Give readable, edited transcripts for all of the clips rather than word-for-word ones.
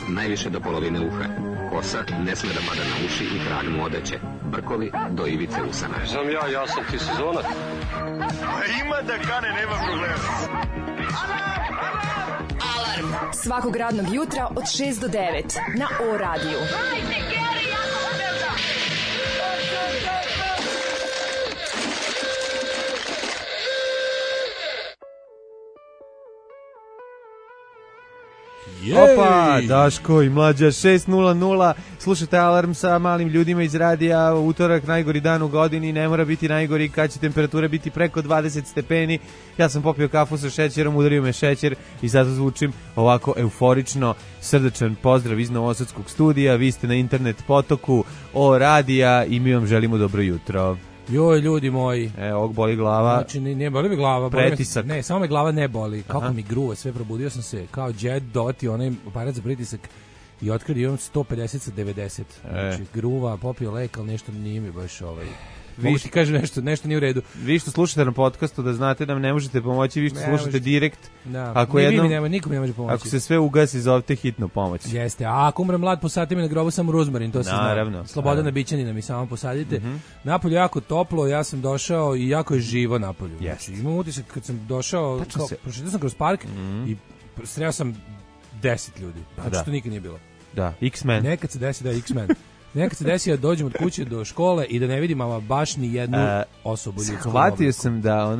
Najviše do polovine uha. Kosa ne sme da pada na uši i tragnu odeće. Brkovi do ivice usana. Znam ja sam ti sezonac. Ima da kane, nema problema. Alarm svakog radnog jutra od 6 do 9 na O radiju. Opa, Daško i Mlađa 6:00. Slušajte Alarm sa malim ljudima iz radija. Utorak, najgori dan u godini, ne mora biti najgori kad će temperatura biti preko 20 stepeni. Ja sam popio kafu sa šećerom, udario me šećer i zato zvučim ovako euforično. Srdačan pozdrav iz Novosadskog studija. Vi ste na internet potoku O radija i mi vam želimo dobro jutro. Joj, ljudi moji. Ovog boli glava. Znači, ne boli mi glava. Pretisak. Ne, samo me glava ne boli. Kako mi gruva, sve probudio sam se kao Jet Dot i onaj aparat za pritisak i otkrio imam 150 sa 90. Znači, gruva, popio lek, ali nešto nije mi baš Mogu ti kažem nešto nije u redu. Vi što slušate na podcastu da znate da nam ne možete pomoći, vi što slušate direkt. Da. Ako nikom ne može pomoći. Ako se sve ugasi, zovete hitnu pomoć. Jeste, a ako umrem mlad, posadite mi na grobu samo ruzmarin, to se zna. Slobodana Bićanina mi samo posadite. Napolju jako toplo, ja sam došao i jako je živo napolju. Znači, imam utisak kad sam došao, prošetao sam kroz park i sreo sam 10 ljudi. Znači, što nikad nije bilo. Da, X-Men. Nekad se desi da je X-Men. Nekad se desi da dođem od kuće do škole i da ne vidim ama baš ni jednu osobu ljudsku. Shvatio sam da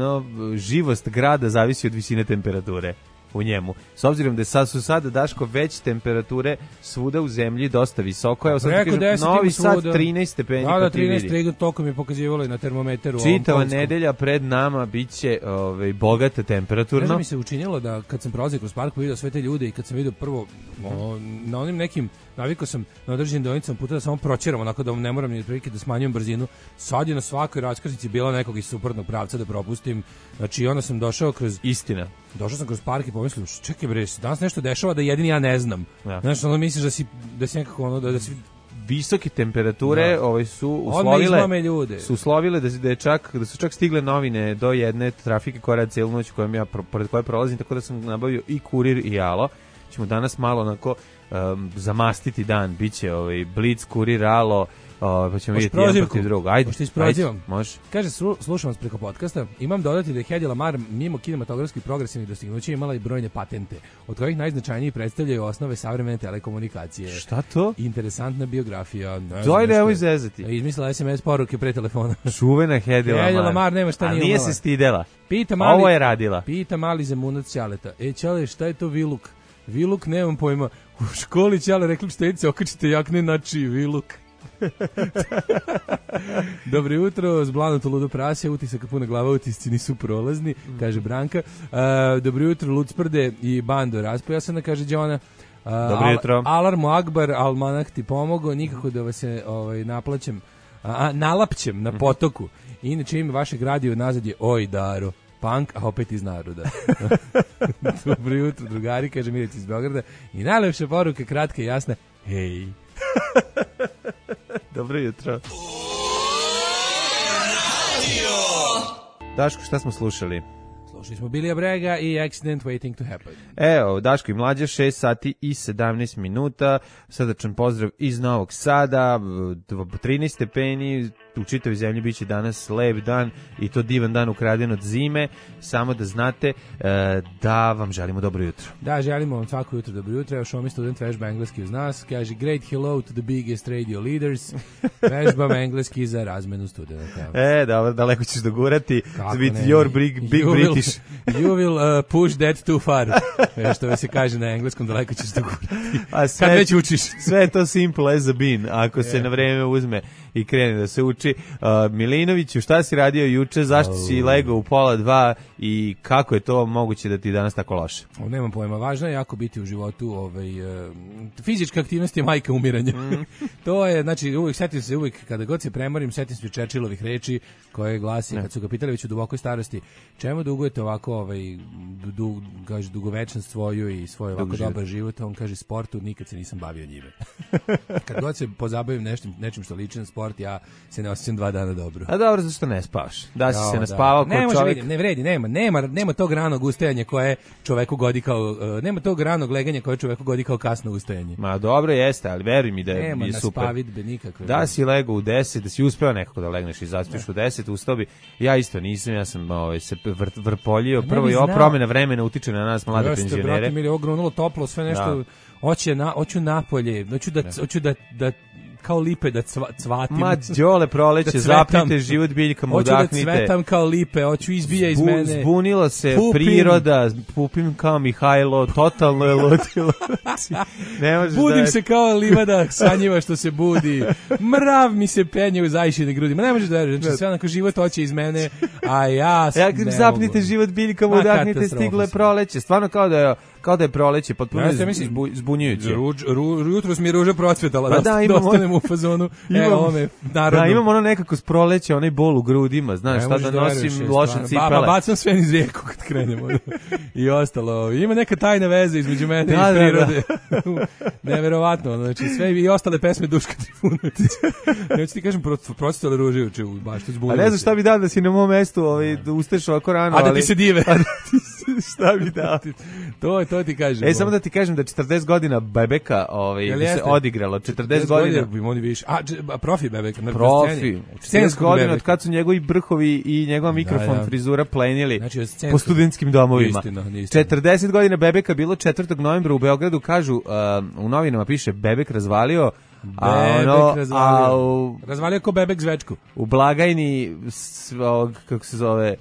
živost grada zavisi od visine temperature u njemu. S obzirom da su sada, Daško, već temperature svuda u zemlji dosta visoko. Evo sad kažem, Novi Sad 13 stepeni. Da, 13, toliko mi je pokazivalo i na termometeru. Čitava nedelja pred nama biće bogata temperaturno. Ne mi se učinilo da kad sam prolazio kroz park vidio sve te ljude i kad sam vidio prvo na onim nekim, navikao sam na određenim deonicama puta da samo proćeram, onako da ne moram ni otprilike da smanjujem brzinu. Sad je na svakoj raskrsnici bila nekog iz suprotnog pravca da propustim. Znači, onda sam došao kroz... Istina. Došao sam kroz park i pomislio, čekaj bre, danas nešto dešava da jedini ja ne znam. Ja. Znaš, ono misliš da si nekako da si... Visoke temperature su uslovile da su čak stigle novine do jedne trafike koja radi cijelu noć pored koje prolazim, tako da sam nabavio i Kurir i Alo. Ćemo danas malo onako zamastiti dan, biće Blic, Kurir, Alo, pa ćemo vidjeti jedan protiv drugog. Ajde, može. Kaže, slušam vas preko podcasta, imam dodati da je Hedy Lamarr mimo kinematografskih progresivnih dostignuća imala i brojne patente, od kojih najznačajniji predstavljaju osnove savremene telekomunikacije. Šta to? Interesantna biografija. Nemoj zezati. Izmislila SMS poruke pre telefona. Čuvena Hedy Lamarr nema šta nije imala. A nije se stidela. Ovo je radila. Pita mali Zemunac Ćaleta. Ćale, šta je to viluk? Viluk, nemam pojma. U školi Ćale rekli štedice, okačite jakne na čiji viluk. Dobro jutro, zblanuto ludo prasje, utisak puna glava, utisci nisu prolazni, kaže Branka. Dobro jutro, Lucprde i bando raspojasana, kaže Đona. Dobro jutro. Alarmu Akbar, almanah ti pomogao, nikako da vas se nalapćem na potoku. Inače ime vašeg radija nazad je Oj Daro. Punk, a opet iz naroda. Dobro jutro, drugari, kaže Mirec iz Beograda. I najlepša poruka, kratka i jasna. Hej. Dobro jutro. Daško, šta smo slušali? Slušali smo Bilija Brega i Accident Waiting to Happen. Evo, Daško i Mlađa, 6 sati i 17 minuta. Srdačan pozdrav iz Novog Sada. 13 stepeni, u čitavoj zemlji biće danas lep dan i to divan dan ukraden od zime. Samo da znate da vam želimo dobro jutro. Da, želimo vam svako jutro dobro jutro. Evo Šomi student vežba engleski uz nas. Kaže, great hello to the biggest radio leaders. Vežbam engleski za razmenu studenta. Dobro, daleko ćeš dogurati. With your big British. You will push that too far. Što se kaže na engleskom, daleko ćeš dogurati. Kad već učiš. Sve je to simple as a bean, ako se na vreme uzme i krene da se uči. Milinoviću, šta si radio juče, zašto si legao u 1:30 i kako je to moguće da ti danas tako loše? Nemam pojma, važno je jako biti u životu, fizička aktivnost je majka umiranja. To je, znači, setim se uvijek, kada god se premorim, setim se Churchillovih reči koje glasi, kad su ga pitali već u dubokoj starosti, čemu dugujete ovako, kaže, dugovečnost svoju i svoj ovako dobar život, on kaže, sportu, nikad se nisam bavio njime. Kad god se pozabavim nečim što liči na sport, sport, ja se ne osjećam 2 dana dobro. A dobro, zašto ne spavaš? Da si se naspavao ne kod čovjek... Ne vredi, nema tog ranog ustajanja koje čoveku godi kao... nema tog ranog leganja koje čoveku godi kao kasno ustajanje. Ma dobro jeste, ali veruj mi da je super. Nema naspavitbe nikakve. Da si legao u 10, da si uspeo nekako da legneš i zaspiš u 10, ustao bi. Ja isto nisam, ja sam se vrpoljio. Prvo i ova promjena vremena utiče na nas mlade penzionere. Brate, mi je ogrunulo toplo, sve nešto... Hoću napolje, hoću da kao lipe da cvatim. Ma đole proleće, zapnite život biljkama, udahnite. Hoću da cvetam kao lipe, hoću izbija iz mene. Zbunila se priroda, pupim kao Mihajlo, totalno je ludilo. Budim se kao livada sanjiva što se budi. Mrav mi se penje u zajšine grudi. Ma ne možeš da veruješ, znači sve onako život hoće iz mene, a ja ne zapnite život biljkama, udahnite, stiglo je proleće. Stvarno kao da je proleće, potpuno zbunjujuće. Jutros mi je ruža procvetala, da ostanemo u fazonu. Imam ono nekako s proleće, onaj bol u grudima, znaš, šta da nosim loše cipele. Bacam sve niz rijeku kad krenemo. I ostalo. Ima neka tajna veza između mene i prirode. Neverovatno, znači sve i ostale pesme Duška Trifunovića. Neću ti kažem, procvetale ruže juče u baštu zbunjujuće. A ne znam šta bi dao da si na mom mestu, da ustaš ovako rano. A da ti se dive. Šta bi dao? To ti kažem. Samo da ti kažem da 40 godina Bebeka se odigralo. 40 godina. Oni više. Profi Bebeka. Profi. 40 godina od kad su njegovi brhovi i njegova mikrofon frizura plenili po studentskim domovima. 40 godina Bebeka bilo 4. novembra u Beogradu, kažu, u novinama piše Bebek razvalio. Razvalio ko Bebek zvečku. U blagajni kako se zove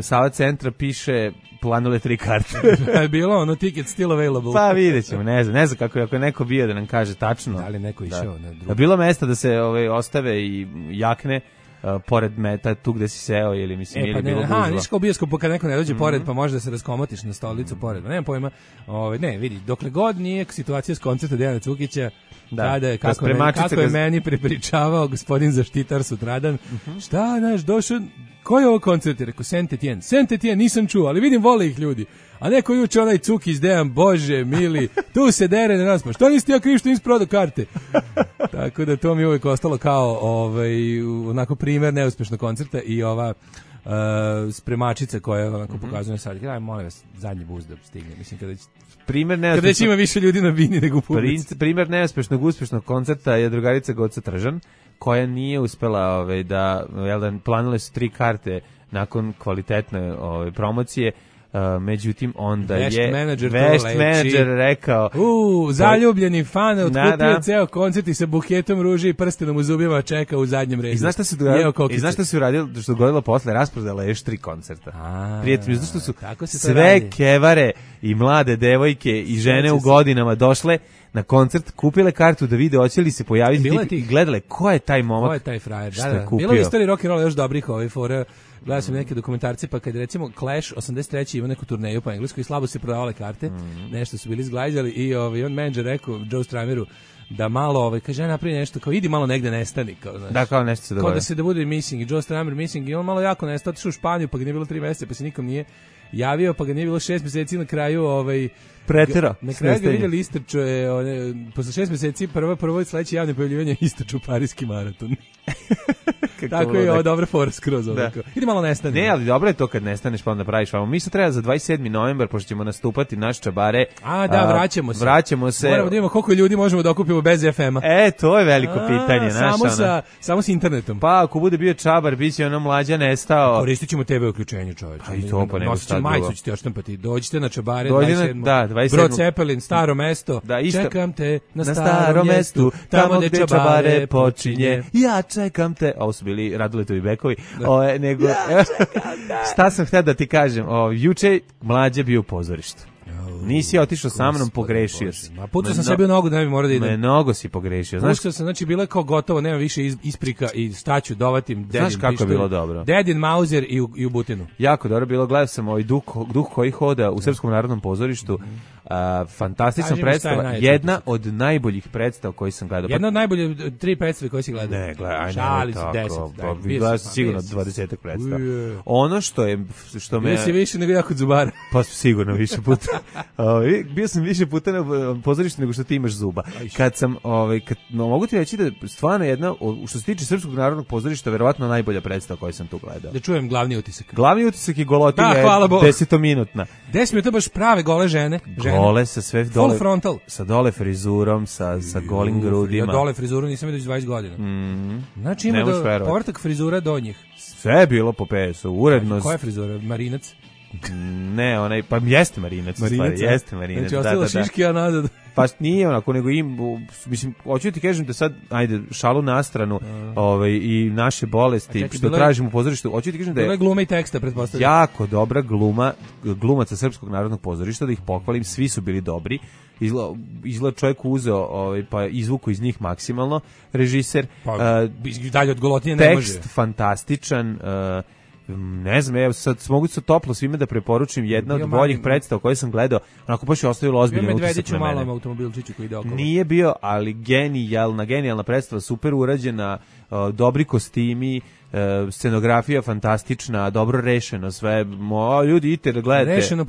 Sava centra piše planule 3 karte. Je bilo ono ticket still available. Pa vidjet ćemo, ne znam kako je, ako je neko bio da nam kaže tačno. Da li neko išao na drugo. Da bilo mesta da se ostave i jakne pored meta tu gde si seo ili mislim ili bilo gužva. Niš kao bioskop kad neko ne dođe pored pa može da se raskomotiš na stolicu pored. Nemam pojma. Ne, vidi, dokle god nije situacija s koncerta Dejana Cukića, kako je meni prepričavao gospodin zaštitar sutradan, šta naš došao, koji je ovo koncert? Rekao, Saint-Étienne, nisam čuo, ali vidim, vole ih ljudi. A neko juče onaj Cukić Dejan, bože, mili, tu se dere na nas, pa što nisi ti ja kriv što nisi prodao karte? Tako da to mi uvijek ostalo kao onako primjer neuspešnog koncerta i ova spremačica koja onako pokazuje sad. Aj, molim vas, zadnji bus da stigne. Mislim, kada već ima više ljudi na bini nego u publici. Primjer neuspešnog, uspešnog koncerta je drugarica Goca Tržan, koja nije uspela da planile su 3 karte nakon kvalitetne promocije. Međutim, onda je vešt menadžer rekao zaljubljeni fan otkupio ceo koncert i sa buketom ruže i prstenom u zubima čeka u zadnjem redu. I znaš šta su uradili, što dogodilo posle, rasprodala još 3 koncerta. Prijatelji, zato što su sve kevare i mlade devojke i žene u godinama došle na koncert, kupile kartu da vide hoće li se pojaviti i gledale ko je taj momak, ko je taj frajer. Što je kupio. Bilo je istorija rock and rolla još dobrih fora. Gledao sam neke dokumentarce, pa kad recimo Clash 83. ima neku turneju po engleskoj i slabo se prodavale karte, nešto su bili zglajđali i on menadžer rekao Joe Strummeru da malo, kaže, napravi nešto, kao idi malo negde nestani. Kao nešto se događa. Kao da bude missing i Joe Strummer missing i on malo jako nestao, otišao u Španiju pa ga nije bilo 3 meseca, pa se nikom nije javio, pa ga nije bilo 6 meseci na kraju pretera. Na kraju ga vidjeli istrču posle 6 meseci prvo sledeće javne pojavljivanje istrču Parijski maraton. Tako je ovo dobra fora skroz. Idi malo nestane. Ne, ali dobro je to kad nestaneš pa onda praviš vamo. Mi se treba za 27. novembar, pošto ćemo nastupati naš čabare. Vraćamo se. Moramo da vidimo koliko ljudi možemo da okupimo bez FM-a. To je veliko pitanje. Samo sa internetom. Pa ako bude bio čabar, bit će ono Mlađa nestao. Koristit ćemo TV uključenje, čoveče. Pa i to pa nego šta drugo. Majicu ćete oštampati. Dođite na čabare 27. Brod Cepelin, Staro mesto. Čekam te na starom mestu, tamo gde čabare počinje. Ja čekam te. Ovo su bili Raduletovi bekovi. Šta sam htio da ti kažem? Juče Mlađa bio u pozorištu. Nisi otišao sa mnom, pogrešio si. Pucao sam sebi u nogu da ne bi morao da idem. Mnogo si pogrešio. Pucao sam, znači bilo je kao gotovo, nema više isprika i staću dovatim Dedin. Znaš kako je bilo dobro? Dedin, Mauser i u Butinu. Jako dobro bilo, gledao sam duh koji hoda u Srpskom narodnom pozorištu. Fantastična predstava, jedna od najboljih predstava koji sam gledao. Jedna od najbolje 3 predstave koje si gledao. Ne, gledaj, šali su 10. Gledao sam sigurno 20 predstava. Ono što me... Bio si više nego jako Zubara. Pa sigurno više puta. Bio sam više puta na pozorištu nego što ti imaš zuba. Kad sam, mogu ti reći da stvarno jedna, što se tiče Srpskog narodnog pozorišta, verovatno najbolja predstava koju sam tu gledao. Da čujem glavni utisak. Glavni utisak je golotinja, 10-minutna. 10 minuta baš prave gole žene. Gole sa sve dole. Full frontal. Sa dole frizurom, sa golim grudima. Ja dole frizuru nisam vidio 20 godina. Znači ima povrtak frizura do njih. Sve je bilo po pesu, uredno. Koja je frizura? Marinac? Ne, onaj, pa jeste Marinac. Jeste Marinac. Znači, ostalo šiški, a nazad. Pa nije onako, nego mislim, hoću ti kažem da sad, ajde, šalu na stranu, i naše bolesti, što tražimo u pozorištu, hoću ti kažem da je... Bila je gluma i teksta, pretpostavljam. Jako dobra glumaca Srpskog narodnog pozorišta, da ih pohvalim, svi su bili dobri. Izgleda čovjek uzeo, pa izvuku iz njih maksimalno, režiser. Pa, dalje od golotinje ne može. Tekst fantastičan, ne znam, evo sad mogu se toplo svime da preporučim jedna od boljih predstava koje sam gledao, onako baš je ostavilo ozbiljan utisak na mene. Malom automobilčiću koji ide okolo. Nije bio, ali genijalna predstava, super urađena, dobri kostimi, scenografija fantastična, dobro rešeno sve. Ljudi, idite da gledate. Rešeno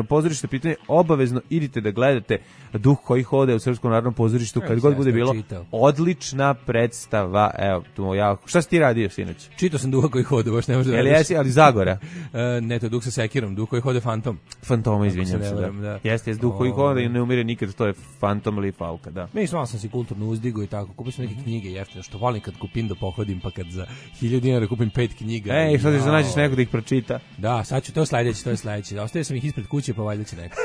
pozorišno pitanje, obavezno idite da gledate Duh koji hode u Srpskom narodnom pozorištu, kad god bude bilo. Odlična predstava. Evo, šta si ti radio sinoć? Čitao sam Duha koji hode, baš ne možda da radiš. Ali Zagora? Ne, to je Duh sa sekirom, Duh koji hode fantom. Fantoma, izvinjam se, da. Jeste, Duh koji hode i ne umire nikad, to je fantom ili falka, da. Mislim, sam si kulturno uzdigo i tako, kupio sam neke knjige jeftine, što volim kad kupim da pohodim, pa kad za 1000 dinara kupim 5 knjiga. Ej, što ćeš da nađeš neko da ih pročita? Da, sad ću, to je sledeće. Ostavio sam ih ispred kuće, pa valjda će neko.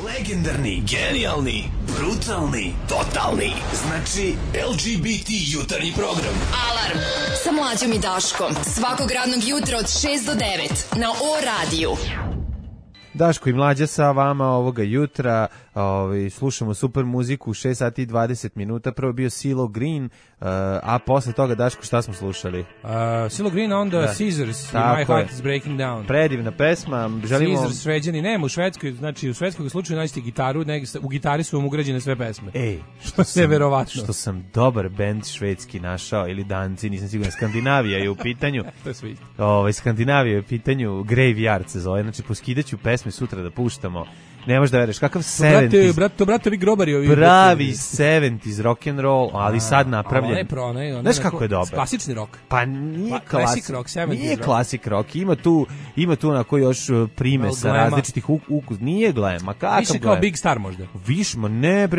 Legendarni, genijalni, brutalni, totalni. Znači, LGBT jutarnji program. Alarm sa Mlađom i Daškom. Svakog radnog jutra od 6 do 9 na O-radiju. Daško i Mlađa sa vama ovoga jutra, slušamo super muziku, 6 sati i 20 minuta, prvo bio CeeLo Green, a posle toga, Daško, šta smo slušali? CeeLo Green, onda Caesars, My Heart is Breaking Down. Predivna pesma, želimo... Caesars, Šveđani, nema u Švedskoj, znači u švedskog slučaju nađete gitaru, u gitari su vam ugrađene sve pesme. Ej, što sam dobar bend švedski našao, ili danci, nisam siguran, Skandinavija je u pitanju. To je sve isto. Skandinavija je u pitanju, Graveyard se zove, znači poskidaću pesme sutra da puštamo. Ne možeš da veruješ, kakav 70s... Bratovi grobari. Pravi 70s rock and roll, ali sad napravljen. Znaš kako je dobar? Klasični rock. Pa nije classic rock, 70s rock. Nije classic rock, ima tu onako još primesa različitih ukus. Nije glema, kakav glema? Više kao Big Star možda.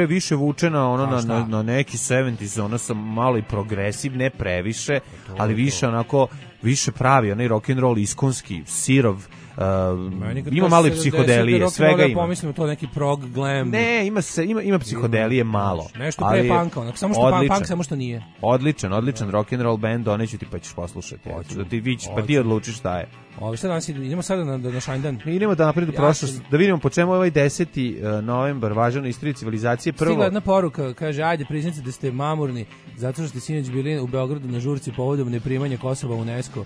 Više vučena na neki 70s, ono sam malo i progresiv, ne previše, ali više onako, više pravi, onaj rock and roll iskonski, sirov, ima malo i psihodelije, svega ima. Pomislimo to neki prog glam. Ne, ima psihodelije malo. Nešto pre punka, samo što punk, samo što nije. Odličan rock and roll band, doneću ti pa ćeš poslušati. Pa ti odlučiš šta je. Šta danas idemo sada na Šajndan? Idemo da napred u prošlost, da vidimo po čemu ovaj 10. novembar važan u istoriji civilizacije. Stigla jedna poruka, kaže, ajde priznajte da ste mamurni, zato što ste sinoć bili u Beogradu na žurci povodom neprimanja Kosova u UNESCO.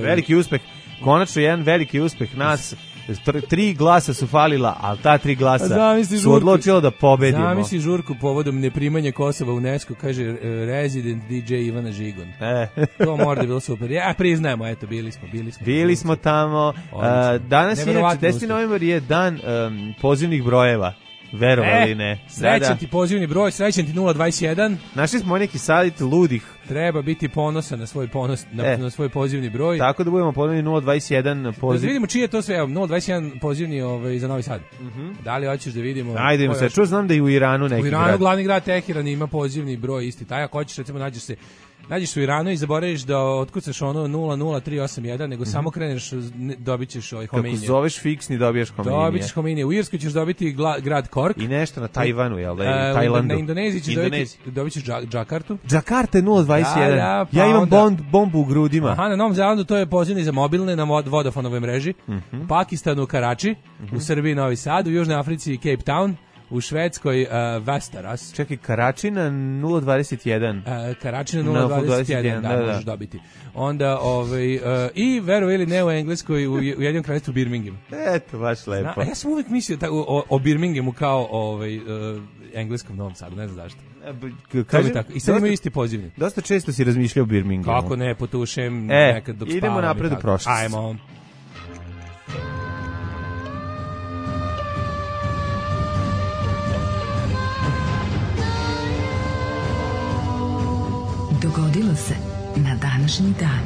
Veliki uspeh. Konačno jedan veliki uspeh nas. 3 glasa su falila, ali ta 3 glasa su odlučila da pobedimo. Zamisli žurku povodom neprimanja Kosova u UNESCO, kaže Resident DJ Ivana Žigon. To mora da je bilo super. Ja priznajemo, eto, bili smo tamo. Danas je 10. novembar je dan pozivnih brojeva. Verovali ne. Srećan ti pozivni broj, srećan ti 021. Našli smo neki savjet ludih. Treba biti ponosan na na svoj pozivni broj. Tako da budemo ponovni 021 poziv. Da vidimo čiji je to sve, 021 pozivni za Novi Sad. Da li hoćeš da vidimo? Ajde, se znam da i u Iranu neki grad. U Iranu glavni grad Teheran ima pozivni broj isti. Taj ako hoćeš, recimo nađeš u Iranu i zaboraviš da otkucaš ono 00381, nego samo kreneš, dobit ćeš Hominije. Kako zoveš fiksni, dobiješ Hominije. Dobićeš Hominije. U Irskoj ćeš dobiti grad Kork. I nešto na Tajvanu, jel da? Tajlandu. Na Indoneziji ćeš dobit ćeš Džakartu. Džakarta je 021. Ja imam bombu u grudima. Aha, na Novom Zelandu to je pozivni za mobilne na Vodafonovoj mreži. U Pakistanu Karači, u Srbiji Novi Sad, u Južnoj Africi Cape Town. U Švedskoj Västerås. Čekaj, Karači na 021. Karači na 021, da, možeš dobiti. Onda, i veruj ili ne, u Engleskoj, u jednom kraljestvu Birmingham. Eto, baš lepo. Ja sam uvijek mislio o Birminghamu kao engleskom Novom Sadu, ne znam zašto. I sad imaju isti pozivni. Dosta često si razmišljao o Birminghamu. Kako ne, potušem nekad dok spavam. Idemo napred u prošlost. Ajmo. Dogodilo se na današnji dan.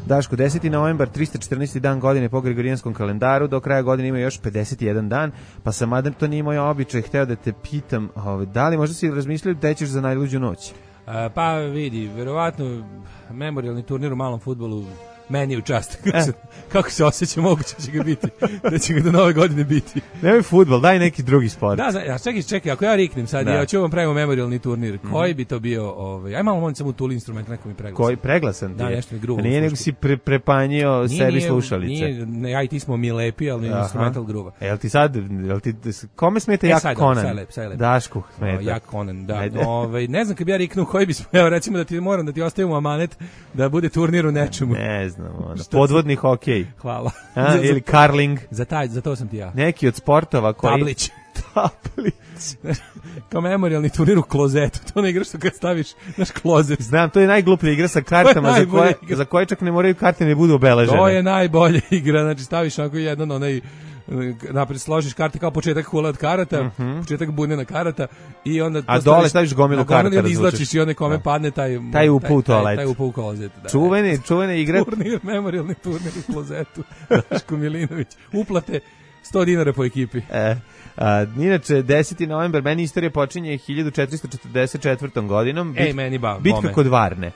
Daško, 10. novembar, 314. dan godine po Gregorijanskom kalendaru, do kraja godine ima još 51 dan, pa sam, mada to nije moj običaj, hteo da te pitam, da li možda si razmislio da ćeš za najluđu noć? Pa vidi, verovatno memorijalni turnir u malom fudbalu meni je u čast. Kako se osjeća, moguće će ga biti. Da će ga do nove godine biti. Nemoj fudbal, daj neki drugi sport. Da, čekaj, ako ja riknem sad, ja ću vam pravimo memorijalni turnir. Koji bi to bio? Aj malo molim samo tuli instrument, neko mi preglasan. Koji preglasan ti? Da, nešto mi grubo. Nije nego si prepanjio sebi slušalice. Nije, ja i ti smo mi lepi, ali instrumental gruba. Jel ti sad, kome smeta Jak Conan? Dašku smeta. Jak Conan, da. Ne znam kad bi ja riknuo koji bismo, evo recimo da ti moram da ti ostavimo amanet da bude turnir u nečemu. Ne znam. Podvodni hokej. Hvala. Ili karling. Za to sam ti ja. Neki od sportova koji... Tablić. Kao memorijalni turnir u klozetu. To ne igraš što kad staviš naš klozet. Znam, to je najgluplja igra sa kartama za koje čak ne moraju karte ne budu obeležene. To je najbolja igra. Znači staviš onako jedan onaj napred složiš karte kao početak hula od karata, početak bunjena karata i onda a dole staviš gomilu karata, onda izlačiš i onda kome padne taj upao u toalet. Taj upao u klozet. Da. Čuvene igre. Memorijalni turnir u klozetu. Daško Milinović. Uplate $100 po ekipi. Inače, 10. novembar, meni istorija počinje 1444. godinom. Bitka kod Varne.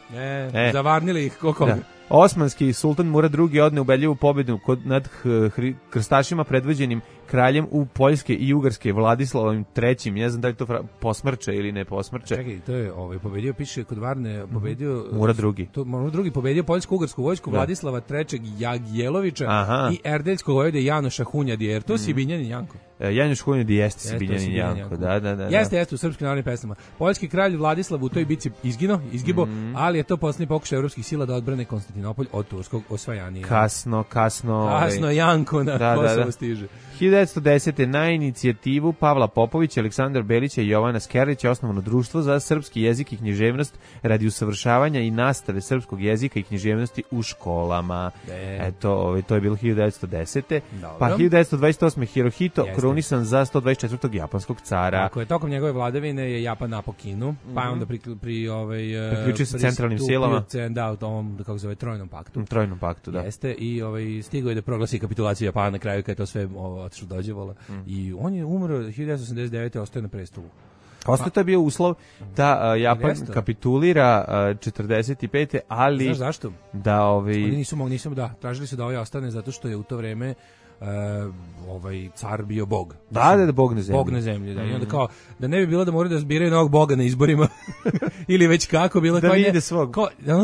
Zavarnili ih koliko? Da. Osmanski sultan Murad II odne ubedljivu pobedu nad krstašima predvođenim kraljem u Poljske i Ugarske Vladislavom III. Ne znam da li to posmrče ili ne posmrče. Čekaj, to je pobedio, piše kod Varne, pobedio Murad II. Murad II pobedio Poljsko-Ugarsku vojsku Vladislava III. Jagjelovića i Erdeljskog vojvode Janoša Hunjadi, jer to si Binjanin Janko. Janoš Hunjadi jeste si Binjanin Janko, da. Jeste u srpskim narodnim pesmama. Poljski kralj Vladislav u toj bici izginuo, ali je to posljednji pokušaj evropskih sila da odbrane Konstantinopolj od turskog osvajanja. Kasno Janko na Kosovo stiže. 1910. na inicijativu Pavla Popovića, Aleksandra Belića i Jovana Skerlića osnovano društvo za srpski jezik i književnost radi usavršavanja i nastave srpskog jezika i književnosti u školama. Eto, to je bilo 1910. Dobro. Pa 1928. Hirohito krunisan za 124. japanskog cara. Tako je, tokom njegove vladavine je Japan napao Kinu, pa je onda priključio se centralnim silama. Da, u ovom, kako se zove, Trojnom paktu. Trojnom paktu, da. Jeste, i stigao je da proglasi kapitulaciju Japana na kraju, kada je to sve otišlo dođevala. I on je umro 1989. ostaje na prestolu. Ostaje je bio uslov da Japan kapitulira 45. ali... Znaš zašto? Da Oni nisu tražili su da ovaj ostane zato što je u to vreme car bio bog. Da, bog na zemlji. Bog na zemlji, da. I onda kao, da ne bi bilo da moraju da zbiraju novog boga na izborima, ili već kako bilo. Da vide svog.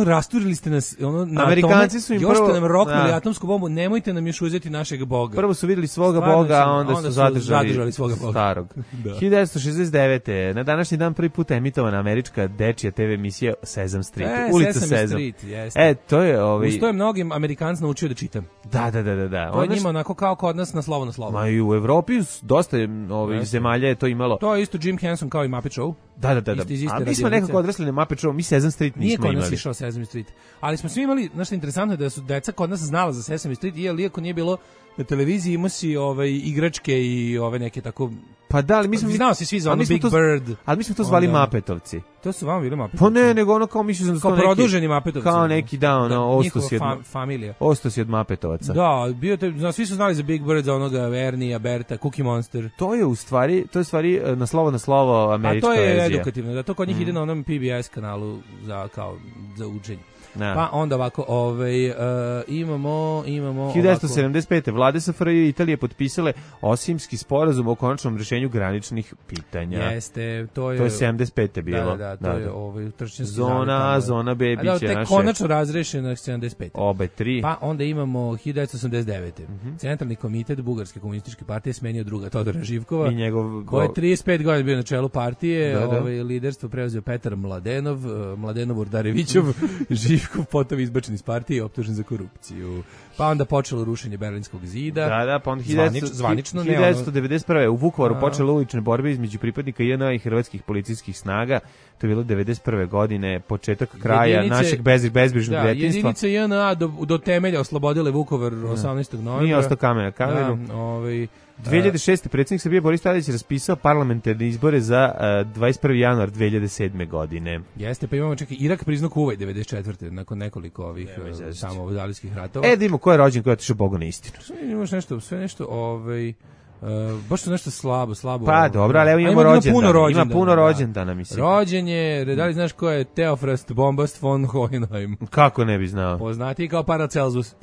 Rasturili ste nas, Amerikanci su im još ste nam roknuli atomsku bombu, nemojte nam još uzeti našeg boga. Prvo su vidjeli svoga boga, a onda su zadržali svoga boga. Starog. 1969. Na današnji dan prvi put emitovana američka dečija TV emisija Sesame Street. Ulica Sesame. To je Uz to je mnogim Amerikanci naučio da čitam. Da. To je njima onako kao kod nas na slovo na slovo. Ma i u Evropi dosta zemalja je to imalo. To je isto Jim Henson kao i Muppet Show. Da. A mi smo nekako odrasli na Muppet Show, mi Sesame Street nismo imali. Nije kod nas išao Sesame Street. Ali smo svi imali, znaš što je interesantno je da su deca kod nas znala za Sesame Street, iako nije bilo na televiziji, imao si igračke i neke tako... Pa da, ali mi smo... Znao si svi za ono Big Bird. Ali mi smo to zvali Mappetovci. To su vama bili Mappetovci? Pa ne, nego ono kao mislio sam da su kao produženi Mappetovci. Kao neki, Ostos je familija. Ostos je od Mappetovaca. Da, svi su znali za Big Bird, za onoga Ernie, Berta, Cookie Monster. To je u stvari na slovo američka verzija. A to je edukativno, da to kod njih ide na onom PBS kanalu za učenje. Pa onda ovako, imamo 1975. Vlade SFRJ i Italije potpisale Osimski sporazum o konačnom rješenju graničnih pitanja. Jeste, to je 75. bilo. Da, to je utrčenski zona B biće naše. Da, konačno razrešeno 75. Obe tri. Pa onda imamo 1989. Centralni komitet Bugarske komunističke partije smenio druga Todora Živkova, i njegov koji je 35 godina bio na čelu partije. Liderstvo preuzeo Petar Mladenov Urdarevićov, Živkov potom izbačen iz partije i optužen za korupciju. Pa onda počelo rušenje Berlinskog zida. Da, pa onda zvanično 1991. u Vukovaru počele ulične borbe između pripadnika JNA i hrvatskih policijskih snaga. To je bilo 1991. godine, početak kraja našeg bezbrižnog djetinjstva. Jedinice JNA do temelja oslobodile Vukovar 18. novembra. Nije ostao kamen na kamenu. 2006. predsjednik Srbije Boris Tadić raspisao parlamentarne izbore za 21. januar 2007. godine. Jeste, pa imamo, čekaj, Irak priznao Kuvajt 94. nakon nekoliko ovih samodalijskih ratova. Da imamo ko je rođen, ko je otišao Bogu na istinu. Imaš nešto, sve nešto, baš to nešto slabo. Pa dobro, ali evo imamo rođendana. Ima puno rođendana, mislim. Rođen je, da li znaš ko je Theophrast Bombast von Hohenheim? Kako ne bi znao? Poznati kao Paracelsus.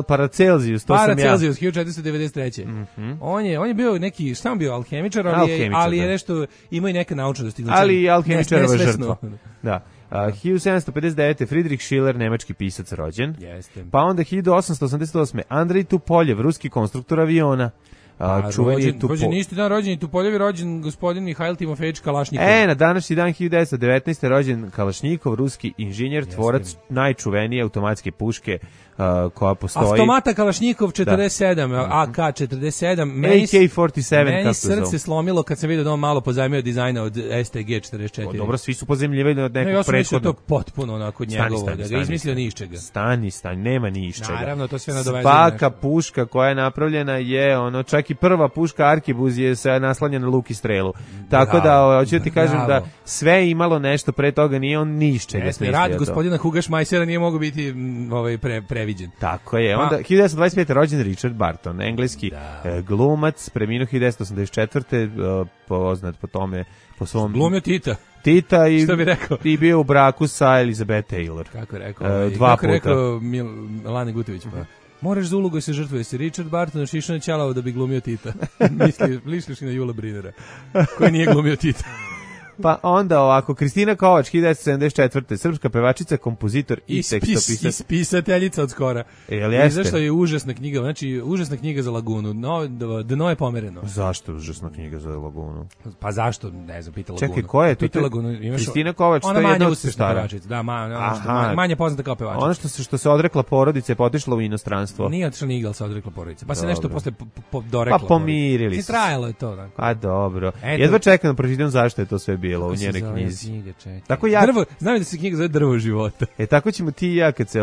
Paracelsius, to sam ja. Paracelsius, 1493. On je bio neki, šta on bio, alhemičar, ali je nešto, ima i neka naučna dostignuća. Ali i alhemičarova žrtva. Da. 1759. Friedrich Schiller, nemački pisac, rođen. Jeste. Pa onda 1888. Andrej Tupoljev, ruski konstruktor aviona. Rođen isti dan rođen i Tupoljev, rođen gospodin Mihajl Timofejević Kalašnikov. Na današnji dan 1919. rođen Kalašnikov, ruski inženjer, tvorac najčuvenije automatske puške koja postoji. Automata Kalašnikov 47, AK-47. AK-47, meni srce slomilo kad sam vidio da on malo pozajmio dizajna od STG-44. Dobro, svi su pozemljivali od nekog prethodnog. Ja sam mislio to potpuno onako njegovo, da ga izmislio ni iz čega. Stani, nema ni iz čega. Naravno, to sve nadovezuje. Svaka puška koja je napravljena je, čak i prva puška Arkebuz je se naslanja na luk i strelu. Tako da, hoću ti kažem da sve imalo nešto pre toga, nije on ni iz čega smislio. Rad gospodina Huga Šmajsera nije mogao biti previđen. Tako je. Onda 1925. rođen Richard Barton, engleski glumac, preminuo 1984. Poznat po tome, po svom... Glumio Tita što bi rekao? I bio u braku sa Elizabeth Taylor. Kako je rekao? Kako je rekao Lane Gutović? Moraš za ulogu se žrtvuje se. Richard Barton šišao na ćalavo da bi glumio Tita. Misliš na Jula Brinera, koji nije glumio Tita. Pa onda ovako, Kristina Kovač, 1974. Srpska pevačica, kompozitor i tekstopisac. I spisateljica od skora. Izašla je užasna knjiga, znači užasna knjiga za Lagunu. Dno je pomereno. Zašto užasna knjiga za Lagunu? Pa zašto? Ne znam, pita Lagunu. Čekaj, ko je to? Kristina Kovač, to je jedna od sestara. Da, manje poznata kao pevačica. Ono što se odrekla porodice, potišla u inostranstvo. Nije otišla ni igral, se odrekla porodice. Pa se nešto posle dorekla. Pa pomirili se. Trajalo je to. A dobro. Jedva čekam da pročitam zašto je to sve bilo u njenoj knjizi. Tako ja znam da se knjiga zove Drvo života. Tako ćemo ti i ja kad se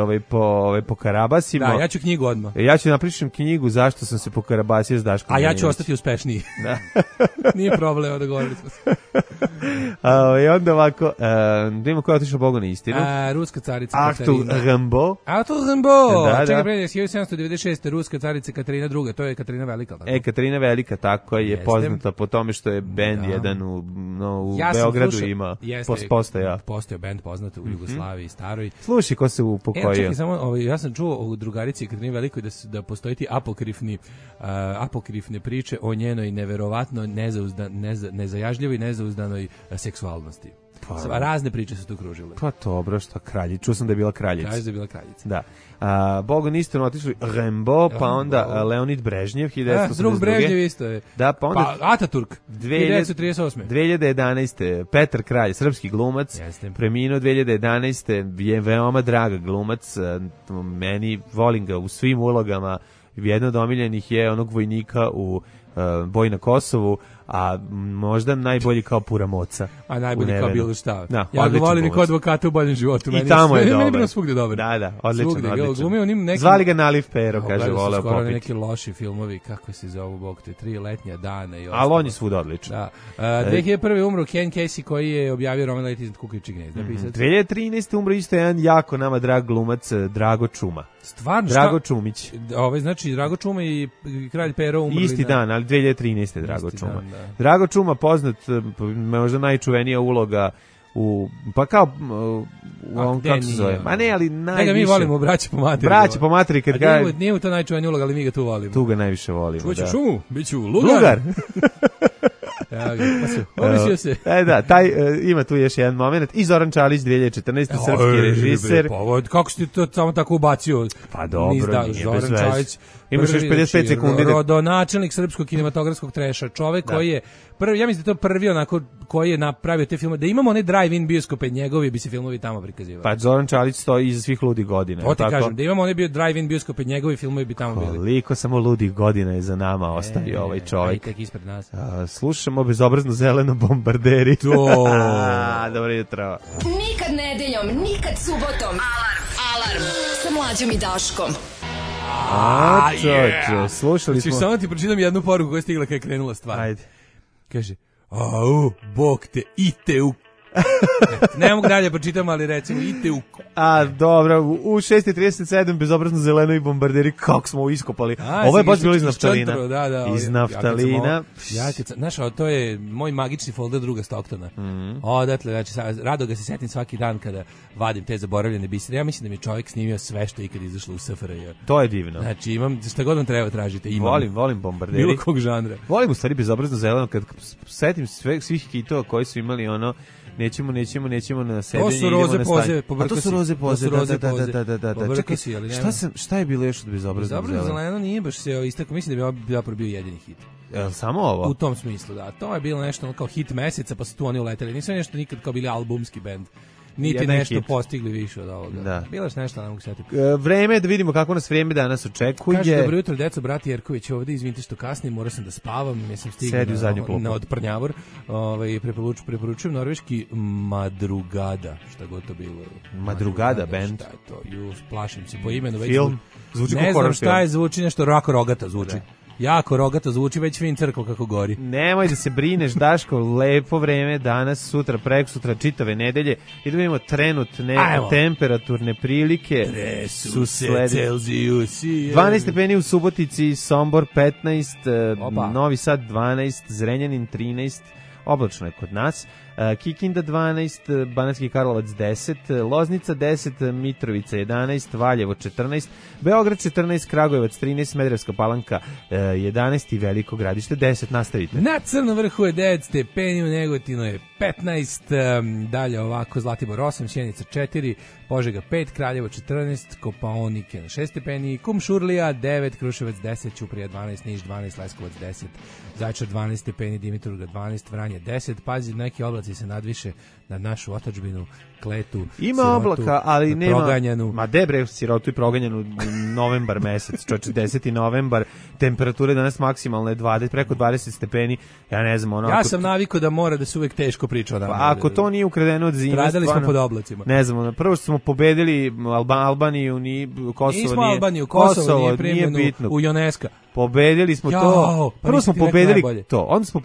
pokarabasimo. Da, ja ću knjigu odmah. Ja ću napišem knjigu zašto sam se pokarabasio s Daškom. A ja ću ostati uspešniji. Da. Nije problem, dogovorili smo se. I onda ovako, da imamo koja je otišla Bogu na istinu. Ruska carica Katarina. Arthur Rimbaud. Čekaj, 1796. Ruska carica Katarina II. To je Katarina Velika. Katarina Velika, tako je poznata po tome što je bend jedan u Beogradu ima postoja. Postoja bend poznat u Jugoslaviji staroj. Slušaj ko se upokojio. Čekaj, samo, ja sam čuo u drugarici Katarini Velikoj da postoji ti apokrifne priče o njenoj neverovatno nezajažljivoj, nezauzdanoj seksualnosti. Razne priče su tu kružile. Pa dobro, šta kraljica. Čuo sam da je bila kraljica. Kažu da je bila kraljica. Da. Bogu niste otišli Rimbaud, pa onda Leonid Brežnjev, 1982. Drug Brežnjev isto je. Da, pa onda Ataturk, 1938. 2011. Petar Kralj, srpski glumac, preminuo 2011. Je veoma draga glumac, meni volim ga u svim ulogama. Jedna od omiljenih je onog vojnika u Boji na Kosovu, a možda najbolji kao Puramoca. A najbolji kao bilo šta. Da, ja ga volim i kao advokata u boljem životu. I tamo je dobar. Meni je bilo svugde dobar. Da, odličan. Zvali ga Naliv Pero, kaže, voleo popiti. Skoro neki loši filmovi, kako se zovu, Bog te, 3 letnja dana i ostalo. Ali on je svud odličan. Da. 2001. umro Ken Casey koji je objavio roman Leti iznad kukavičjeg gnezda. 2013. umro isto jedan jako nama drag glumac, Drago Čuma. Stvarno? Drago Čumić. Znači, Drago Čuma i Kralj Pero umrli. Isti dan, ali 2013. Drago Čuma. Drago Čuma poznat, možda najčuvenija uloga pa kao kako se zove? Ma ne, ali najviše. Da ga mi volimo, braće po materi. Braće po materi, kad ga... Nije mu to najčuvenija uloga, ali mi ga tu volimo. Tu ga najviše volimo, Čuću šumu, bit ću lugar. Omislio se. Da, ima tu još jedan moment. I Zoran Čalić, 2014. srpski režiser. Kako si to samo tako ubacio? Pa dobro, nije bez veze. Imaš još 55 sekundi. Rodonačelnik srpskog kinematografskog treša. Čovek koji je prvi, ja mislim da to prvi onako koji je napravio te filmove. Da imamo one drive-in bioskope, njegovi bi se filmovi tamo prikazivali. Pa Zoran Čalić stoji iza svih ludih godina. To ti kažem, da imamo one drive-in bioskope, njegovi filmovi bi tamo bili. Koliko samo ludih godina je za nama ostavio ovaj čovjek. Tek ispred nas. Slušamo bezobrazno zeleno bombarderi. Dobro jutro. Nikad nedeljom, nikad subotom. Alarm sa Mlađom i Daškom. Čoče, slušali smo. Samo ti pročitam jednu poruku koja je stigla kada je krenula stvar. Ajde. Kaže, Bog te, ite u... Ne mogu dalje pročitam, ali recimo, ite u... Dobro, u 6.37 bezobrazno zeleno i bombarderi, kako smo ovo iskopali. Ovo je baš bilo iz naftalina. Iz naftalina. Znaš, to je moj magični folder druga Stocktona. Odatle, znači, rado ga se setim svaki dan kada vadim te zaboravljene bisere. Ja mislim da mi čovjek snimio sve što je ikad izašlo u SFRJ. To je divno. Znači, imam, šta god vam treba tražite, imam. Volim bombarderi. Bilo kog žanra. Volim u stvari bezobrazno zeleno, kad setim svih hitova koji su imali ono, nećemo na sedenje. To su roze poze, to su roze poze, da. Čekaj, šta je bilo još od bezobraznog zeleno? Zeleno nije baš se istakao, mislim da bi zapravo bio jedini hit. Samo ovo? U tom smislu, da. To je bilo nešto kao hit meseca, pa su tu oni uleteli. Nisu nešto nikad kao bili albumski bend. Niti jedan nešto hit. Postigli više od ovoga. Da. Bilo je nešto, ne mogu setiti. Vreme, da vidimo kako nas vreme danas očekuje. Kaže, dobro jutro, deco, brat Jerković ovde, izvinite što kasnim, morao sam da spavam, nisam stigao na odprnjavor. Preporučujem norveški Madrugada, šta god to bilo. Madrugada band? Šta je to? Plašim se po imenu. Film? Zvuči ne znam šta je, zvuči nešto rako rogata zvuči. Jako rogato zvuči, već vidim crkvu kako gori. Nemoj da se brineš, Daško, lepo vreme danas, sutra, prekosutra, čitave nedelje. I da vidimo trenutne temperaturne prilike. Tresu se Celzijusi. 12 stepeni u Subotici, Sombor 15, Novi Sad 12, Zrenjanin 13, oblačno je kod nas. Kikinda 12, Banatski Karlovac 10, Loznica 10, Mitrovica 11, Valjevo 14, Beograd 14, Kragujevac 13, Smederevska Palanka 11 i Veliko Gradište 10. Nastavite. Na Crnom vrhu je 9 stepeni, u Negotinu je 15, dalje ovako Zlatibor 8, Sjenica 4, Požega 5, Kraljevo 14, Kopaonike na 6 stepeni, Kumšurlija 9, Kruševac 10, Ćuprija 12, Niš 12, Leskovac 10, Zaječar 12 stepeni, Dimitrovgrad 12, Vranje 10, pazi, neki oblaci se nadviše na našu otadžbinu, Kletu, ima sirotu, oblaka, ali nema proganjanu. Ma debre, sirotu i proganjanu novembar mesec, čoče 10. novembar, temperature danas maksimalne 20, preko 20 stepeni, ja ne znam, ono... Ja sam navikao da mora da se uvek teško priča o nama. Ako to nije ukradeno od zime, stradali smo pod oblacima. Ne znam, ono, prvo što smo pobedili Albaniju, Kosovo nismo Albaniju, Kosovo nije primljeno u UNESCO. Pobedili smo to. Prvo smo pobedili to. Onda smo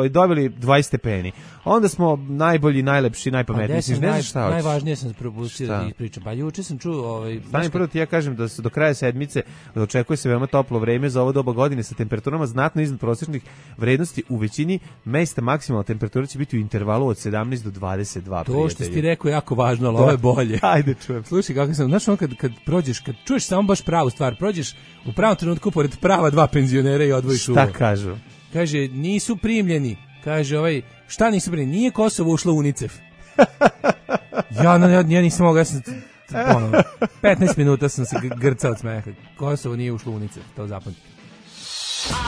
dobili 20 stepeni. Onda smo najbolji, najlepši, najpametniji. Ne znam šta hoćeš. Najvažnije sam propustio da ispričam. Pa juče sam čuo... Stani prvo ti ja kažem da se do kraja sedmice očekuje se veoma toplo vreme za ovo doba godine sa temperaturama znatno iznad prosječnih vrednosti. U većini mesta maksimalna temperatura će biti u intervalu od 17 do 22. To što si ti rekao je jako važno, ali ovo je bolje. Ajde, čujem. Slušaj, kako sam... Znaš, kad prođeš, kad čuješ samo baš pravu stvar, prođeš u pravom trenutku pored prava dva penzionera i odvojiš uvo. Šta kažu? Kaže, nisu primljeni. Kaže, šta nisu primljeni? Nije Kosovo ušlo u UNICEF. Ja nisam mogao, 15 minuta sam se grcao od smeha. Kosovo nije ušlo u UNICEF, to zapamtite.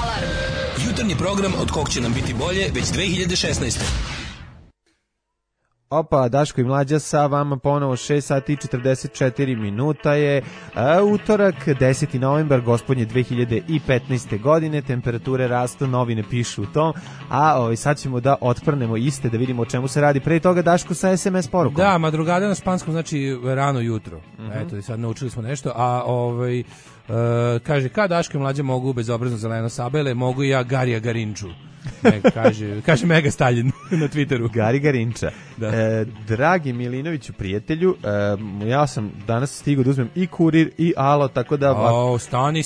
Alarm! Jutarnji program od kog će nam biti bolje već 2016. Opa, Daško i Mlađa sa vama ponovo 6 sati i 44 minuta je utorak, 10. novembar, gospodnje 2015. godine, temperature rastu, novine pišu u tom, a sad ćemo da otprnemo iste, da vidimo o čemu se radi. Pre toga Daško sa SMS porukom. Da, madrugada na španskom znači rano jutro. Eto, sad naučili smo nešto, a kaže, kad Daško i Mlađa mogu bezobrazno zeleno sabele, mogu i ja Garija Garinču. Kaže Mega Stalin na Twitteru. Gari Garinča. Dragi Milinoviću prijatelju, ja sam danas stigao da uzmem i Kurir i Alo, tako da... Stani,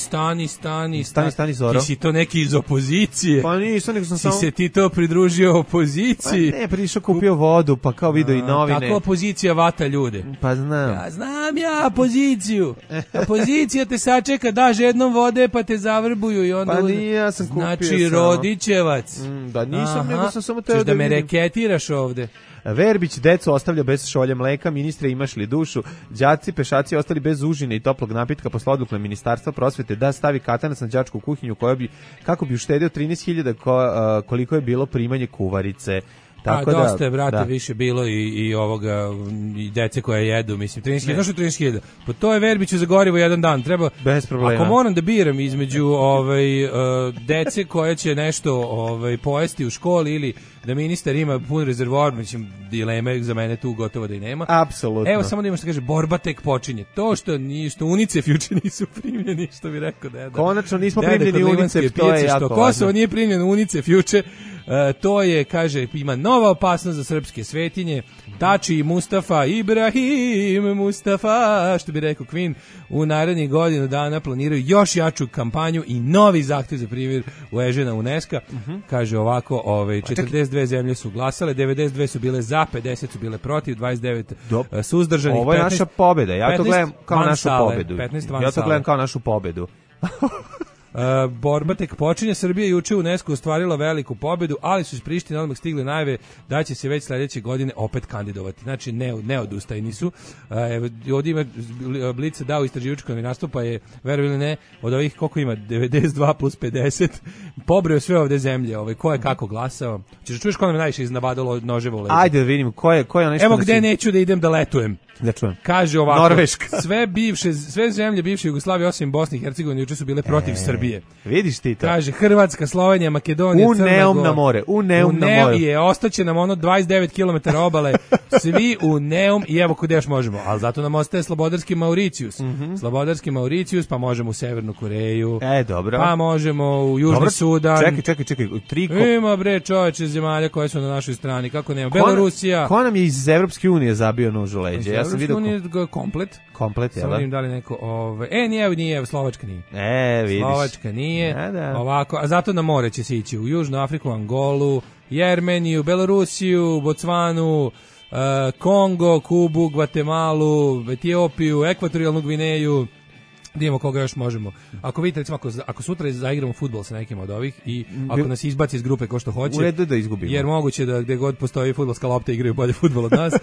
Zoro. Ti si to neki iz opozicije. Pa nisam, nego sam samo... Si se ti to pridružio opoziciji. Pa ne, prišao kupio vodu, pa kao video i novine. Kako opozicija vata ljude? Pa znam. Ja znam opoziciju. Opozicija te sačeka, daš jednom vode, pa te zavrbuju i onda... Pa nije, ja sam kupio znači, Rodićevac. Da nisam, nego sam samo teo da me reketiraš ovde. Verbić decu ostavlja bez šolje mleka, ministre imaš li dušu, đaci pešaci ostali bez užine i toplog napitka posle odluke Ministarstva prosvete da stavi katanac na đačku kuhinju kako bi uštedio 13.000 koliko je bilo primanje kuvarice. Tako dosta je, brate, više bilo i ovoga, i dece koja jedu, mislim, 13.000, znaš što 13.000? Pa to je Verbiću za gorivo jedan dan, treba, bez problema. Ako moram da biram između dece koja će nešto pojesti u školi ili da ministar ima pun rezervoar, mislim, dileme za mene tu gotovo da i nema. Apsolutno. Evo, samo da ima što kaže, borba tek počinje. To što UNICEF juče nisu primljeni, što bi rekao deda. Konačno nismo primljeni UNICEF, to je jako što važno. Kosovo nije primljeno UNICEF juče, to je, kaže, ima nova opasnost za srpske svetinje. Tači i Mustafa, Ibrahim Mustafa, što bi rekao Queen, u narednih godinu dana planiraju još jaču kampanju i novi zahtev za primjer u Ežena UNESCO. Kaže ovako, 42 zemlje su glasale, 92 su bile za, 50 su bile protiv, 29 suzdržanih. Ovo je 15, naša pobjeda, ja to gledam kao našu sale, pobedu. 15 van Ja to sale. gledam kao našu pobedu. Borba tek počinje. Srbija juče u UNESCO ostvarila veliku pobedu, ali su iz Prištine odmah stigle najave da će se već sledeće godine opet kandidovati. Znači ne odustajni su. Ovdje ima Blic dao istraživačko novinarstvo, pa je, verovali ili ne, od ovih koliko ima 92 plus 50 pobreo sve ovde zemlje, ko je kako glasao. Ćeš čuješ ko nam je najviše iznabadalo noževa u leđa? Ajde da vidim ko je nešto. Evo gde neću da idem da letujem. Da čujem. Kaže ovako, Norveška. sve zemlje bivše Jugoslavije osim Bosne i Hercegovine juče su bile protiv Srbije. Vidiš ti to. Kaže Hrvatska, Slovenija, Makedonija, Crna Gora. Na more, u Neum na more. I ostaće nam 29 km obale, svi u Neum i evo kude još možemo. Ali zato nam ostaje Slobodarski Mauricijus. Slobodarski Mauricijus, pa možemo u Severnu Koreju. Dobro. Pa možemo u Južni Sudan. Čekaj. Ima bre čoveče zemalja koje su na našoj strani, kako nema. Belorusija. Ko nam je iz Evropske unije zabio nož u leđe? Ja sam vidio komplet. Komplet, jel da? Samo da li neko, nije, Slovačka nije. Vidiš. Slovačka nije. Da. Ovako, a zato na more će se ići u Južnu Afriku, Angolu, Jermeniju, Belorusiju, Bocvanu, Kongo, Kubu, Gvatemalu, Etiopiju, Ekvatorijalnu Gvineju. Vidimo koga još možemo. Ako vidite, recimo, ako sutra zaigramo fudbal sa nekim od ovih i ako nas izbaci iz grupe ko što hoće, u redu da izgubimo. Jer moguće da gde god postoji fudbalska lopta igraju bolje fudbal od nas.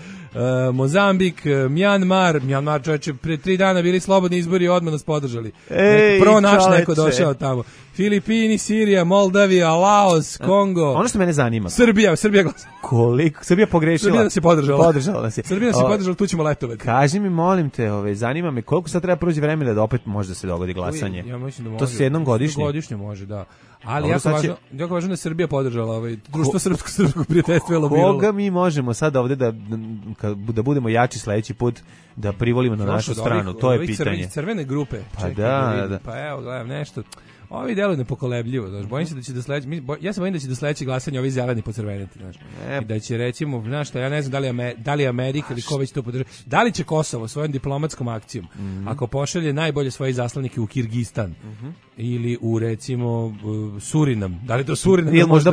Mozambik, Mjanmar čoveče, pre 3 dana bili slobodni izbori i odmah nas podržali. Prvo naš neko došao tamo. Filipini, Sirija, Moldavija, Laos, Kongo. Ono što mene zanima. Srbija glasa. Koliko? Srbija pogrešila. Srbija nas je podržala. Srbija nas je podržala, tu ćemo letovati. Kaži mi, molim te, zanima me koliko sad treba proći vremena da opet može da se dogodi glasanje. Ja mislim da može. To se jednom godišnje. Godišnje može, da. Ali jako važno da je Srbija podržala društvo srpsko prijateljstvo je lobiralo. Koga mi možemo sad ovde da budemo jači sledeći put da privolimo na našu stranu? To je pitanje. Crvene grupe. Pa da. Pa evo, gledam nešto. Ovi deluju nepokolebljivo, znaš, bojim se da će ja se bojim da će do sledećeg glasanja ovi zeleni pocrveniti, znaš. I da će, recimo, znaš šta, ja ne znam da li je Amerika ili ko već to podržava, da li će Kosovo svojom diplomatskom akcijom, ako pošalje najbolje svoje zaslanike u Kirgistan, ili u, recimo, Surinam, da li to Surinam? Ili možda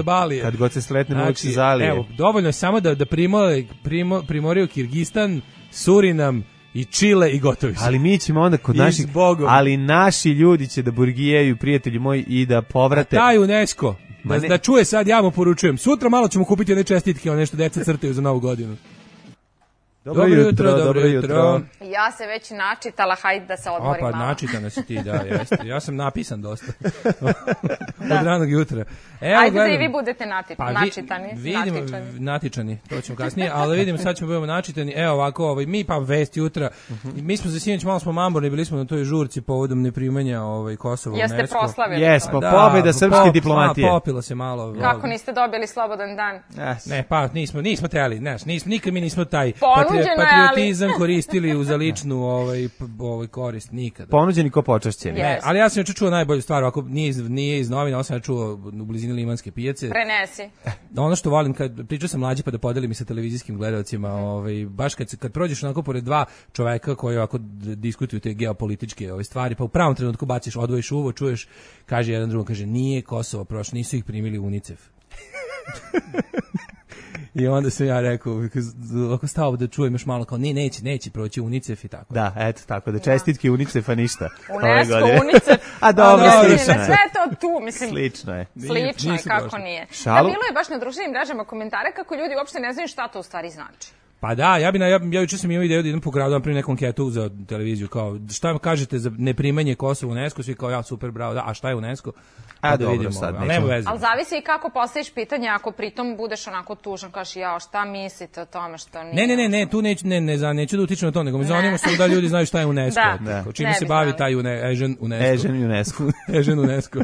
Balije, kad god se sretnemo uvijek se zalije. Evo, dovoljno je samo da primoriju Kirgistan, Surinam, i Čile i gotovi su. Ali mi ćemo onda kod naših, ali naši ljudi će da burgijaju, prijatelji moji, i da povrate. A taj UNESCO, da čuje sad, ja mu poručujem, sutra malo ćemo kupiti one čestitke, nešto deca crtaju za novu godinu. Dobro jutro. Ja se već načitala, hajde da se odmorim malo. Pa načitana si ti, da, jeste. Ja sam napisan dosta. Od ranog jutra. Ajde da i vi budete natičani, to ćemo kasnije, ali vidimo, sad ćemo budemo načitani. Evo ovako, mi pa vest jutra. Mi smo za sinoć malo smo mamborni, bili smo na toj žurci povodom neprimanja Kosova u UNESCO. Jeste proslavili? Jesmo, pobjeda srpske diplomatije. Popilo se malo. Kako niste dobili slobodan dan? Ne, pa nismo teli, nikad mi nismo taj patriotizam koristili za ličnu korist, nikada. Ponuđeni ko počašćeni. Ali ja sam čuo najbolju stvar, ako nije iz novina, ovo sam čuo u blizini Limanske pijace. Prenesi. Ono što volim, kad pričao sam mlađi pa da podelim i sa televizijskim gledalcima, baš kad prođeš onako pored dva čoveka koji ovako diskutuju te geopolitičke stvari, pa u pravom trenutku baciš, odvojiš uvo, čuješ, kaže jedan drugom, kaže, nije Kosovo prošlo, nisu ih primili UNICEF. I onda sam ja rekao, ako stao da čujem još malo, kao neće proći UNICEF i tako. Da, eto tako, da čestitke UNICEF-a ništa. UNESCO, UNICEF. A dobro, slično je. Sve to tu, mislim. Slično je. Slično je, kako nije. Da, bilo je baš na društvenim mrežama komentare kako ljudi uopšte ne znaju šta to u stvari znači. Pa da, ja juče sam imao ideju da idem po gradu, napravim neku anketu za televiziju, kao šta kažete za neprimanje Kosova u UNESCO, svi kao ja super bravo, da, a šta je UNESCO? A da dobro, vidimo, sad ali nema veze. Ali zavisi i kako postaviš pitanje, ako pritom budeš onako tužan, kažeš jao, šta mislite o tome što nije... Ne, tu neću da utičem na to, nego mi zanima se da ljudi znaju šta je UNESCO. Da. Čime se bavi taj Ežen UNESCO. Ežen UNESCO.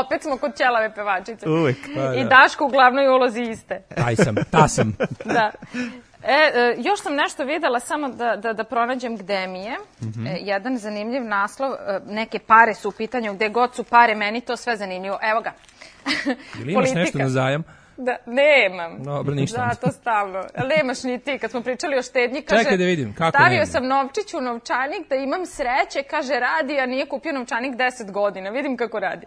Opet smo kod ćelave pevačice. Uvek. I Daško u glavnoj ulozi iste. Ta sam. Da. Još sam nešto videla, samo da pronađem gde mi je. Jedan zanimljiv naslov, neke pare su u pitanju, gde god su pare, meni to sve zanimljivo. Evo ga. Ili imaš nešto na zajam? Da, nemam. Dobro, ništa. Da, to stalno. Ali nemaš ni ti. Kad smo pričali o štednji, kaže... Čekaj da vidim, kako stavio sam novčić u novčanik da imam sreće, kaže, radi, a nije kupio novčanik 10 godina. Vidim kako radi.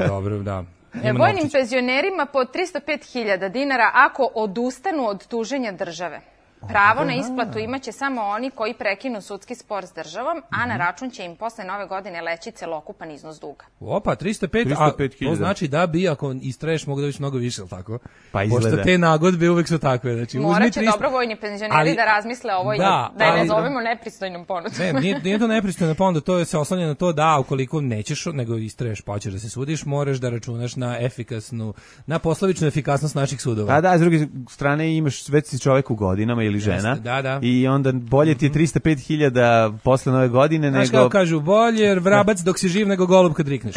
Dobro, da. Vojnim penzionerima po 305.000 dinara ako odustanu od tuženja države. Pravo na isplatu imaće samo oni koji prekinu sudski spor s državom, a na račun će im posle nove godine leći celokupan iznos duga. Opa, 305.000. To znači da bi, ako istraješ, mogu da biš mnogo više, ali tako? Pa izgleda. Pošto te nagodbe uvek su takve. Znači, morat će dobrovojni penzioneri da razmisle ovo i da je ne zovemo nepristojnom ponudom. Ne, nije to nepristojna ponuda, to se oslanja na to da ukoliko nećeš, nego istraješ pa hoćeš da se sudiš, moraš da računaš na poslovičnu efikasnost naših sudova. A da, s druge strane imaš već si čovek u godinama ili žena. Da. I onda bolje ti je 305.000 posle nove godine nego... Znaš kako kažu, bolje vrabac dok si živ nego golub kad rikneš.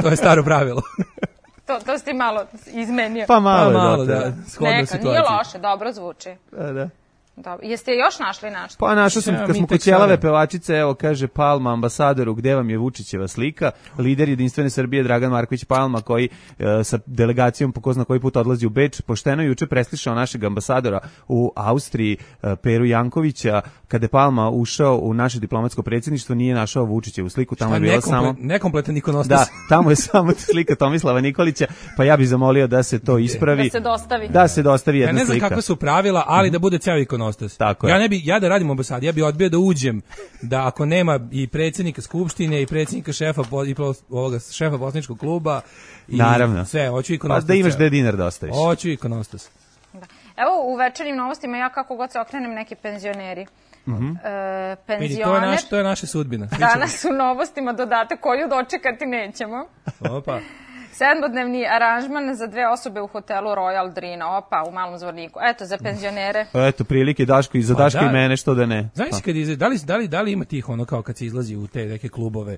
To je staro pravilo. To si ti malo izmenio. Pa malo da. Neka, nije loše, dobro zvuči. Da. Dobro. Jeste još našli nešto? Pa našao sam, kad smo kod ćelave pevačice, evo kaže Palma ambasadoru, gde vam je Vučićeva slika, lider Jedinstvene Srbije Dragan Marković Palma, koji sa delegacijom po ko zna koji put odlazi u Beč, pošteno juče preslišao našeg ambasadora u Austriji, Peru Jankovića, kada je Palma ušao u naše diplomatsko predsjedništvo, nije našao Vučićevu sliku, tamo je bilo samo... Nekompletan ikonostas. Da, tamo je samo slika Tomislava Nikolića, pa ja bih zamolio da se to ispravi. Da se dostavi. Da se dostavi jedna slika. Ja ne znam kakve su pravila, ali da bude ceo ikonostas. Tako ja da radim u ambasadi, ja bih odbio da uđem, da ako nema i predsjednika skupštine i predsjednika šefa poslaničkog kluba i naravno sve, hoću ikonostas. Pa da imaš da dinar da ostaviš. Hoću ikonostas. Da. Evo u večernjim novostima ja kako god se okrenem neki penzioneri. Penzioner. To je naša sudbina. Danas u novostima dodatak koju dočekati nećemo. Opa. 7-dnevni aranžman za 2 osobe u hotelu Royal Drina, opa, u Malom Zvorniku. Eto, za penzionere. Eto, prilike Daško i za Daško i mene, što da ne. Znaš da li ima tih ono kao kad se izlazi u te neke klubove,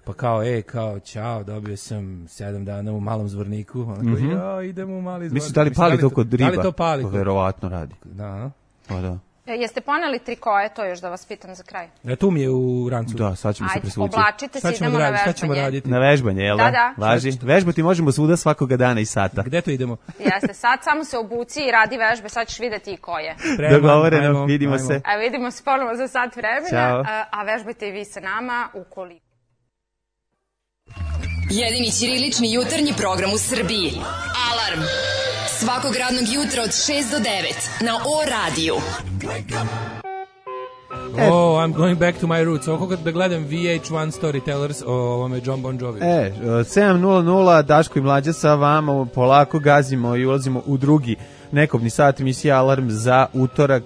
pa kao, čao, dobio sam 7 dana u Malom Zvorniku, onako, idemo u Mali Zvornik. Mislim, da li pali to kod riba? Da li to pali? To verovatno radi. Da. Pa da. Jeste poneli trikoje, to još da vas pitam za kraj? Tu mi je u rancu. Da, sad ćemo se presvući. Ajde, oblačite se, idemo na vežbanje. Na vežbanje, jel da? Da. Važi. Vežbati možemo svuda svakoga dana i sata. Gde to idemo? Jeste, sad samo se obuci i radi vežbe, sad ćeš vidjeti i koje. Dogovoreno, vidimo se. A vidimo se ponovo za sat vremena, Ćao. a vežbajte i vi sa nama ukoliko. Jedini ćirilični jutarnji program u Srbiji. Alarm! Svakog radnog jutra od 6 do 9 na O-radiju. I'm going back to my roots. Ovo da gledam VH1 Storytellers o ovome John Bon Jovi. 7:00 Daško i Mlađa sa vama, polako gazimo i ulazimo u drugi nekobni sat emisija Alarm za utorak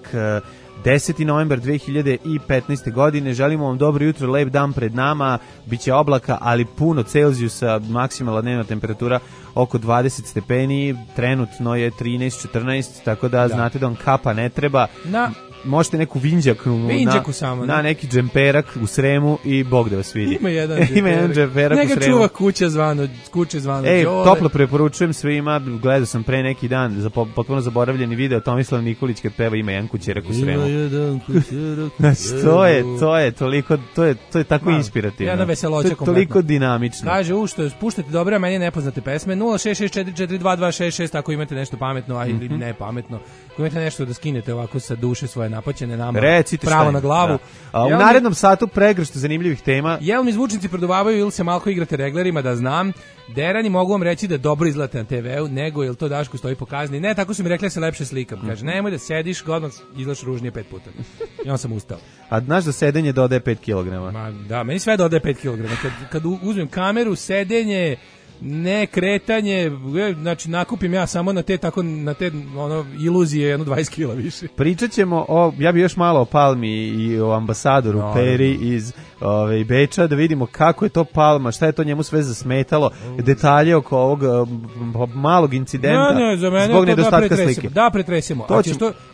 10. novembar 2015. godine. Želimo vam dobro jutro, lep dan pred nama, biće oblaka, ali puno Celzijusa, maksimalna dnevna temperatura oko 20 stepeni, trenutno je 13-14, tako da znate da vam kapa ne treba. Možete neku vinđaku samo, na neki džemperak u Sremu i Bog da vas vidi. Ima jedan džemperak u Sremu. Neka čuva kuće zvano toplo preporučujem svima, gledao sam pre neki dan potpuno zaboravljeni video Tomislav Nikolić kad peva Ima jedan kućerak u Sremu. Znači, to je toliko, to je tako inspirativno. Jedna veseloća kompletno. To je toliko dinamično. Kaže, što puštate dobre, a meni nepoznate pesme, 066442266, ako imate nešto pametno, ili ne pametno, ako imate nešto da skinete ovako sa duše svoje napaćene nama, recite pravo na glavu. U narednom satu pregršt zanimljivih tema. Jel mi zvučnici produvavaju ili se malko igrate reglerima, da znam. Derani, mogu vam reći da dobro izgledate na TV-u, nego jel to Daško stoji po kazni. Ne, tako su mi rekli da se lepše slikam. Kaže, nemoj da sediš, odmah izgledaš ružnije 5 puta. I on sam ustao. A znaš da sedenje dodaje 5 kg? Da, meni sve dodaje 5 kg. Kad uzmem kameru, sedenje, Ne kretanje, znači nakupim ja samo na te iluzije jedno 20 kila više. Pričat ćemo ja bi još malo o Palmi i o ambasadoru Peri iz Beča, da vidimo kako je to Palma, šta je to njemu sve zasmetalo, detalje oko ovog malog incidenta zbog nedostatka slike. Da, pretresimo.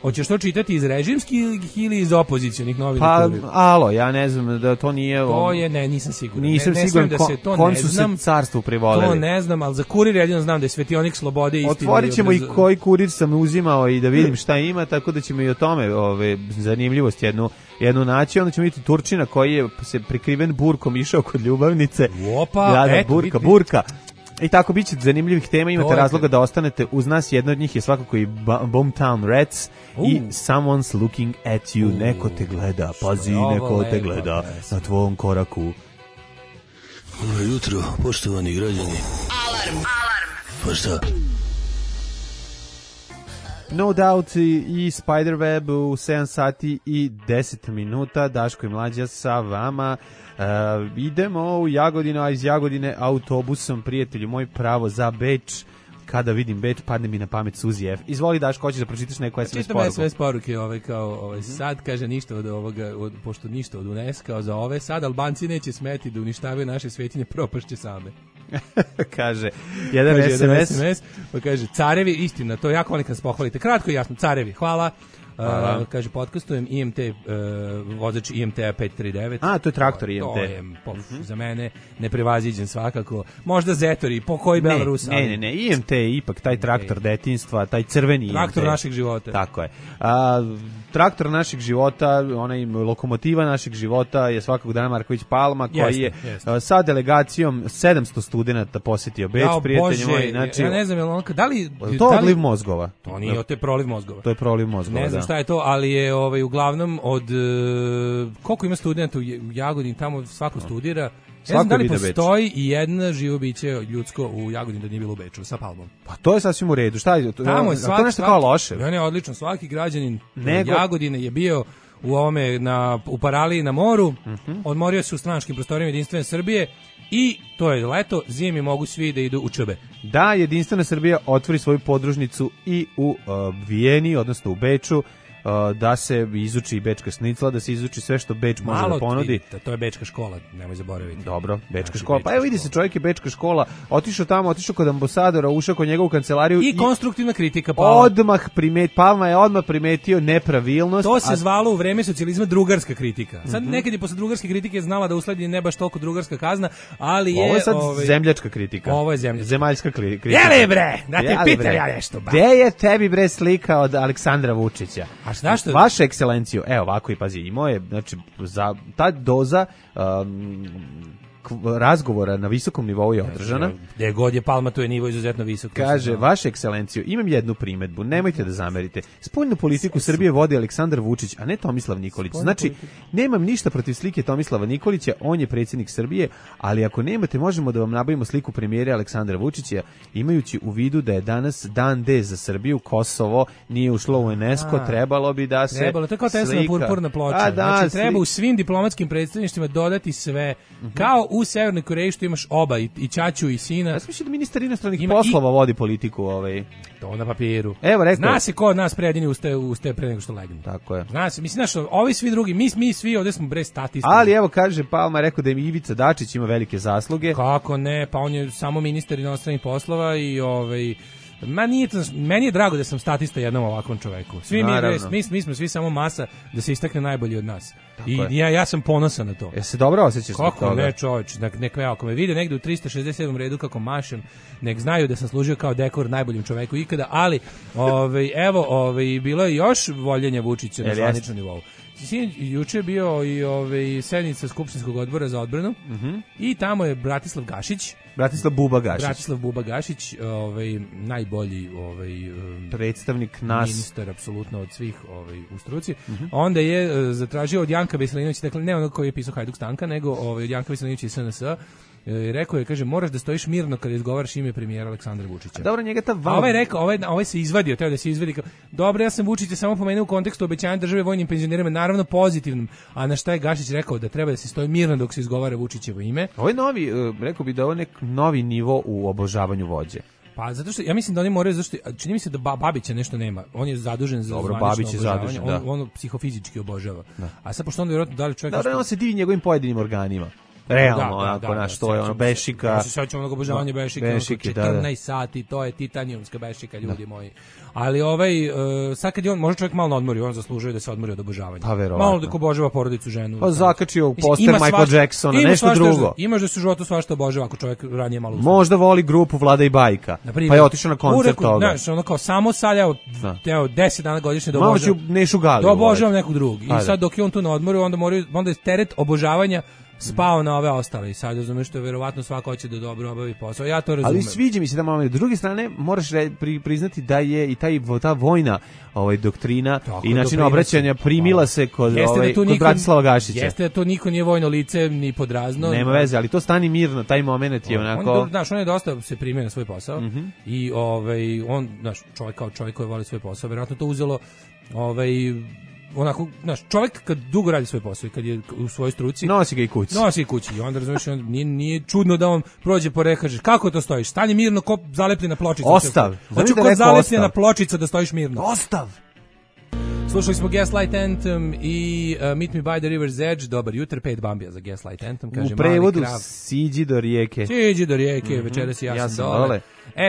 Hoćeš to čitati iz režimskih ili iz opozicionih novina? Pa, ja ne znam da to nije... To je, nisam siguran. Nisam siguran kom su se carstvu privoleli. To ne znam, ali za Kurir jedino znam da je svetionik slobode istine. Otvorit ćemo i koji Kurir sam uzimao i da vidim šta ima, tako da ćemo i o tome zanimljivost jednu naći. Onda ćemo vidjeti Turčina koji je se prikriven burkom išao kod ljubavnice. Opa, burka. I tako biće zanimljivih tema, imate razloga da ostanete uz nas. Jedna od njih je svakako i Boomtown Rats i Someone's Looking at You. Neko te gleda, pazi, neko te gleda na tvojom koraku. Dobro jutro, poštovani građani. Alarm. Pa šta? No Doubt i Spiderweb u 7 sati i 10 minuta. Daško i Mlađa sa vama. Idemo u Jagodinu, a iz Jagodine autobusom, prijatelju moj, pravo za Beč. Kada vidim Beč, padne mi na pamet Suzi F. Izvoli, Daško, hoćeš da pročitaš neku SMS poruku? Čitam SMS poruke, sad kaže ništa od ovoga, pošto ništa od UNESCO za ove, sad Albanci neće smeti da uništavaju naše svetinje, propašće same. Kaže jedan SMS, pa kaže carevi, istina, to jako volim kad se pohvalite, kratko i jasno, carevi, hvala. Kaže, podcastujem IMT, vozač IMT-a 539. A, to je traktor IMT. To je za mene neprevaziđen svakako. Možda Zetori, po koji Belarus. Ne, IMT je ipak taj traktor detinjstva, taj crveni IMT. Traktor našeg života. Tako je. Traktor našeg života, onaj lokomotiva našeg života je svakog dana Marković Palma, koji je sa delegacijom 700 studenata posjetio Beč, prijatelji moji. Znači, ja ne znam, da li... To je odliv mozgova. To nije, to je proliv mozgova. To je proliv mozgova, ne znam šta je to, ali je uglavnom od... koliko ima studenta u Jagodini, tamo svako studira. Ne znam da li postoji i jedna živo biće ljudsko u Jagodini da nije bilo u Beču sa Palmom. Pa to je sasvim u redu. Šta je to? Tamo je to nešto kao loše. Ne, odlično. Svaki građanin Jagodine je bio u ovome u Paraliji na moru. Odmorio se u stranačkim prostorima Jedinstvene Srbije i to je leto, zimi mogu svi da idu u Čebe. Da, Jedinstvena Srbija otvori svoju podružnicu i u Vijeni, odnosno u Beču, da se izuči bečka šnicla, da se izuči sve što Beč može da ponudi. To je bečka škola, nemoj zaboraviti. Dobro, bečka škola. Pa evo vidi se, čovjek je bečka škola, otišao tamo, otišao kod ambasadora, ušao kod njegovu kancelariju i konstruktivna kritika Palma je odmah primetio nepravilnost. To se zvalo u vreme socijalizma drugarska kritika. Sad nekad je posle drugarske kritike znala da usledi ne baš toliko drugarska kazna, ali je... Ovo je sad zemljačka kritika. Ovo je zemljačka. Zemaljska kritika. Jeli bre, da te pitam ja nešto. Gde je tebi bre slika od Aleksandra Vučića? Zašto? Vaša ekscelencijo, evo ovako i pazi, imao je, znači, za ta doza razgovora na visokom nivou je održana. Gde god je Palma, tu je nivo izuzetno visok. Kaže, vaša ekscelencijo, imam jednu primedbu, nemojte da zamerite. Spoljnu politiku Srbije vodi Aleksandar Vučić, a ne Tomislav Nikolić. Znači, nemam ništa protiv slike Tomislava Nikolića, on je predsjednik Srbije, ali ako nemate, možemo da vam nabavimo sliku premijera Aleksandra Vučića, imajući u vidu da je danas dan D za Srbiju, Kosovo nije ušlo u UNESCO, trebalo bi da se to je kao Teslina purpurna ploča. Znači, treba u svim diplomatskim predstavništvima dodati sve, kao u Severnoj Koreji što imaš oba, i ćaću i sina. Ja sam mislio da ministar inostranih poslova vodi politiku. To na papiru. Evo, rekao. Zna se ko od nas predini ustaje pre nego što legne. Tako je. Zna se, mislim, ovi svi drugi, mi svi ovdje smo bre statisti. Ali evo, kaže Palma, rekao da je Ivica Dačić ima velike zasluge. Kako ne, pa on je samo ministar inostranih poslova i meni je drago da sam statista jednom ovakvom čoveku. Svi mi smo svi samo masa da se istakne najbolji od nas. Tako i ja sam ponosan na to. Ja se dobro osjećaš zbog toga? Kako ne, čoveč, ako me vide negde u 367. redu kako mašem, nek znaju da sam služio kao dekor najboljim čoveku ikada, ali bilo je još voljenja Vučića na zvaničnom nivou. Juče je bio i sednica Skupštinskog odbora za odbranu i tamo je Bratislav Buba Gašić, najbolji predstavnik nas, ministar apsolutno od svih u struci. Onda je zatražio od Janka Veselinovića, dakle ne onog koji je pisao Hajduk Stanka, nego od Janka Veselinovića iz SNS, rekao je, kaže, moraš da stojiš mirno kada izgovaraš ime premijera Aleksandra Vučića. Dobro, njega ta ovaj rekao, ovaj se izvadio, teo da se izvadi kao, dobro, ja sam Vučića samo pomenuo u kontekstu obećanja države vojnim penzionerima, naravno pozitivnim, a na šta je Gašić rekao da treba da se stoji mirno dok se izgovara Vučićevo ime. Ovo je novi, rekao bi da je ovo nek novi nivo u obožavanju vođe. Pa zato što ja mislim da oni moraju, zašto čini mi se da Babića nešto nema. On je zadužen za zvanično obožavanje. On psihofizički obožava. Da. A sad pošto on vjerojatno da li čovjek... Dobro, on se divi njegovim pojedinim organima. Realno, onako, naš, to je ono bešika. Ja se sećam onog obožavanja bešike, 14 sati, to je titanijumska bešika, ljudi moji. Ali sad kad je on, može čovjek malo odmori, on zaslužuje da se odmori od obožavanja. Pa verovatno. Malo da obožava porodicu, ženu. Pa zakačio poster Michael Jacksona, nešto drugo. Imaš da se u životu svašta obožava ako čovjek ranije malo uzme. Možda voli grupu Vlada i Bajka, pa je otišao na koncert toga. Znaš, ono kao samo sad, evo 10 dana godišnje da obožavam. Malo ću Nešu Gali. Da obožavam nekog drugog. I sad dok je on tu na odmoru, onda je teret obožavanja spao na ove ostale i sad razumeš što je verovatno svako hoće da dobro obavi posao. Ja to razumem. Ali sviđa mi se da malo. S druge strane moraš priznati da je i ta vojna doktrina i način obraćanja primila se kod Bratislava Gašića. Jeste da to niko nije vojno lice ni podrazno. Nema veze, ali to stani mirno, taj moment je onako. On je dosta se primio na svoj posao i on, znaš, čovjek koji voli svoj posao, verovatno to uzelo onako, znaš, čovjek kad dugo radi svoj posao i kad je u svojoj struci nosi ga i kući i onda razumiješ, nije čudno da on prođe po kažeš kako to stojiš, stani mirno ko zalepljena pločica, ostav, znači ko zalepljena pločica da stojiš mirno, ostav. Slušali smo Gaslight Anthem i Meet Me by the River's Edge. Dobar jutro, 5 bambija za Gaslight Anthem, kaže u prevodu siđi do rijeke. Večeras ja sam dole.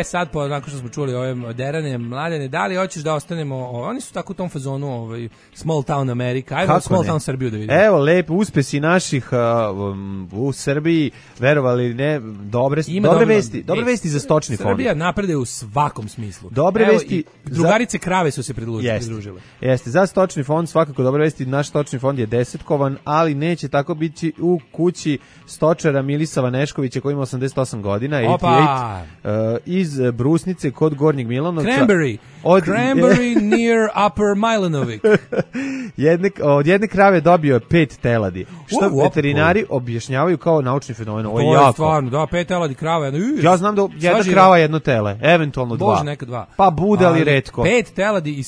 Sad nakon što smo čuli ove derane mladene, da li hoćeš da ostanemo, oni su tako u tom fazonu Small Town America, ajmo Small Town Srbiju da vidimo. Evo, lepo, uspesi naših u Srbiji, verovali ne, dobre vesti za stočni fond. Srbija napreduje u svakom smislu. Dobre vesti. Drugarice krave su se pridružile. Jeste, za stočni fond svakako dobre vesti, naš stočni fond je desetkovan, ali neće tako biti u kući stočara Milisava Neškovića koji ima 88 godina, 88, iz Brusnice kod Gornjeg Milanovca. Cranberry near Upper Milanovik. Od jedne krave dobio je 5 teladi, što veterinari objašnjavaju kao naučni fenomen. To je stvarno, 5 teladi krava. Ja znam da jedna krava jedno tele, eventualno 2. Bože, neka 2. Pa bude, ali retko. 5 teladi i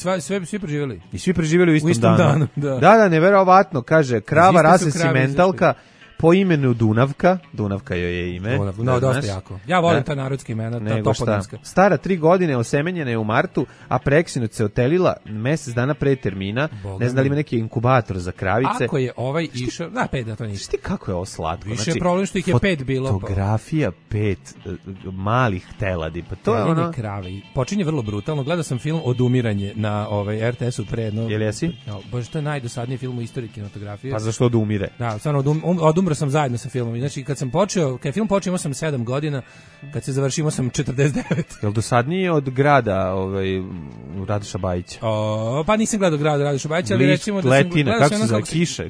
svi preživjeli. I svi preživjeli u istom danu. Da, neverovatno, kaže, krava rase simentalka, po imenu Dunavka joj je ime. Dosta jako. Ja volim ta narodska imena, ta toponimska. Stara 3 godine, osemenjena je u martu, a preksinoć se otelila mjesec dana pre termina. Ne znam da li ima neki inkubator za kravice. Ako je išao, 5 da to ništa. Šti kako je ovo slatko. Više je problem što ih je 5 bilo. Fotografija 5 malih teladi. Pa to je ono... krave. Počinje vrlo brutalno. Gledao sam film Odumiranje na RTS-u pre jedno... Jel jesi? Bože, to je najdosadniji film u istoriji kinematografije. Pa zašto odumire? Da, stvarno sam zajedno sa filmom. Znači, kad je film počeo, imao sam 7 godina, kad se završio, imao sam 49. Jel dosadnije od grada Radoša Bajića? Pa nisam gledao grada Radoša Bajića, ali recimo da sam... Letina, kako se zove, kiše,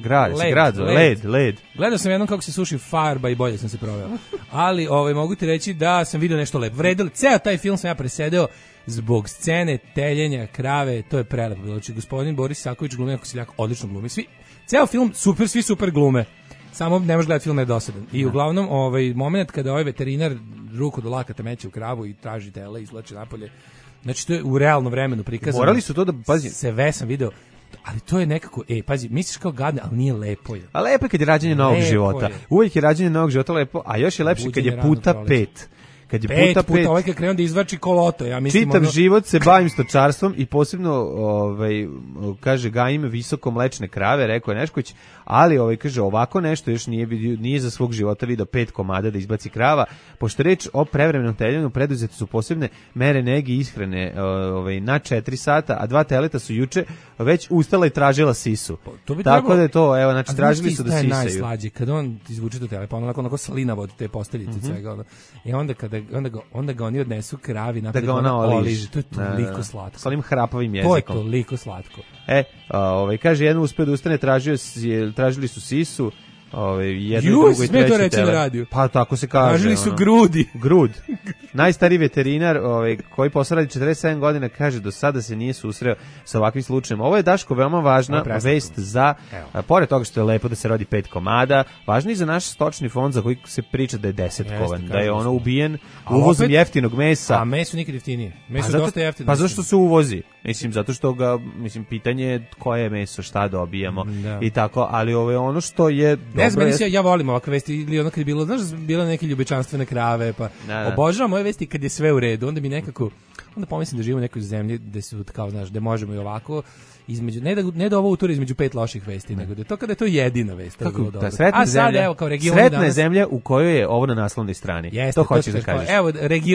led. Gledao sam jednom kako se suši farba i bolje sam se proveo. Ali mogu ti reći da sam vidio nešto lepo. Vredilo, ceo taj film sam ja presedeo zbog scene teljenja krave, to je prelepo. Znači, gospodin Boris Saković glumi, ako se jako odlično glumi. Ceo film, svi super glume. Samo ne možeš gledati film, je dosadan. I uglavnom, moment kada veterinar ruku do lakata meće u kravu i traži tele i izvlači napolje, znači to je u realnom vremenu prikazano. Morali su to da, pazi. Sve sam video, ali to je nekako, pazi, misliš kao gadne, ali nije lepo je. A lepo je kad je rađenje novog života. Uvijek je rađenje novog života lepo, a još je lepše kad je puta 5. Kad je puta 5, ovaj kad krenuo da izvači koloto, ja mislim. Čitav život se bavim stočarstvom i posebno, kaže, gajim visoko mlečne krave, rekao je Nešković, ali kaže, ovako nešto još nije za svog života video 5 komada da izbaci krava, pošto reč o prevremenom teljenju, preduzete su posebne mere nege i ishrane na 4 sata, a 2 teleta su juče već ustala i tražila sisu. Tako da je to, znači tražili su da sisaju. A najslađe, kad on izvuče to tele, pa onako slinavo od te posteljice svega, i onda ga oni odnesu kravi da ga ona oliži. To je toliko slatko. S onim hrapavim jezikom. To je toliko slatko. Kaže, jedan uspeo da ustane, tražili su sisu, jednoj, drugoj, trećoj tele. Pa tako se kaže. Tražili su grudi. Grud. Najstariji veterinar koji posao radi 47 godina kaže do sada se nije susreo sa ovakvim slučajem. Ovo je, Daško, veoma važna vest za, pored toga što je lepo da se rodi 5 komada, važno i za naš stočni fond za koji se priča da je 10 kovan, da je ono ubijen uvozom jeftinog mesa. A meso nikad jeftinije. Meso dosta jeftino. Pa zašto se uvozi? Mislim, zato što ga, pitanje je koje je meso, šta dobijamo i tako, ali ovo je ono što je dobro. Ne znam, ja volim ovakve vesti, ili ono kad je bilo, znaš, bilo neke ljubičanstvene krave, pa obožavam ove vesti kad je sve u redu, onda mi nekako, onda pomislim da živimo u nekoj zemlji gde su, kao, znaš, gde možemo i ovako, između, ne da ovo utura između 5 loših vesti, nego da je to kada je to jedina vest. Kako, da sretna zemlja, evo, kao regioni sretna danas, zemlja u kojoj je ovo na naslovnoj strani. Jeste, to hoćeš da kažeš. Evo,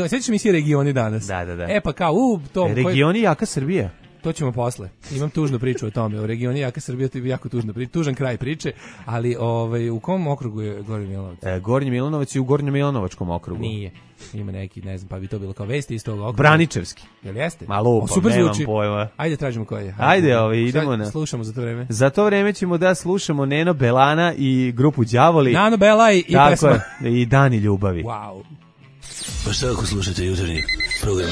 sećaš mi se regioni danas. Da. Pa kao, regioni jaka Srbija. To ćemo posle. Imam tužnu priču o tome. U regioni jaka Srbija, to je jako tužna priča, tužan kraj priče, ali u kom okrugu je Gornji Milanovac? Gornji Milanovac je u Gornjem Milanovačkom okrugu. Nije. Ima neki, ne znam, pa bi to bilo kao vesti iz tog okruga. Braničevski. Jel jeste? Malo super nemam zvuči. Pojma. Ajde tražimo koji je. Ajde, idemo na. Slušamo za to vreme. Za to vreme ćemo da slušamo Neno Belana i grupu Đavoli. Nano Belaj i pesma. I Dani ljubavi. Wow. Pa šta ako slušate jutarnji program?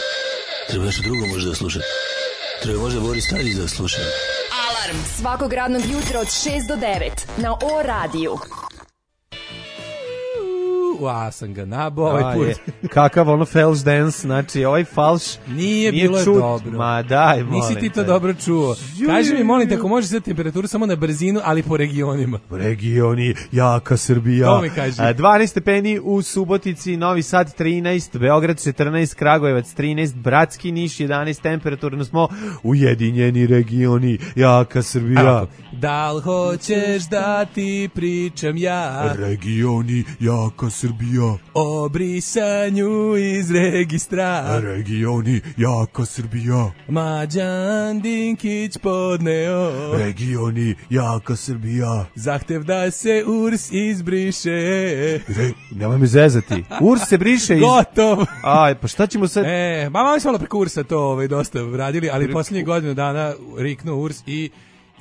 Treba nešto drugo možda da slušate. Treba možda Boris Tadić da sluša. Alarm svakog radnog jutra od 6 do 9 na O radiju. Sam ga nabao ovaj put. Kakav ono falš dance, znači ovaj falš nije bilo čut. Dobro. Ma daj, molim. Nisi ti to dobro čuo. Kaži mi, molim te, ako možeš sad temperaturu samo na brzinu, ali po regionima. Regioni, jaka Srbija. To mi kaži. 12 stepeni u Subotici, Novi Sad 13, Beograd 14, Kragujevac 13, Bratski, Niš 11, temperaturno smo ujedinjeni regioni, jaka Srbija. Da li hoćeš da ti pričam ja? Regioni, jaka Srbija. O brisanju iz registra. Regioni, jaka Srbija. Mlađan Dinkić podneo. Regioni, jaka Srbija. Zahtev da se URS izbriše. Nemoj me zezati. URS se briše iz... Gotov. Aj, pa šta ćemo sad... Malo smo preko URS-a to dosta radili, ali posljednje godinu dana riknuo URS i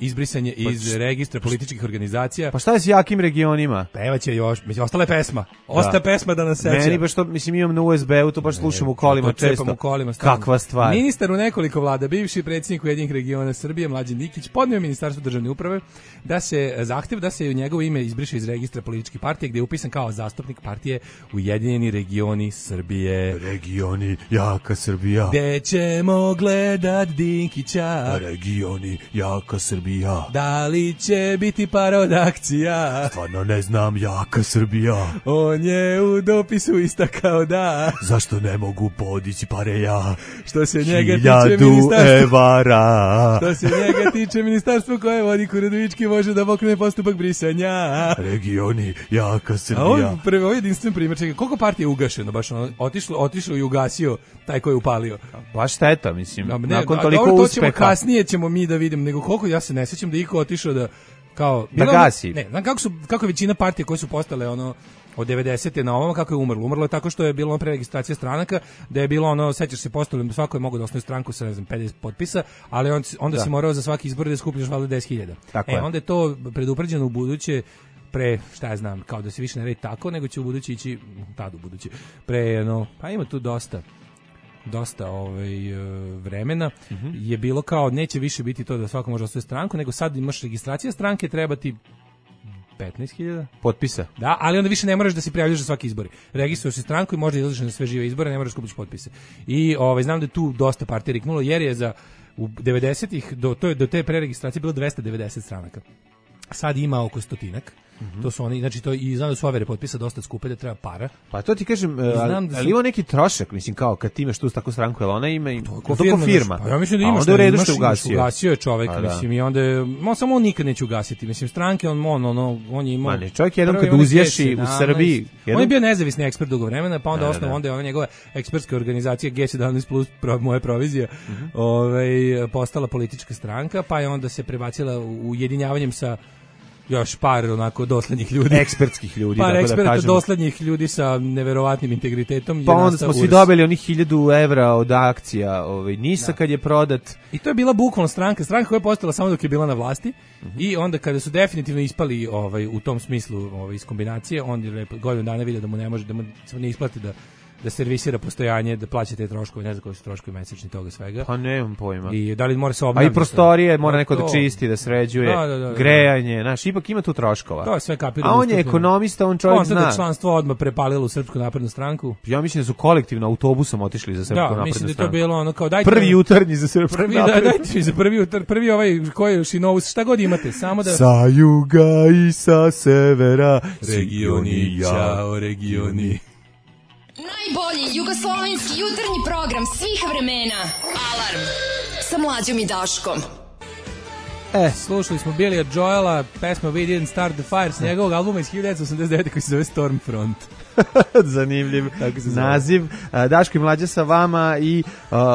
izbrisanje iz registra političkih organizacija. Pa šta je s jakim regionima? Pevaće još, mislim, ostala je pesma. Osta pesma da nas seća. Meni baš to, mislim, imam na USB-u, to baš slušam u kolima često. U kolima, kakva stvar. Ministar u nekoliko vlada, bivši predsjednik Ujedinjenih regiona Srbije, Mlađan Dinkić, podneo Ministarstvu državne uprave da se zahtev da se njegovo ime izbriše iz registra političkih partija, gdje je upisan kao zastupnik partije Ujedinjeni regioni Srbije. Regioni, jaka Srbija. Gde ćemo gledat Dinkića? Regioni, jaka Srbija. Da li će biti parodakcija? Stvarno ne znam, jaka Srbija. On je u dopisu istakao da. Zašto ne mogu podići pare ja? Što se njega tiče ministarstvo. Evara. Što se njega tiče ministarstvo koje vodi Kuradovički može da pokrene postupak brisanja. Regioni, jaka Srbija. A ovo je jedinstven primjer. Čekaj, koliko partija je ugašeno? Baš otišlo i ugasio taj koji je upalio. Baš šteta, mislim. Nakon toliko uspeha. To ćemo kasnije ćemo mi da vidimo. Nego koliko ja se ne sjećam da iko otišao da kao da gasi. Ne, znam kako je većina partija koje su postale od 90. na ovamo kako je umrlo. Umrlo je tako što je bilo preregistracija stranaka, da je bilo sećaš se postali, svako je mogao da osnuje stranku sa 50 potpisa, ali onda si morao za svaki izbor da skupljaš valjda 10.000. Onda je to predupređeno u buduće šta ja znam, kao da se više ne radi tako, nego će u buduće ići tad u buduće. Pa ima tu dosta vremena je bilo kao neće više biti to da svako može osnovati stranku, nego sad imaš registracija stranke, treba ti 15.000 potpisa. Da, ali onda više ne moraš da se prijavljaš za svaki izbor. Registruješ se stranku i možda izlaziš na sve žive izbore, ne moraš skupiti potpise. I znam da je tu dosta partija riknulo, jer je u 90-ih do te preregistracije bilo 290 stranaka. Sad ima oko 100-ak. To su oni, znači to i znam da su overe potpisa dosta skupe, da treba para. Pa to ti kažem, ali ima neki trošak, mislim, kao kad ti imaš tu takvu stranku, jel ona ima i to firma. Pa ja mislim da imaš, ugasio je čovek, mislim, i onda samo on nikad neće ugasiti, mislim, stranke, on je imao... Ma ne, čovjek jednom kad uzješi u Srbiji... On je bio nezavisni ekspert dugo vremena, pa onda osnovu, onda je ova njegova ekspertska organizacija G17 plus moja provizija postala politička stranka, pa je onda se prebacila ujedinjavanjem sa još par onako doslednjih ljudi. Ekspertskih ljudi, par tako da eksperata kažemo. doslednjih ljudi sa neverovatnim integritetom. Pa onda smo svi dobili onih 1000 evra od akcija NIS-a kad je prodat. I to je bila bukvalno stranka koja je postala samo dok je bila na vlasti. I onda kada su definitivno ispali u tom smislu iz kombinacije, on je godinu dana vidio da mu ne može, da mu se ne isplati da servisira postojanje, da plaća te troškove, ne znam koji su troškovi mesečni toga svega. Pa nemam pojma. I da li mora se obnavljati. A i prostorije mora neko da čisti, da sređuje, da. grejanje, znaš, ipak ima tu troškova. To je sve kapirano. A on je ekonomista, on čovjek zna. On sad članstvo odmah prepalilo u Srpsku naprednu stranku. Ja mislim da su kolektivno autobusom otišli za Srpsku naprednu stranku. Da, mislim da je to bilo ono kao dajte... Prvi jutarnji za Srpsku naprednu. Dajte mi za prvi koji je Šinovus, šta god imate, samo da... Sa juga i sa severa, regioni, ćao regioni. Najbolji jugoslovenski jutarnji program svih vremena. Alarm sa Mlađom i Daškom. Slušali smo Billy'a Joela, pesma We Didn't Start the Fire s njegovog albuma iz 1989. koji se zove Stormfront. Zanimljiv naziv. Daško i Mlađa sa vama i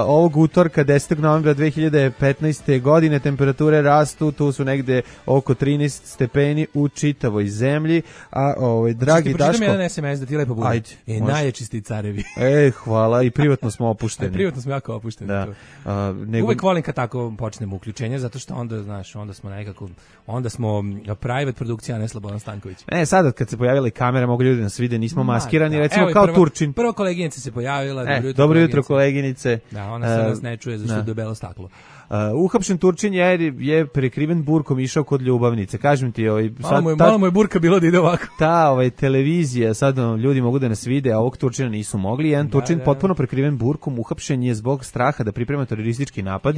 ovog utorka 10. novembra 2015. godine temperature rastu, tu su negde oko 13 stepeni u čitavoj zemlji. A dragi Daško... Počitam jedan SMS da ti lepo bude. Ajde. Najjači carevi. Hvala, i privatno smo opušteni. Privatno smo jako opušteni. Da. Uvek volim kad tako počnemo uključenje, zato što onda, znaš, onda smo private produkcija, a ne Slobodan Stanković. Sada kad se pojavila kamera, mogu ljudi nas vide, nismo maskirani, recimo kao Turčin. Prvo koleginica se pojavila. Dobro jutro koleginice. Da, ona se nas ne čuje zašto je debelo staklo. Uhapšen Turčin je prekriven burkom išao kod ljubavnice. Kažem ti, malo mu je burka bilo da ide ovako. Ta televizija, sad ljudi mogu da nas vide, a ovog Turčina nisu mogli. Jedan Turčin potpuno prekriven burkom uhapšen je zbog straha da priprema teroristički napad.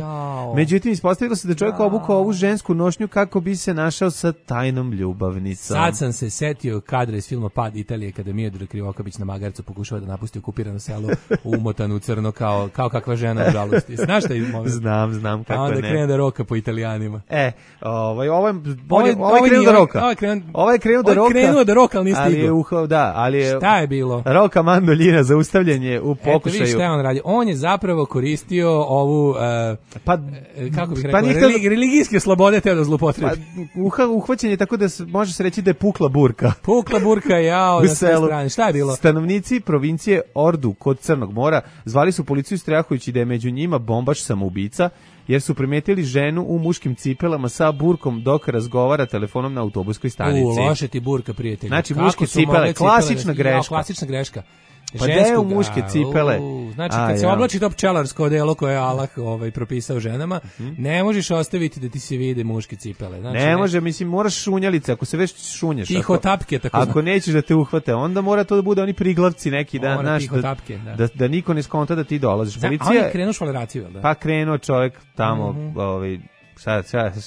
Međutim, ispostavilo se da čovjek obukao ovu žensku nošnju kako bi se našao sa tajnom ljubavnicom. Sad sam se setio kadra iz filma Pad Italije kada Miodrag Krivokapić na magarcu pokušava da napusti okupirano selo umotanu u crno kao kakva žena u žalosti. Znaš šta je moment? Znam. A onda krene da roka po Italijanima. Ovo je krenuo da roka. Ovo je krenuo da roka, ali nije stigao. Ali je... Šta je bilo? Roka mandoljina zaustavljanje u pokušaju. Eto vidiš šta je on radi. On je zapravo koristio ovu, kako bih rekao, religijske slobode teo da zlupotrebi. Uhvaćen je tako da može se reći da je pukla burka. Pukla burka, na sve strane. Šta je bilo? Stanovnici provincije Ordu kod Crnog mora zvali su policiju strahujući da je među njima bombaš samoubica, jer su primetili ženu u muškim cipelama sa burkom dok razgovara telefonom na autobuskoj stanici. Loše ti burka, prijatelji. Znači, muške cipele, klasična greška. Pa gde je u muške cipele? Znači, kad se oblači to pčelarsko odelo koje je Allah propisao ženama, ne možeš ostaviti da ti se vide muške cipele. Znači, ne može, mislim, moraš šunjalice, ako se već šunješ. Tiho tapke, tako znam. Ako nećeš da te uhvate, onda mora to da bude oni priglavci neki, da niko ne skonta da ti dolaziš. A on je krenuo švaleraciju, da? Pa krenuo čovjek tamo,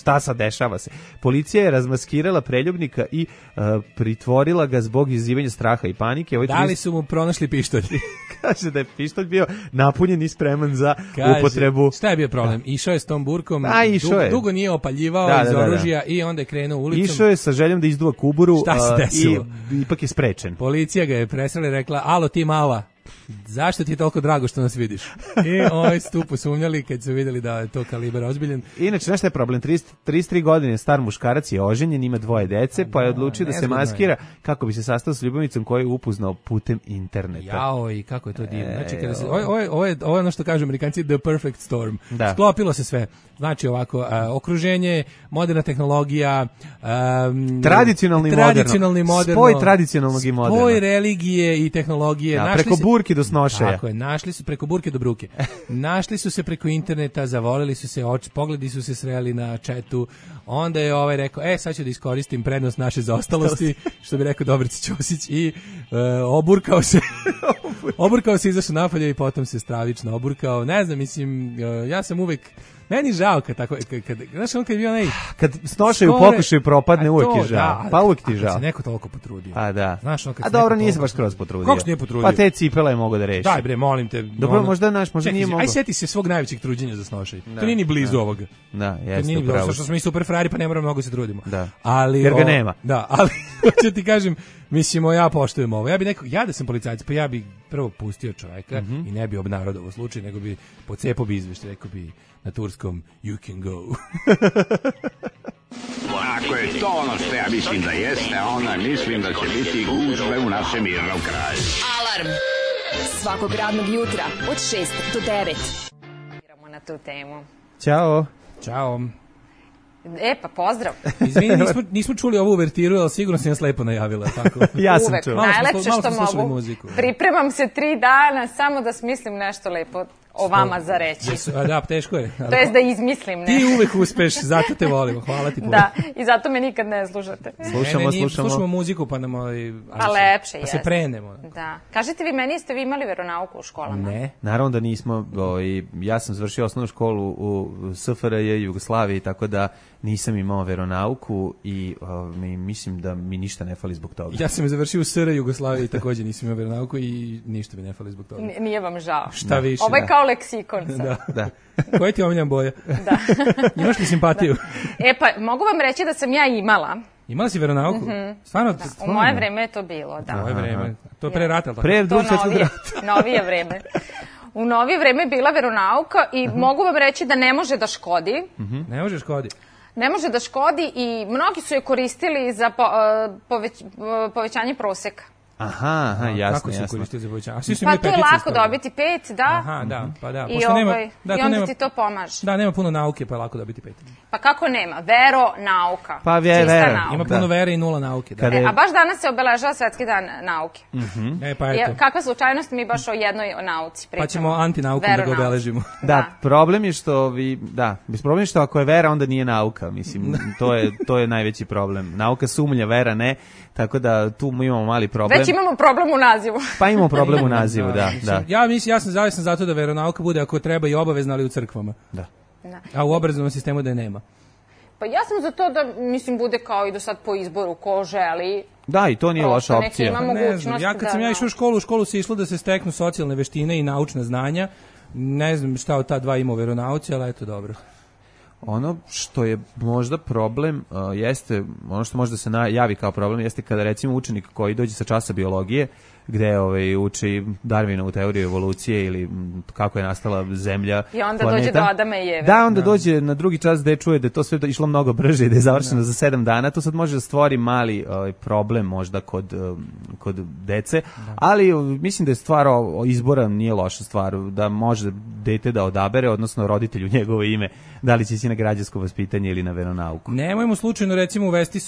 šta sad dešava se? Policija je razmaskirala preljubnika i pritvorila ga zbog izazivanja straha i panike. Da li su mu pronašli pištolj? Kaže da je pištolj bio napunjen i spreman za upotrebu. Šta je bio problem? Išao je s tom burkom, dugo nije opaljivao iz oružja i onda je krenuo ulicom. Išao je sa željom da izdува kuburu i ipak je sprečen. Policija ga je presrela i rekla, alo ti mala, zašto ti je toliko drago što nas vidiš? I su posumnjali kad su vidjeli da je to kalibar ozbiljen. Inače, znaš šta je problem? 33 godine star muškarac je oženjen, ima 2 dece, pa je odlučio da se maskira kako bi se sastao s ljubavnicom koju je upoznao putem interneta. I kako je to divno. Znači, kada se, ovo je ono što kažu Amerikanci, the perfect storm. Sklopilo se sve. Znači ovako, okruženje, moderna tehnologija, tradicionalni moderno, spoj tradicionalnog i moderno, spoj religije i tehnologije. Preko burke do snošaja. Tako je, našli su preko burke do bruke. Našli su se preko interneta, zavolili su se, pogledi su se sreli na chatu. Onda je rekao, sad ću da iskoristim prednost naše zaostalosti, što bi rekao Dobrica Ćosić, i oburkao se, izašao napolje i potom se stravično oburkao. Ne znam, mislim, ja sam uvek, meni žao kad tako, znaš, on kad je bio kad snošaju pokušaju propadne, uvek je žao. Pa uvek ti žao. Kad se neko toliko potrudio. A da. Znaš, a dobro, nije se baš skroz potrudio. Kako se nije potrudio? Pa te cipele je mogo da reši. Daj bre, molim te. Dobro, možda nije mogo. Aj seti se svog najvećeg truđenja za snošaj. To nije ni blizu ovoga. Da, jeste upravo. Što smo mi super frajeri, pa ne moramo mnogo se trudimo. Da. Ali, jer ga nema. Da, ali Hoću ti kažem, mislimo, ja poštujem ovo. Ja da sam policajac, pa ja bi prvo pustio čoveka i ne bi obnarodovao slučaj, nego bi pocepao bi izveštaj, rekao bi na turskom you can go. Ako je to ono što ja mislim da jeste, onda mislim da će biti gužve u našem mirnom kraju. Alarm svakog radnog jutra od 6 do 9. Na tu temu. Ćao. Ćao. Pa pozdrav. Izvini, nismo čuli ovu uvertiru, ali sigurno si nas lepo najavila. Tako. Ja sam čuo. Najlepše što mogu. Muziku. Pripremam se 3 dana samo da smislim nešto lepo o vama za reći. Da, teško je. To jest da izmislim nešto. Ti uvek uspeš, zato te volimo. Hvala ti puno. Da, i zato me nikad ne slušate. Slušamo muziku, pa nam... Pa lepše, pa se prenemo. Da. Kažete vi, jeste vi imali veronauku u školama? Ne, naravno da nismo. Ja sam završio osnovnu školu u SFRJ, Jugoslaviji, tako da nisam imao veronauku i mislim da mi ništa ne fali zbog toga. Ja sam završio u SR Jugoslaviji, takođe nisam imao veronauku i ništa mi ne fali zbog toga. Nije vam žao. Šta više. Ovo je kao leksikon sad. Da. Koja ti omiljena boja? Da. Imaš li simpatiju? Pa mogu vam reći da sam ja imala. Imala si veronauku? Stvarno? U moje vreme je to bilo, da. Moje vreme. To je pre rata, ali tako? Pre Drugog svjetskog rata. Novije vreme. U novije vreme je bila veronauka i mogu vam reći da ne može da škodi. Ne može škodi. Ne može da škodi i mnogi su je koristili za povećanje proseka. Aha, jasno. Kako se koristili za povećanje? Pa to je lako dobiti 5, da. Aha, da, pa da. I onda ti to pomaže. Da, nema puno nauke, pa je lako dobiti 5. Pa kako nema? Veronauka. Pa vera. Ima puno vere i 0 nauke. A baš danas se obeležava Svetski dan nauke. Pa eto. Kakva slučajnost, mi baš o jednoj nauci pričamo. Pa ćemo antinaukom da ga obeležimo. Da, problem je što ako je vera, onda nije nauka. Mislim, to je najveći problem. Nauka sumnja, vera ne. Tako da tu imamo mali problem. Već imamo problem u nazivu. Pa imamo problem u nazivu, da. Ja sam zavisno zato da veronauka bude ako treba i obavezna, ali u crkvama. Da. A u obrazovnom sistemu da je nema. Pa ja sam za to da, bude kao i do sad po izboru, ko želi. Da, i to nije loša opcija. Ne znam, ja kad sam išao u školu se išlo da se steknu socijalne veštine i naučna znanja. Ne znam šta od ta dva ima u veronauci, ali eto dobro. Ono što je možda problem jeste, ono što možda se javi kao problem jeste kada recimo učenik koji dođe sa časa biologije gde uči Darwinovu teoriju evolucije ili kako je nastala zemlja, i onda planeta. Dođe do Adama i Eve. Da, onda dođe na drugi čas gde čuje da je to sve išlo mnogo brže i da je završeno za 7 dana. To sad može da stvori mali problem možda kod dece, ali mislim da je stvar izbora nije loša stvar, da može dete da odabere, odnosno roditelju njegovo ime, da li će ići na građansko vaspitanje ili na veronauku. Nemojmo slučajno recimo uvesti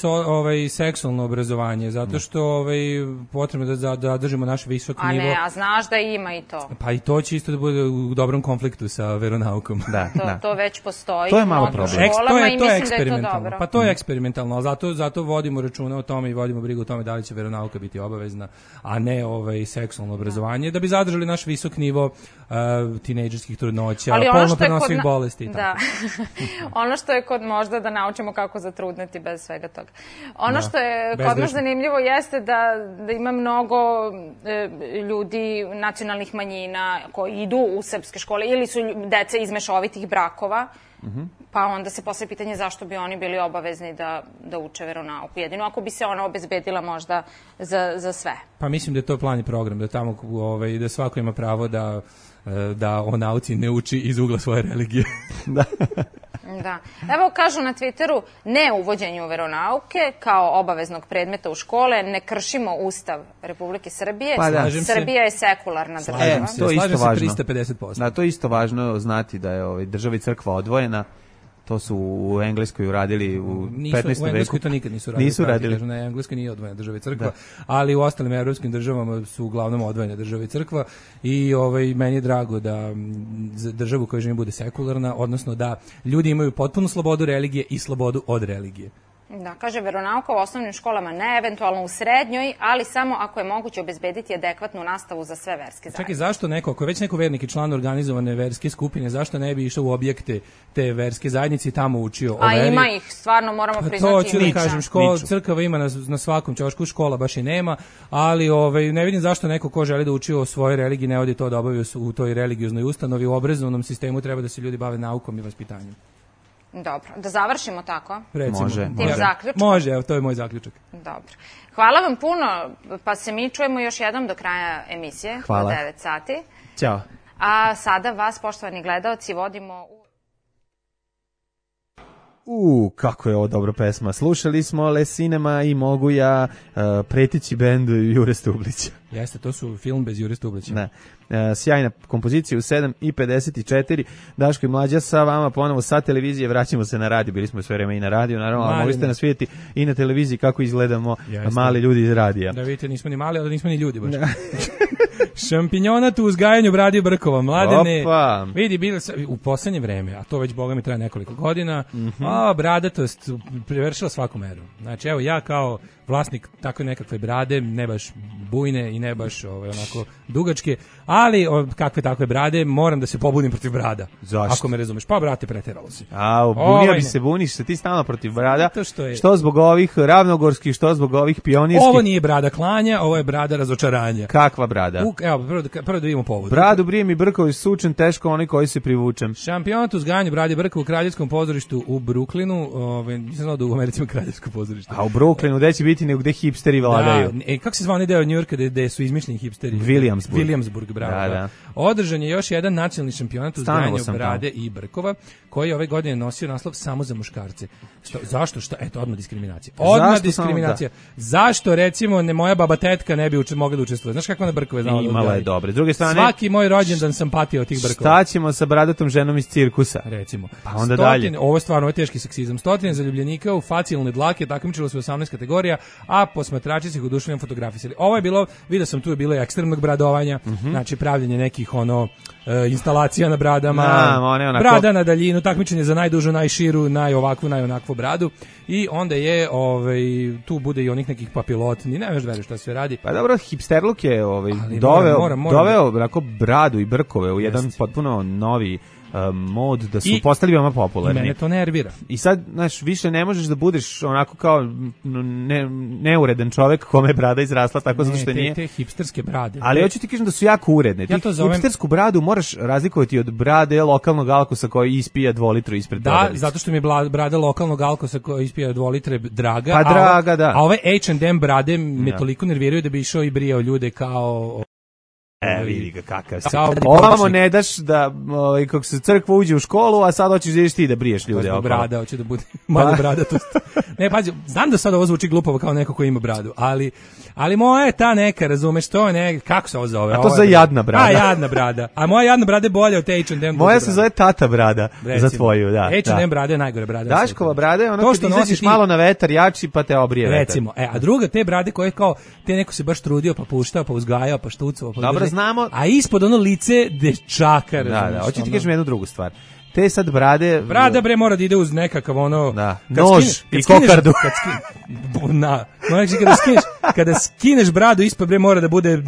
seksualno obrazovanje, zato što potrebno da držimo naš visok nivo. A ne, a znaš da ima i to. Pa i to će isto da bude u dobrom konfliktu sa veronaukom. To već postoji. To je malo problem. To je eksperimentalno. Pa to je eksperimentalno, ali zato vodimo računa o tome i vodimo brigu o tome da li će veronauka biti obavezna, a ne seksualno obrazovanje, da bi zadržali naš visok nivo tinejdžerskih trudnoća, polno prenosivih bolesti. Da. Ono što je kod možda da naučimo kako zatrudneti bez svega toga. Ono što je kod nas zanimljivo jeste da ima mnogo ljudi nacionalnih manjina koji idu u srpske škole ili su dece iz mešovitih brakova, pa onda se postavlja pitanje zašto bi oni bili obavezni da uče veronauku. Jedino ako bi se ona obezbedila možda za sve. Pa mislim da je to plan i program, da tamo da svako ima pravo da o nauci ne uči iz ugla svoje religije. Da. Evo kažu na Twitteru, ne uvođenju veronauke kao obaveznog predmeta u škole, ne kršimo Ustav Republike Srbije. Srbija je sekularna država. Slažem se 350%. Da, to je isto važno znati da je država i crkva odvojena. To su u Engleskoj uradili u 15. veku. U Engleskoj to nikad nisu radili. Na Engleskoj nije odvojena država i crkva, ali u ostalim evropskim državama su uglavnom odvojene država i crkva i meni je drago da državu koja živi bude sekularna, odnosno da ljudi imaju potpunu slobodu religije i slobodu od religije. Da, kaže veronauka u osnovnim školama ne, eventualno u srednjoj, ali samo ako je moguće obezbediti adekvatnu nastavu za sve verske zajednice. Čekaj, zašto ako je već neko vernik i član organizovane verske skupine, zašto ne bi išao u objekte te verske zajednice i tamo učio o veri? A ima ih, stvarno moramo priznati. To ću da kažem, crkava ima na svakom ćošku, škola baš i nema, ali ne vidim zašto neko ko želi da uči o svojoj religiji ne odi to da obavi u toj religioznoj ustanovi. U obrazovnom sistemu treba da se ljudi bave naukom i vaspitanjem. Dobro, da završimo tako? Recimo. Može. Tim zaključkom? Može, evo, to je moj zaključak. Dobro. Hvala vam puno, pa se mi čujemo još jednom do kraja emisije. Hvala. Do 9 sati. Ćao. A sada vas, poštovani gledaoci, vodimo Kako je ovo dobra pesma. Slušali smo Le Cinema i Mogu ja, pretići bend Jure Stublića. Jeste, to su film bez Jure Stublića. Ne. Sjajna kompozicija u 7:54. Daško i Mlađa sa vama ponovo sa televizije. Vraćamo se na radio. Bili smo sve vreme i na radio, naravno, ali mogli ste nas vidjeti i na televiziji kako izgledamo mali ljudi iz radija. Da vidite, nismo ni mali, ali nismo ni ljudi baš. Šampinjonat u uzgajanju bradi brkova. Mladene, vidi, u poslednje vreme, a to već boga mi traje nekoliko godina, bradatost prevršila svaku meru. Znači, evo, ja kao vlasnik takve nekakve brade, ne baš bujne i ne baš onako dugačke, ali kakve takve brade, moram da se pobudim protiv brada. Zašto? Ako me razumeš. Pa, brate, preteralo si. Buniš se ti stalno protiv brada, što zbog ovih ravnogorskih, što zbog ovih pionirskih. Ovo nije brada klanja, ovo je brada razočaranja. Kakva brada? Evo, prvo da vidimo povod. Bradu brijem i brkovi sučen, teško oni koji se privučem. Šampionat uzgajanja brade i brkova u Kraljevskom pozorištu u Brooklynu, nisam znao da u Americi ima Kraljevsko pozorište. A u Brooklynu, gde će biti nego gde hipsteri vladaju? Da, kako se zva onaj deo Njujorka gde su izmišljeni hipsteri? Williamsburg, bravo. Da. Održan je još jedan nacionalni šampionat uzgajanju brade i brkova, koji ove godine nosio naslov samo za muškarce. Zašto? Eto, odmah diskriminacija. Zašto, recimo, moja baba tetka ne bi mogla da učestvuje? Znaš kako ona brkove znala da imala je dobre. S druge strane, svaki moj rođendan sam patio od tih brkova. Šta ćemo sa bradatom ženom iz cirkusa? Recimo. Pa onda dalje. Ovo je stvarno teški seksizam. 100 zaljubljenika u facijalne dlake takmičilo se u 18 kategorija, a posmatrači se ih oduševljeno fotografisali. Ovo je bilo, vidio sam, tu je bilo ekstremnog bradovanja, znači pravljenje nekih instalacija na bradama, brada na daljinu, takmičenje za najdužu, najširu, najovakvu, najonakvu bradu, i onda je tu bude i onih nekih papilotni, ne veš šta se radi. Pa dobro, hipsterluk je doveo bradu i brkove u jedan potpuno novi mod da su postali veoma popularni. Mene to nervira. I sad, znaš, više ne možeš da budeš onako kao neuredan čovek kome je brada izrasla tako zato što nije. Te hipsterske brade. Ali hoću ti kažem da su jako uredne. Ti hipstersku bradu moraš razlikovati od brade lokalnog alkosa koji ispija 2 litre ispred prodavnice. Da, zato što mi je brada lokalnog alkosa koji ispija 2 litre draga. Pa draga, da. A ove H&M brade me toliko nerviraju da bi išao i brijao ljude kao... vidi ga kakav si. Ovamo ne daš da, kako se crkva uđe u školu, a sad hoćeš da ideš ti da briješ ljude. Zbog brada, hoće da bude malo bradatost. Ne, pazi, znam da sad ovo zvuči glupavo kao neko ko ima bradu, ali moja je ta neka, razumeš, to je kako se ovo zove? A to za jadna brada. A, jadna brada. A moja jadna brada je bolja od te H&M. Moja se zove tata brada, za tvoju, da. H&M brada je najgore brada. Daškova brada je ono kad izađeš malo na vetar jači pa te obrije vetar. Recimo, a druga te brade koje kao, te neko se baš trudio pa puštao, pa uzgajao, pa štucao. Dobro, znamo. A ispod ono lice dečaka. Da, hoću ti kažem jednu drugu stvar. Te sad brade... Brada bre mora da ide uz nekakav nož i kokardu. Kada skineš bradu ispod bre mora da bude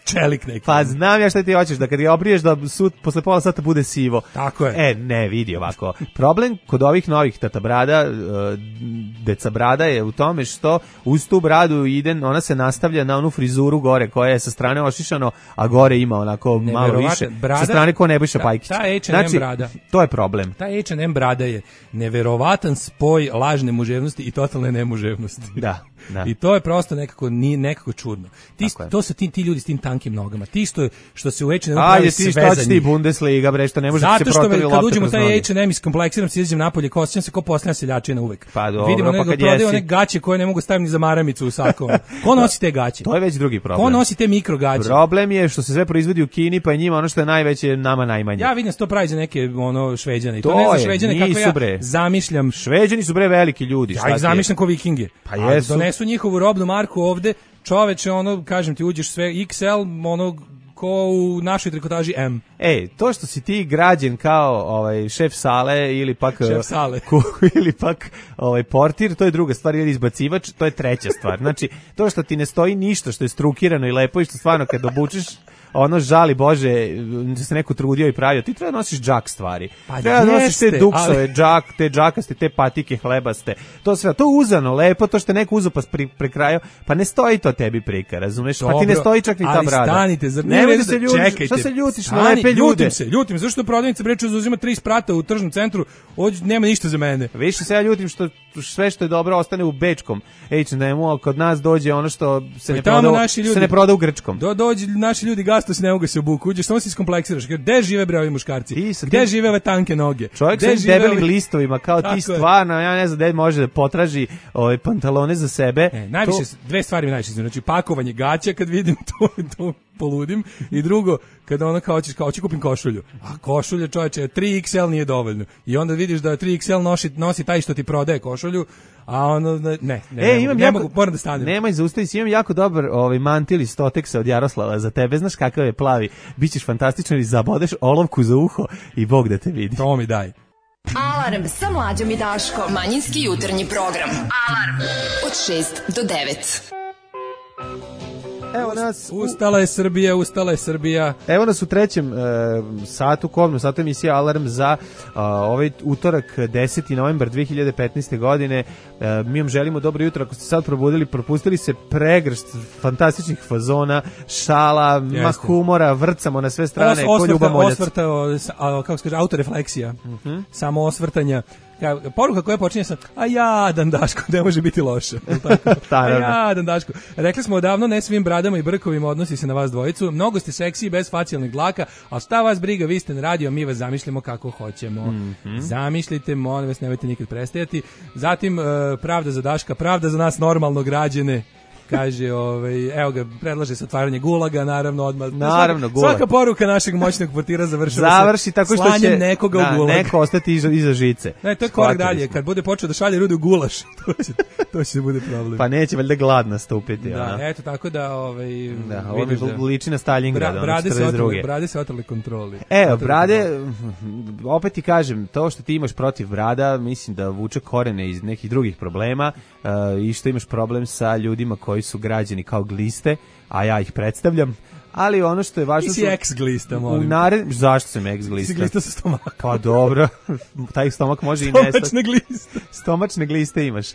čelik neki. Pa znam ja šta ti hoćeš, da kad ga obriješ da posle pola sata bude sivo. Tako je. Ne, vidi ovako. Problem kod ovih novih tata brada, deca brada je u tome što uz tu bradu ona se nastavlja na onu frizuru gore koja je sa strane ošišano, a gore ima onako malo više. Sa strane ko Nebojša Pajkić. Ta H&M brada. To je problem. Ta H&M brada je neverovatan spoj lažne muževnosti i totalne nemuževnosti. Da. I to je prosto nekako čudno. To su ti ljudi s tim tankim nogama. Ti što se u H&M pravi svezani. Ajde, ti Bundesliga, bre, što ne može se protovi lopte. Kad uđemo u taj H&M iskompleksiram se, izađem napolje, ko osjećam se ko posljedna seljačina uvek. Pa dobro, vidimo nego prodaju one gaće koje ne mogu staviti ni za maramicu u sakom. Ko nosi te gaće? To je već drugi problem. Ko nosi te mikro gaće? Problem je što se sve proizvodi u Kini, pa je njima ono što je najveće, nama najmanje. Ja vidim to pravi za neke Šveđane. To ne za Šveđane kako ja zamišljam. Šveđani su bre veliki ljudi. Ja ih zamišljam kao Vikinge. Pa jesu. Donesu njihovu robnu marku ovde, čoveče, kažem ti, uđeš sve XL, ko u našoj trikotaži M. To što si ti građen kao šef sale ili pak šef sale ili pak portir, to je druga stvar, ili izbacivač, to je treća stvar. Znači, to što ti ne stoji ništa što je strukirano i lepo i što stvarno kad obučeš ono žali Bože da se neko trudio i pravio. Ti treba nosiš džak stvari. Pa treba nosiš te duksove, ali... te džakaste, te patike hlebaste. To sve, to uzano, lepo, to što je neko uzeo pa prekrajao, pa ne stoji to tebi prika, razumeš? Dobro, pa ti ne stoji čak ni ta brada. Ali stanite, zar ne da se ljutiš? Čekajte. Šta se ljutiš na lepe ljude? Ljutim se, zašto prodavnica breče uzima 3 sprata u tržnom centru, ovdje nema ništa za mene. Više se ja ljutim što sve što je dobro ostane u bečkom H&M-u, a kod nas dođe ono što se ne proda u grčkom. Dođe naši ljudi gasto se ne mogu se obuku, uđeš, samo se iskompleksiraš. Gde žive bre ovi muškarci? Gde žive ove tanke noge? Čovjek sa debelim listovima, kao ti stvarno, ja ne znam gde može da potraži ove pantalone za sebe. Najviše, dve stvari mi najviše znači, pakovanje gaća kad vidim to poludim, i drugo, kada ono kao hoćeš kupim košulju, a košulja čoveče 3XL nije dovoljno, i onda vidiš da 3XL nosi taj što ti prodaje košulju, a ono ne mogu, moram da stanem. Nemoj zaustavi se, imam jako dobar mantil iz Stoteksa od Jaroslava za tebe, znaš kakav je plavi, bićeš fantastičan i zabodeš olovku za uho i Bog da te vidi. To mi daj. Alarm sa Mlađom i Daškom. Manjinski jutarnji program. Alarm od 6 do 9. Evo nas Ustala je Srbija. Evo nas u trećem satu, kobnom satu emisije Alarm za ovaj utorak 10. novembar 2015. godine. Mi vam želimo dobro jutro. Ako ste sad probudili, propustili se pregršt fantastičnih fazona, šala, humora, vrcamo na sve strane. Kako se kaže, autorefleksija. Samo osvrtanja. Poruka koja počinje sa a jadan Daško, ne može biti loše. A jadan Daško. Rekli smo odavno, ne svim bradama i brkovima odnosi se na vas dvojicu. Mnogo ste seksi bez facijalnih dlaka, a šta vas briga, vi ste na radio, mi vas zamišljamo kako hoćemo. Zamišljite, molim vas, nemojte nikad prestajati. Zatim, pravda za Daška, pravda za nas normalno građane. Kaže, evo ga, predlaže se otvaranje gulaga, naravno odmah. Naravno, gulag. Svaka poruka našeg moćnog portira završi tako što će nekoga u gulag. Neko ostati iza žice. Ne, to je korak dalje. Kad bude počeo da šalje ljudi u gulaš, to će bude problem. Pa neće valjda gladna stupiti. Da, eto, tako da, ovo liči na Stalingrad, brade se otrali kontroli. Evo, brade, opet ti kažem, to što ti imaš protiv brada, mislim da vuče korene iz nekih drugih problema i što imaš problem sa ljudima koji su građeni kao gliste, a ja ih predstavljam, ali ono što je važno... Ti si ex-glista, molim. Zašto sam ex-glista? Si glista sa stomakom. Pa dobro, taj stomak može i nestati. Stomačne gliste. Stomačne gliste imaš.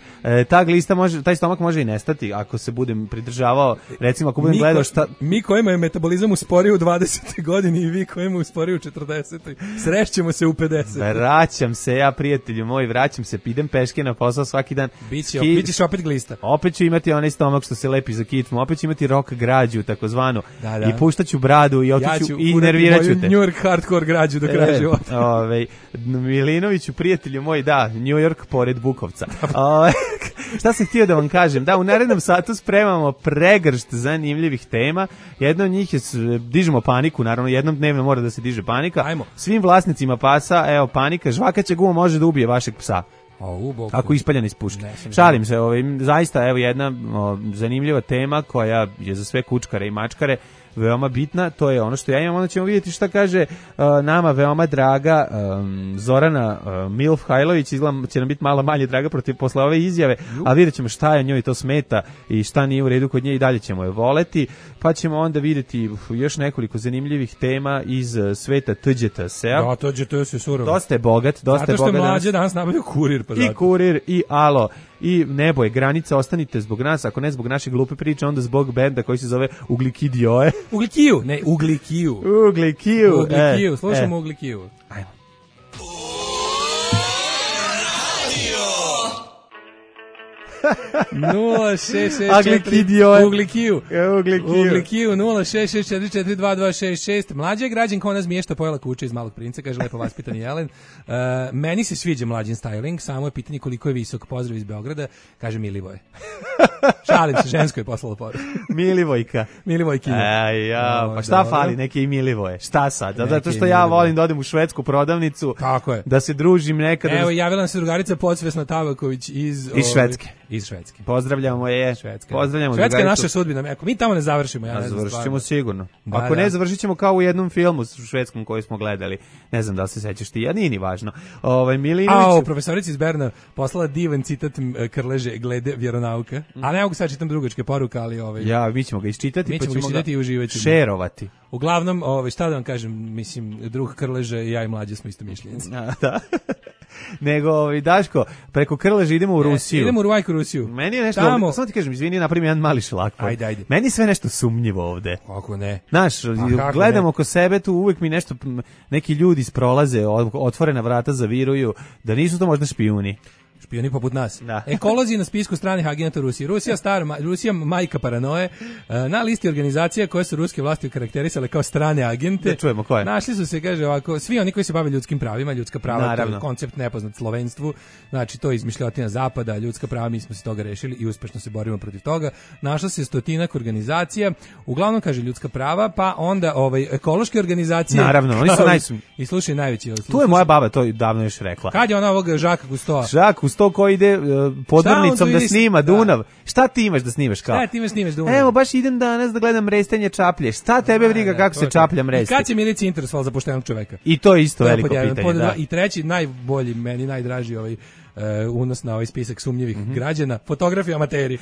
Taj stomak može i nestati ako se budem pridržavao, recimo ako budem gledao šta... Mi kojima je metabolizam usporio u 20. godini i vi kojima je usporio u 40. Srešćemo se u 50. Vraćam se, ja prijatelju moj, idem peške na posao svaki dan. Bićeš opet glista. Opet ću imati onaj stomak što se lepi za kičmu, opet ću imati rock građu, takozvanu. I puštaću bradu i otiću i nervirat ću te. New York hardcore građu do kraja života. Milinoviću, prijatelju moj, da, New York pored Bukovca. Šta sam htio da vam kažem? Da, u narednom satu spremamo pregršt zanimljivih tema. Jedna od njih je, dižemo paniku, naravno, jednom dnevno mora da se diže panika. Ajmo. Svim vlasnicima pasa, evo, panika, žvakaća guma može da ubije vašeg psa. Ako ispaljan iz puške. Šalim se, zaista evo jedna zanimljiva tema koja je za sve kučkare i mačkare veoma bitna, to je ono što ja imam, onda ćemo vidjeti šta kaže nama veoma draga Zorana Milf Hajlović, izgleda će nam biti malo manje draga posle ove izjave, a vidjet ćemo šta je njoj to smeta i šta nije u redu kod nje i dalje ćemo je voleti, pa ćemo onda vidjeti još nekoliko zanimljivih tema iz sveta TGT-a. Da, TGT se surovo. Dosta je bogat, zato što je mlađe danas nabavio kurir. Pa i kurir, i alo, i nebo je granica, ostanite zbog nas, ako ne zbog naše glupe priče, onda zbog benda koji se zove Uglikidioe. Uglikiju, ne, Uglikiju. Uglikiju, slušamo Uglikiju. Ajmo. Uglikiju 066442266. Mlađa je građanka, ona zmiješta pojela kuće iz Malog princa, kaže lepo vaspitani Jelen. Meni se sviđa mlađin styling, samo je pitanje koliko je visok. Pozdrav iz Beograda, kaže Milivoje. Šalim se, žensko je poslalo poruku. Milivojkinja. Pa šta fali neke i Milivoje? Šta sad? Zato što ja volim da odem u švedsku prodavnicu, da se družim nekada. Evo, javila nam se drugarica Podsvesna Tabaković iz Švedske. Iz Švedske. Pozdravljamo je. Švedska. Pozdravljamo Švedska je drugaricu. naša sudbina. Ako mi tamo ne završimo, ja ne znam. Završit ćemo sigurno. Da, Ako ne, da. završit ćemo kao u jednom filmu švedskom koji smo gledali. Ne znam da li se sećaš ti, a nije ni važno. Milinović... Profesorica iz Berna poslala divan citat Krleže glede vjeronauka. A ne mogu sad čitam drugačke poruke, ali... Ja, mi ćemo ga isčitati, mi pa ćemo ga i uživat ćemo. šerovati. Uglavnom, šta da vam kažem, mislim, drug Krleže i ja i Mlađe smo isto mišljenci. Da. Nego, Daško, preko Krleže idemo u Rusiju. Idemo u Ruvajku Rusiju. Meni je nešto, Tamo... samo ti kažem, izvini, napravim jedan mali šlak. Ajde. Meni je sve nešto sumnjivo ovde. Kako ne? Znaš, gledam oko sebe, tu uvek mi nešto, neki ljudi prolaze, otvorena vrata zaviruju, da nisu to možda špijuni. Špijuni poput nas. Da. Ekolozi na spisku stranih agenta Rusije. Rusija majka paranoje. Na listi organizacija koje su ruske vlasti karakterisale kao strane agente. Da čujemo koje. Našli su se, kaže ovako, svi oni koji se bave ljudskim pravima, ljudska prava, naravno. To je koncept nepoznat slovenstvu. Znači, to je izmišljotina zapada, ljudska prava, mi smo se toga rešili i uspešno se borimo protiv toga. Našla se 100-ak organizacija, uglavnom kaže ljudska prava, pa onda ekološke organizacije. Naravno, oni su I slušaj najveći. Tu je moja baba to davno još rekla. Kad je ona ovog Žaka Kustoa? To ko ide podmornicom da snima Dunav. Šta ti imaš da snimaš kao? Šta ti imaš snimaš Dunav? Evo, baš idem danas da gledam restanje čaplje. Šta tebe briga kako se čaplja mresti? I kad će milicija interesovala za poštenog čoveka? I to je isto veliko pitanje, da. I treći, najbolji, meni najdraži unos na ovaj spisak sumnjivih građana, fotografi amateri.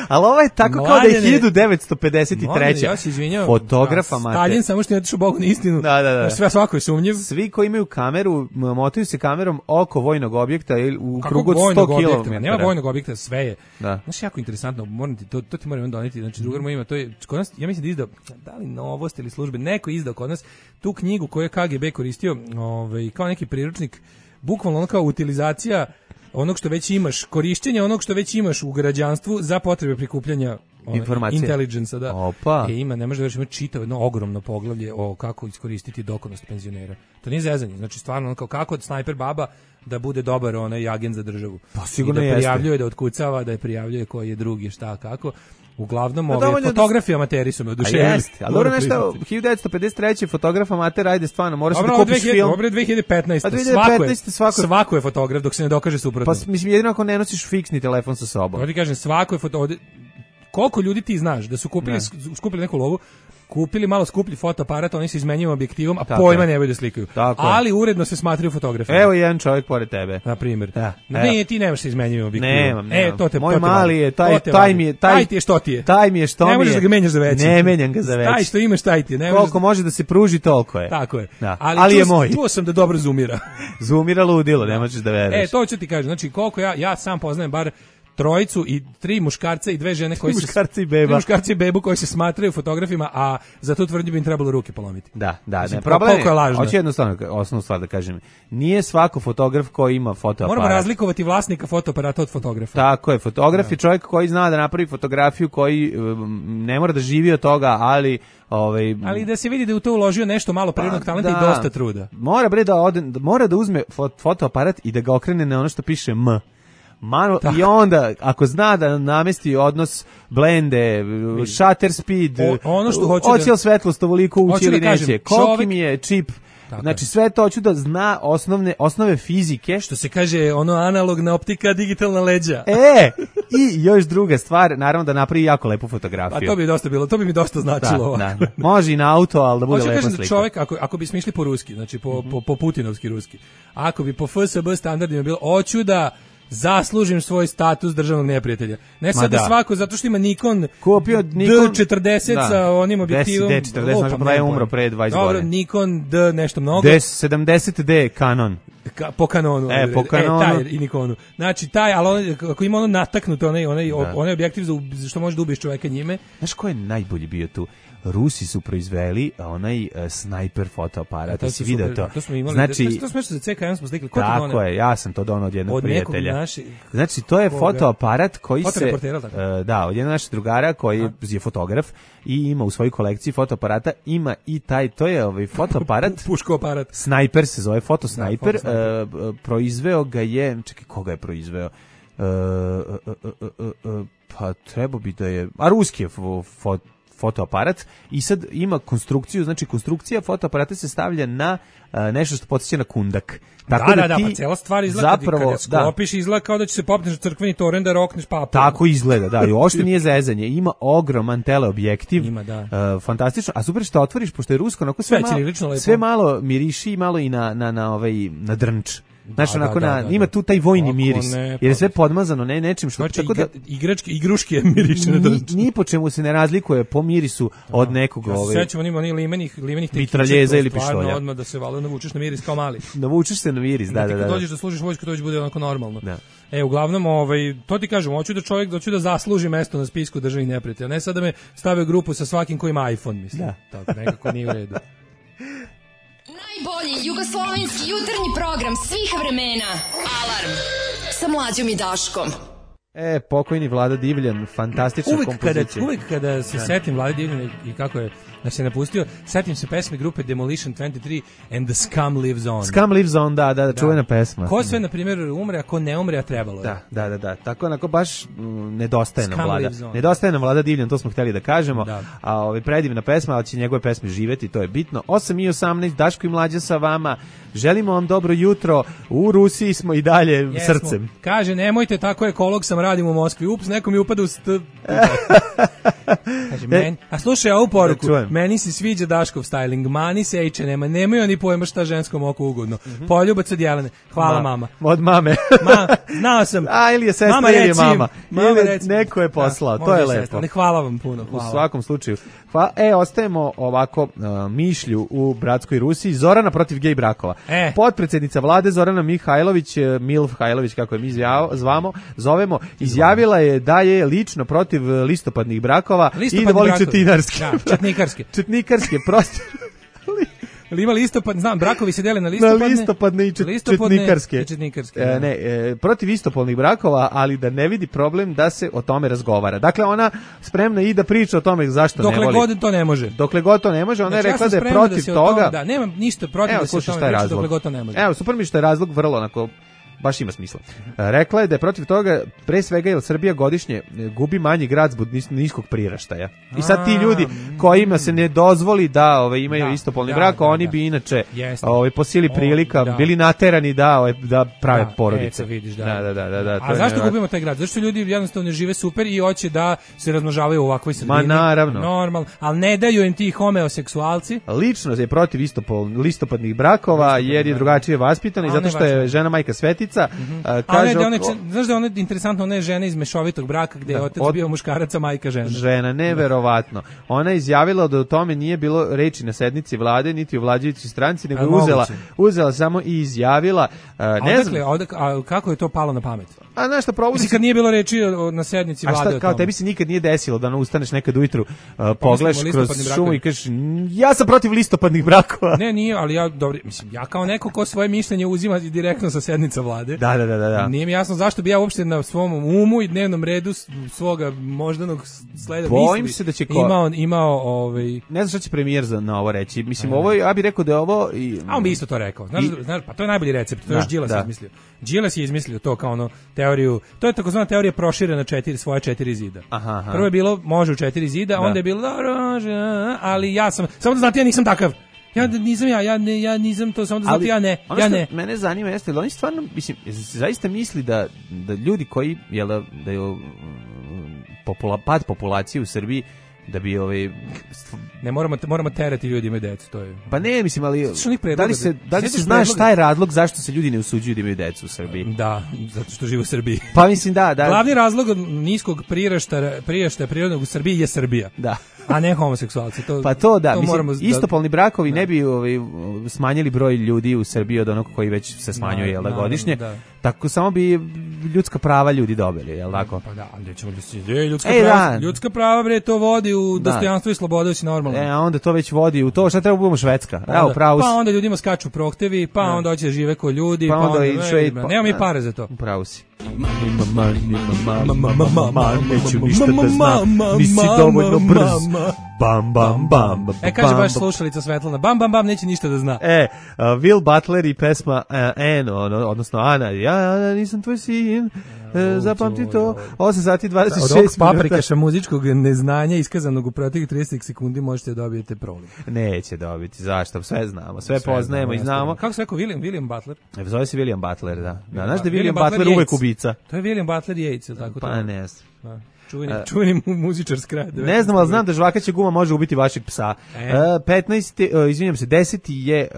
Ali ovo je tako kao da je 1953. Ja se izvinjam. Fotograf amater. Stalin samo što je otišao Bogu na istinu. Da. Sve svako je sumnjiv. Svi koji imaju kameru, motaju se kamerom oko vojnog objekta u krugu od 100 km. Nema vojnog objekta, sve je. Da. Znaš, jako interesantno, to ti moram doneti. Znači, drugar moj ima, to je, kod nas, ja mislim da izdao, da li Novost ili službe, neko izdao kod nas tu knjigu koju je KGB koristio kao neki priručnik, bukvalno ono kao utilizacija onog što već imaš, korišćenje onog što već imaš u građanstvu za potrebe prikupljanja informacije. Intelligence, da. Opa. Ima, ne može da ima čitavo jedno ogromno poglavlje o kako iskoristiti dokonost penzionera. To nije zezanje, znači stvarno kako od snajper baba da bude dobar onaj agent za državu. Pa sigurno I da prijavljuje, da otkucava, da je prijavljuje koji je drugi, šta, kako. Uglavnom, fotografi amateri su me oduševili. Ali dobro nešto, 1953. fotograf amater, ajde stvarno, moraš da kupiš film. Dobro, 2015. Svako je fotograf dok se ne dokaže suprotno. Pa mislim, jedino ako ne nosiš fiksni telefon sa sobom. Ovo ti kažem, svako je fotograf. Koliko ljudi ti znaš da su skupili neku lovu, kupili malo skuplji fotoaparat, oni se izmenjuju objektivom, a pojma nemaju da slikaju. Ali uredno se smatraju fotografima. Evo jedan čovjek pored tebe. Na primjer. Ne, ti nemaš se izmenjuju objektivom. Nemam. To te moj mali je, taj mi je, taj ti je što ti je. Taj mi je što mi je. Ne možeš da ga menjaš za veći. Ne menjam ga za veći. Taj što imaš, taj ti je. Koliko može da se pruži, toliko je. Tako je. Ali je moj. Čuo sam da dobro zoomira. Zoomira ludilo, ne možeš da veruješ. To ću ti kažem. Znači, koliko ja sam poznajem bar trojicu i 3 muškarca i 2 žene koji se muškarci i bebu koji se smatraju fotografima, a za tu tvrdnju bi im trebalo ruke polomiti. Da, ne problem je lažno. Hoću jednostavno osnovnu stvar da kažem. Nije svako fotograf koji ima fotoaparat. Moramo razlikovati vlasnika fotoaparata od fotografa. Tako je, fotograf je čovjek koji zna da napravi fotografiju, koji ne mora da živi od toga, ali ali da se vidi da je u to uložio nešto malo prirodnog talenta i dosta truda. Mora da uzme fotoaparat i da ga okrene na ono što piše M. I onda, ako zna da namesti odnos blende, shutter speed, hoće li svetlost ovoliko ući ili neće, koliki mi je čip, znači sve to hoću da zna osnove fizike. Što se kaže, analogna optika, digitalna leđa. I još druga stvar, naravno da napravi jako lepu fotografiju. A to bi dosta bilo, to bi mi dosta značilo. Da. Može i na auto, ali da bude lepa slika. Hoću kažem da čovjek, ako bismo išli po ruski, znači po putinovski ruski, ako bi po FSB standardima bilo, hoću da zaslužim svoj status državnog neprijatelja. Ne sad da svako, zato što ima Nikon D40 sa onim objektivom. D40, znači pa je umro pre 20 godina. Dobro, Nikon D nešto mnogo. D70D Canon. Po Canonu. Po Canonu. Taj i Nikonu. Znači, ali ako ima nataknuto onaj objektiv što može da ubiješ čoveka njime. Znaš ko je najbolji bio tu? Rusi su proizveli onaj snajper fotoaparat. To si vidio to? To smo imali. Znači, to smo što za CKM smo slikali. Tako je, ja sam to donao od jednog prijatelja. Znači, to je fotoaparat koji se... Da, od jednog našeg drugara koji je fotograf i ima u svojoj kolekciji fotoaparata, ima i taj, to je fotoaparat. Puško aparat. Snajper se zove, fotosnajper. Proizveo ga je... Čekaj, koga je proizveo? Pa treba bi da je... A ruski je fotoaparat i sad ima konstrukciju, znači konstrukcija fotoaparata se stavlja na nešto što podsjeća na kundak. Tako da, pa cela stvar izgleda zapravo, kad je sklopiš, izgleda kao da će se popneš na crkveni toren da rokneš papu. Tako izgleda, da, i uopšte nije zezanje. Ima ogroman teleobjektiv, fantastično, a super što otvoriš, pošto je rusko, onako sve malo miriši, malo i na drnč. Znaš, onako ima tu taj vojni miris, jer je sve podmazano nečim što... Znači, igruške miriše na drnč. Ni po čemu se ne razlikuje po mirisu od nekog... Ja se sećam, oni limenih mitraljeza ili pištolja. Odmah da se valo navučeš na miris kao mali. Navučeš se na miris, da. Kad dođeš da služiš vojsku, to već bude onako normalno. Uglavnom, to ti kažem, hoću da zasluži mesto na spisku državnih neprijatelja, ne sad da me stave u grupu sa svakim ko ima iPhone, mislim. Tako, nekako nije u redu. Najbolji jugoslovenski jutarnji program svih vremena. Alarm sa Mlađom i Daškom. Pokojni Vlada Divljan, fantastična kompozicija. Uvijek kada se setim Vlade Divljana i kako je da se napustio, setim se pesme grupe Demolition 23 and the Scum Lives On. Scum Lives On, da, čuvena pesma. Ko sve, na primjer, umre, a ko ne umre, a trebalo je. Da. Tako onako baš nedostaje nam Vlada. Nedostaje nam Vlada Divljan, to smo htjeli da kažemo. A predivna pesma, ali će njegove pesme živjeti, to je bitno. 8:18, Daško i Mlađa sa vama. Želimo vam dobro jutro. U Rusiji smo i dalje srcem. Kaže, nemojte tako ekolog sam radim u Moskvi. Ups, neko mi upada u Kaže, a slušaj ovu poruku. Meni se sviđa Daškov styling. Mani se H&M-a. Nemaju oni pojma šta ženskom oku ugodno. Poljubac od Jelene. Hvala mama. Od mame. Znao sam. Ili je sestra ili je mama. Ili neko je poslao. To je lepo. Ali hvala vam puno. U svakom slučaju. Ostajemo ovako mišlju u bratskoj Rusiji. Zorana protiv gej brakova. Potpredsjednica vlade Zorana Mihajlović, Milf Hajlović, kako je mi zovemo, izjavila je da je lično protiv listopadnih brakova i da voli četinarske. Četnikarske, protiv... Ima listopad, znam, brakovi se dele na listopadne i četnikarske. Protiv istopolnih brakova, ali da ne vidi problem da se o tome razgovara. Dakle, ona spremna i da priča o tome zašto ne voli. Dokle god to ne može. Ona je rekla da je protiv toga. Da, nemam ništa protiv da se o tome priča dokle god to ne može. Evo, super mi što je razlog vrlo onako... baš ima smisla. Rekla je da je protiv toga, pre svega jer Srbija godišnje gubi manji grad zbog niskog priraštaja. I sad ti ljudi kojima se ne dozvoli da imaju istopolni brak, oni bi inače po sili prilika bili naterani da prave porodice. A zašto gubimo taj grad? Zašto ljudi jednostavno žive super i hoće da se razmnožavaju u ovakvoj sredini? Ma naravno. Normalno. Ali ne daju im ti homoseksualci. Lično je protiv listopadnih brakova jer je drugačije vaspitana i zato što je žena majka svetica. Kaže, znaš da je ona interesantno, ona je žena iz mešovitog braka gde je otac bio muškarac, a majka žena. Žena, neverovatno. Ona je izjavila da o tome nije bilo reči na sednici vlade, niti u vladajućoj stranci, nego uzela samo i izjavila. A kako je to palo na pamet? A znaš šta provodi? Mislim, kad nije bilo reči na sednici vlade o tome. Kao tebi se nikad nije desilo da ustaneš nekad ujutru, pogledaš kroz šumu i kažeš, ja sam protiv listopadnih brakova. Ne, nije, ali ja kao neko ko svoje mišljenje uzima direktno sa sednica vlade. Da. Nije mi jasno zašto bi ja uopšte na svom umu i dnevnom redu svoga moždanog sleda bojim se da će imao ne znam šta će premijer na ovo reći. Mislim, ovo, ja bih rekao da je ovo... A on bi isto to rekao. Znaš, pa to je najbolji recept. To je još Đilas izmislio. Đilas je izmislio to kao teoriju, to je takozvana teorija proširena svoje 4 zida. Prvo je bilo može u 4 zida, onda je bilo ali ja sam, samo da znate, ja nisam takav. Ja nisam to, samo da znate, ja ne. Mene zanima jeste, ali oni stvarno, mislim, zaista misli da ljudi koji, da je pad populacije u Srbiji, da bi ne moramo terati ljudi imaju decu, to je. Pa ne, mislim, ali da li se znaš šta je razlog zašto se ljudi ne usuđuju da imaju decu u Srbiji? Da, zato što žive u Srbiji. Pa mislim da. Glavni razlog niskog priraštaja prirodnog u Srbiji je Srbija. Da. A ne homoseksualci. Pa to da, mislim, istopolni brakovi ne bi smanjili broj ljudi u Srbiji od onog koji već se smanjuje godišnje. Tako samo bi ljudska prava ljudi dobili, jel tako? Pa da, ali ćemo ljudska prava bre, to vodi u dostojanstvo i slobodu, si normalno. A onda to već vodi u to, šta treba budemo Švedska. Evo, pravo. Pa onda ljudima skaču prohtevi, pa onda hoće da žive ko ljudi, pa onda nema mi pare za to. Pravo si. Neću ništa da znam, nisi dovoljno brz. Bam, bam, bam. Kaže baš slušalica Svetlana, bam, bam, bam, neće ništa da zna. Will Butler i pesma Anne, odnosno Ana, ja nisam tvoj sin. zapamti to. 8 sati 26 minuta. Od ovog paprikaša muzičkog neznanja iskazanog u proteklih 30 sekundi možete dobijete proliv. Neće dobiti, zašto? Sve znamo, sve poznajemo i znamo. Kako se rekao, William Butler? Zove se William Butler, da. Znaš da William Butler uvek ubica? To je William Butler Yates, tako to? Pa ne znam. Čuveni muzičar s kraja. Ne znam, ali znam da žvakaća guma može ubiti vašeg psa. 10. je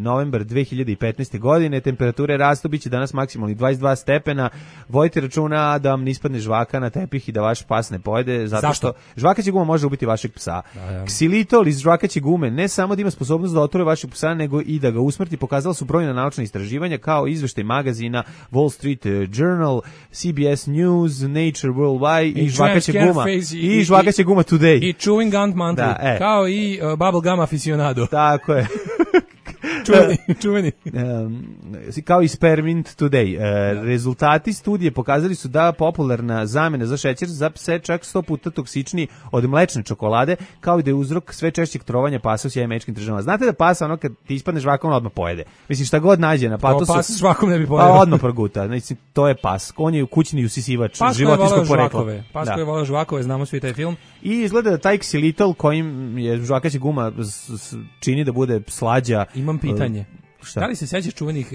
novembar 2015. godine, temperature rastu, biće danas maksimalni 22 stepena. Vojte računa da vam ne ispadne žvaka na tepih i da vaš pas ne pojede, zato što žvakaća guma može ubiti vašeg psa. Ksilitol iz žvakaće gume ne samo da ima sposobnost da otruje vašeg psa, nego i da ga usmrti. Pokazala su brojna naučna istraživanja, kao izveštaj magazina Wall Street Journal, CBS News, Nature Worldwide, i žvakaće guma. I žvakaće guma Today. I Chewing Gum Monthly. Kao i Bubble Gum Aficionado. Tako je. Čuveni. Kao i Spearmint Today. Rezultati studije pokazali su da popularna zamena za šećer za pse čak 100 puta toksičniji od mlečne čokolade, kao i da je uzrok sve češćeg trovanja pasa u sjajmečkim državama. Znate da pasa, ono kad ti ispadne žvakom, on odmah pojede. Mislim, šta god nađe na patosu... pas žvakom ne bi pojede. Odmah proguta. Znači, to je pas. On je kućni usisivač životinjskog porekla. Pas koji je volao žvakove, znamo svi taj film. I izgleda da taj ksilitol kojim je žvakaća guma čini da bude slađa. Imam pitanje. Šta? Da li se sećaš čuvenih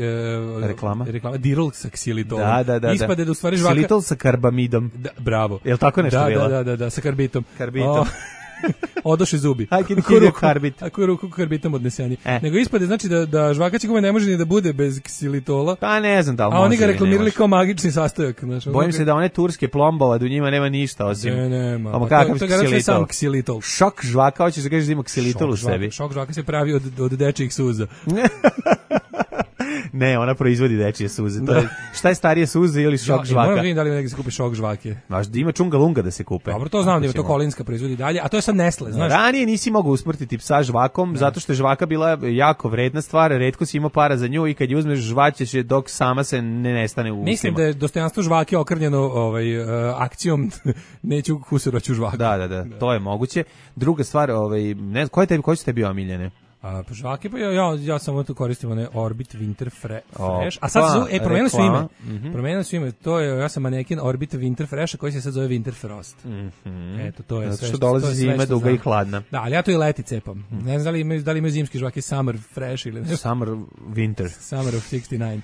reklama? Dirol sa ksilitolom. Da. Ispade da u stvari žvaka... Ksilitol sa karbamidom. Da, bravo. Je li tako nešto bilo? Da, sa karbitom. Karbitom. Odoše zubi. Ako ruku karbitom odneseni. Nego ispade znači da žvakaća guma ne može ni da bude bez ksilitola. Pa ne znam da li može. A oni ga reklamirali kao magični sastojak. Bojim se da one turske plombova, da u njima nema ništa osim... Nema. To je sam ksilitol. Šok žvaka, hoćeš da kažeš da ima ksilitol u sebi. Šok žvaka se pravi od dečijih suza. Ne, ona proizvodi dečije suze. To je, šta je starije suze ili šok žvaka? Moram vidim da li negdje se kupi šok žvake. Znaš, da ima čunga lunga da se kupe. Dobro, to znam da je to Kolinska proizvodi dalje, a to je sad Nestle, znaš. Ranije nisi mogao usmrtiti psa žvakom, zato što je žvaka bila jako vredna stvar, retko si imao para za nju i kad je uzmeš žvaćeš je dok sama se ne nestane u ustima. Mislim da je dostojanstvo žvake okrnjeno akcijom neću kusuroću žvaku. Da, to je moguće. Druga stvar, ne znam, koji su tebi omiljene? Pa žvake, pa ja samo to koristim one Orbit Winter Fresh. A sad se promenili su ime. Promenili su ime. To je, ja sam manekin Orbit Winter Fresh, koji se sad zove Winter Frost. Eto, to je sve. Što dolazi zima, duga i hladna. Da, ali ja to i leti cepam. Ne znam da li imaju zimski žvake Summer Fresh ili nešto. Summer Winter. Summer of 69.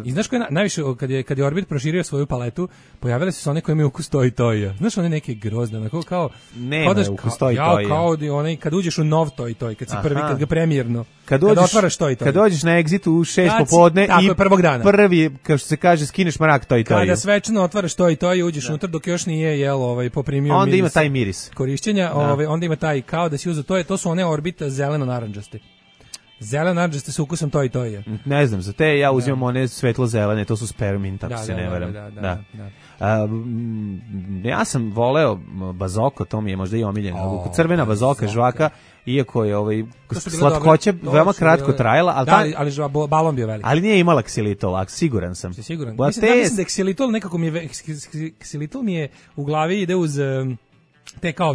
I znaš koje najviše, kad je Orbit proširio svoju paletu, pojavile su se one koje imaju ukus toj toja. Znaš, one neke grozne, kao nema ukus toj toja. Kao onaj kad uđeš u nov toj, kad si prvi, kad ga premijerno. Kad otvaraš to i to. Kad dođeš na Exitu u 6 popodne i prvog dana. Prvi, kao što se kaže, skineš mrak to i to. Kada svečano otvaraš to i to i uđeš unutra dok još nije poprimio miris. Onda ima taj miris korišćenja, onda ima taj kao da si uzeo to su one Orbita zeleno-narandžaste. Zeleno-narandžaste sa ukusom to i to je. Ne znam, za te ja uzimam one svetlo-zelene, to su Spearmint, ako se ne varam. Da. Ja sam voleo bazoko, to mi je možda i omiljeno. Crvena bazoka, žvaka, iako je slatkoća veoma kratko trajala, ali balon bio velik. Ali nije imala ksilitol, siguran sam. Siguran. Mislim da ksilitol nekako mi je ksilitol mi je u glavi ide uz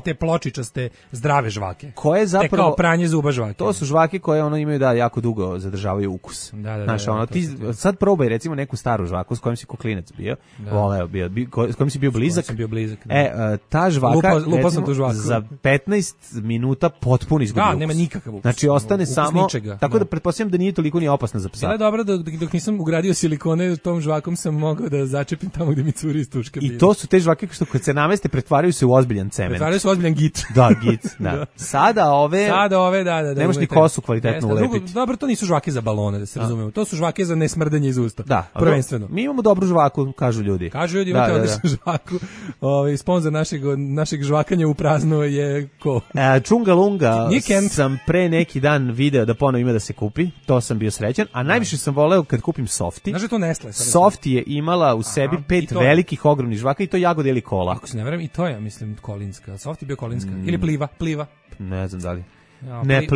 te pločičaste zdrave žvake. Koje zapravo te kao pranje zuba žvake. To su žvake koje imaju jako dugo zadržavaju ukus. Znaš, ti sad probaj recimo neku staru žvaku s kojom si klinac bio. Voleo bio, s kojom si bio blizak. Ta žvaka za 15 minuta potpuno izgubi ukus. Nema nikakav ukus. Znači ostane samo tako da pretpostavljam da nije toliko ni opasna za psa. Bila je dobro dok nisam ugradio silikone tom žvakom sam mogao da začepim tamo gde mi curi iz tuške. I to su te žvake što kad se nameste pretvaraju se u ozbiljan cement. Pretvaraju se ozbiljan git. Da, git, da. Sada ove, da. Nemaš ni kosu kvalitetno ulepiti. Dobro, to nisu žvake za balone, da se razumemo. To su žvake za nesmrdanje iz usta. Da, prvenstveno. Mi imamo dobru žvaku, kažu ljudi. Imate odličnu žvaku. Sponzor našeg žvakanja u prazno je ko? Čunga Lunga sam pre neki dan video da ponovo ima da se kupi. To sam bio srećan. A najviše sam voleo kad kupim Softi. Znaš da to Nestle? Softi je imala u sebi 5 velikih ogromnih žvaka i to jagode ili kola. Ako se ne verujem, i to je, mislim, Kolinska. Softi bio Kolinska. Ili Pliva. Ne znam da li. Ne,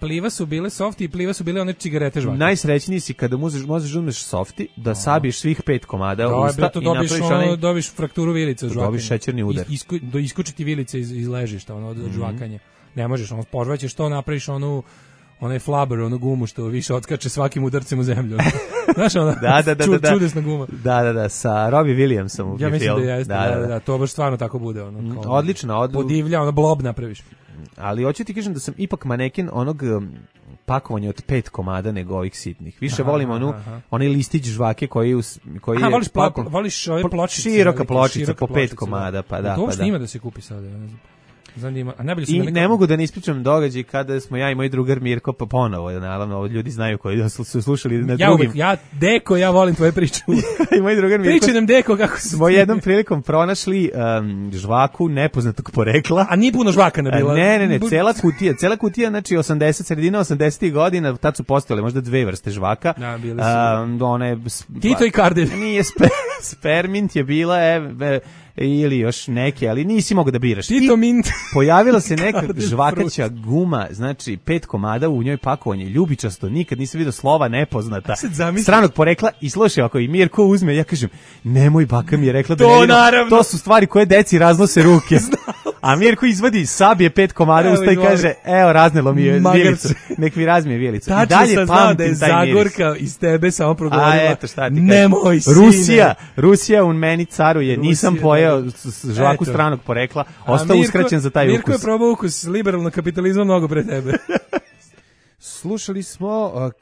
Pliva su bile Softi i Pliva su bile one cigarete žvake. Najsrećniji si kada možeš uzmeš Softi, da sabiješ svih 5 komada usta i napraviš dobiš frakturu vilice od žvakanja. Dobiš šećerni udar. Iskučiti vilice iz ležišta, od žvakanja. Ne možeš, požvaćeš to, napraviš onaj flubber, onu gumu što više odskače svakim udarcem u zemlju. Znaš, ona čudesna guma. Da, sa Robbie Williamsom u Ja mislim film. da jeste, da, to baš stvarno tako bude. Ono, odlično. Podivlja, ono blob napraviš. Ali hoću ti kažem da sam ipak maneken onog pakovanja od 5 komada nego ovih sitnih. Više volim onaj listić žvake koji je voliš ove pločice. Široka pločica po 5 komada, pa da. To uopšte ima da se kupi sada, ne znam. Zanima. A najbolje su ne mogu da ne ispričam događaj kada smo ja i moj drugar Mirko pa ponovo, naravno, ljudi znaju koji su slušali na drugim. Ja volim tvoje priče. I moj drugar Mirko. Priči nam Deko kako smo jednom prilikom pronašli žvaku nepoznatog porekla. A nije puno žvaka nabila. Ne, cela kutija, znači sredina 80-ih godina, tad su postojale možda 2 vrste žvaka. Da, bile su. Tito i Kardelj. Nije Spermint je bila, ili još neke, ali nisi mogao da biraš. Tito Mint. Pojavila se neka žvakaća guma, znači 5 komada, u njoj pakovanje ljubičasto, nikad nisam vidio slova nepoznata, stranog porekla i slušaj, ako i Mirko uzme, ja kažem, nemoj, baka mi je rekla da to su stvari koje deci raznose ruke. A Mirko izvadi, sabije 5 komada usta i kaže, evo, raznelo mi je vilicu, nek mi razmije vilicu. Tačno sam znao da je Zagorka iz tebe samo progovorila, nemoj sine. Rusija u meni caruje, nisam pojeo žvaku stranog porekla, ostao uskraćen za taj ukus. Mirko je probao ukus liberalnog kapitalizma mnogo pre tebe. Slušali smo,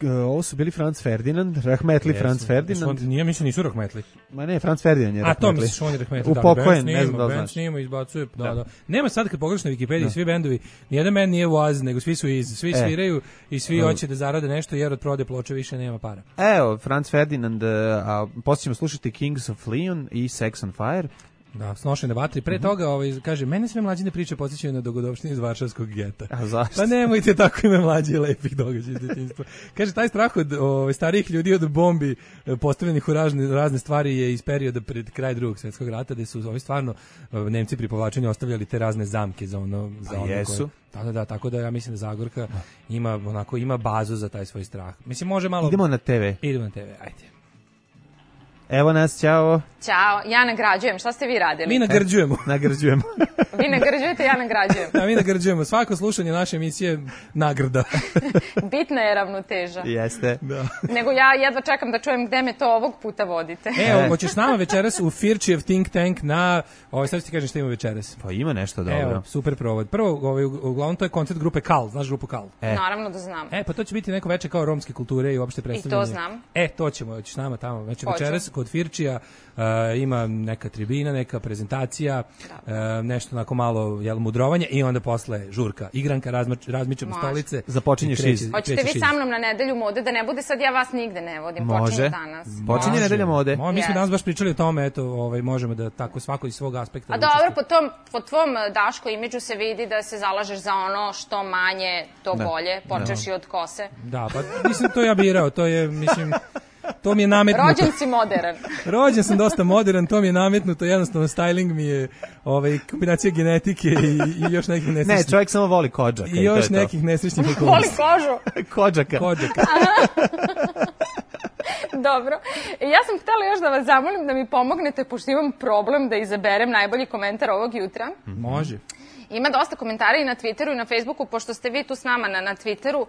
ovo su bili Franz Ferdinand, rahmetli Franz Ferdinand. Nije, mislim, nisu rahmetli. Ma ne, Franz Ferdinand je rahmetli. A to misliš, on je rahmetli. Upokojen, ne znam da znaš. Band snima, izbacuje, da. Nema sad kad pogledaš na Wikipediji, svi bendovi, nijedan band nije Oasis, nego svi su svi sviraju i svi hoće da zarade nešto, jer od prode ploče više nema para. Evo, Franz Ferdinand, a poslije ćemo slušati Kings of Leon i Sex on Fire. Da, Snošene vatri. Pre toga kaže, mene sve mlađine priče podsjećaju na dogodovštine iz Varšavskog geta. A zašto? Pa nemojte tako ime mlađe lepih događaja iz djetinjstva. Kaže, taj strah od starijih ljudi od bombi postavljenih u razne stvari je iz perioda pred kraj Drugog svjetskog rata, gde su stvarno Nemci pri povlačenju ostavljali te razne zamke za ono jesu. Da, tako da ja mislim da Zagorka ima bazu za taj svoj strah. Mislim, može malo... Idemo na TV, ajde. Evo nas, ćao. Ćao, ja nagrađujem. Šta ste vi radili? Mi nagrđujemo. Vi nagrđujete, ja nagrađujem. Da, mi nagrđujemo. Svako slušanje naše emisije nagrada. Bitna je ravnoteža. Jeste. Da. Nego ja jedva čekam da čujem gde me to ovog puta vodite. Evo, hoćeš s nama večeras u Firčijev Think Tank na... sad ti kažem šta ima večeras. Pa ima nešto dobro. Evo, super provod. Prvo, uglavnom to je koncert grupe Kal. Znaš grupu Kal? Naravno da znam. Pa to će biti neko veče kao romske kulture i uopšte predstavljanje. I to znam. To ćemo, hoćeš s nama tamo. Znači večeras kod Firčija ima neka tribina, neka prezentacija, nešto onako malo mudrovanje i onda posle žurka, igranka, razmičemo stolice. Započinje šiz. Hoćete vi sa mnom na nedelju mode, da ne bude sad ja vas nigde ne vodim, počinje danas. Počinje nedelja mode. Mi smo danas baš pričali o tome, eto, možemo da tako svako iz svog aspekta. A dobro, po tvom Daško imidžu se vidi da se zalažeš za ono što manje, to bolje, počeš i od kose. Da, pa mislim to ja birao, to je, mislim... To mi je nametnuto. Rođen si modern. Rođen sam dosta modern, to mi je nametnuto, jednostavno styling mi je kombinacija genetike i još nekih nesrećnih. Ne, čovjek samo voli kodžaka. I još nekih nesrećnih okolnosti. Voli kožu. Kodžaka. Dobro. Ja sam htjela još da vas zamolim da mi pomognete, pošto imam problem da izaberem najbolji komentar ovog jutra. Može. Ima dosta komentara i na Twitteru i na Facebooku, pošto ste vi tu s nama na Twitteru,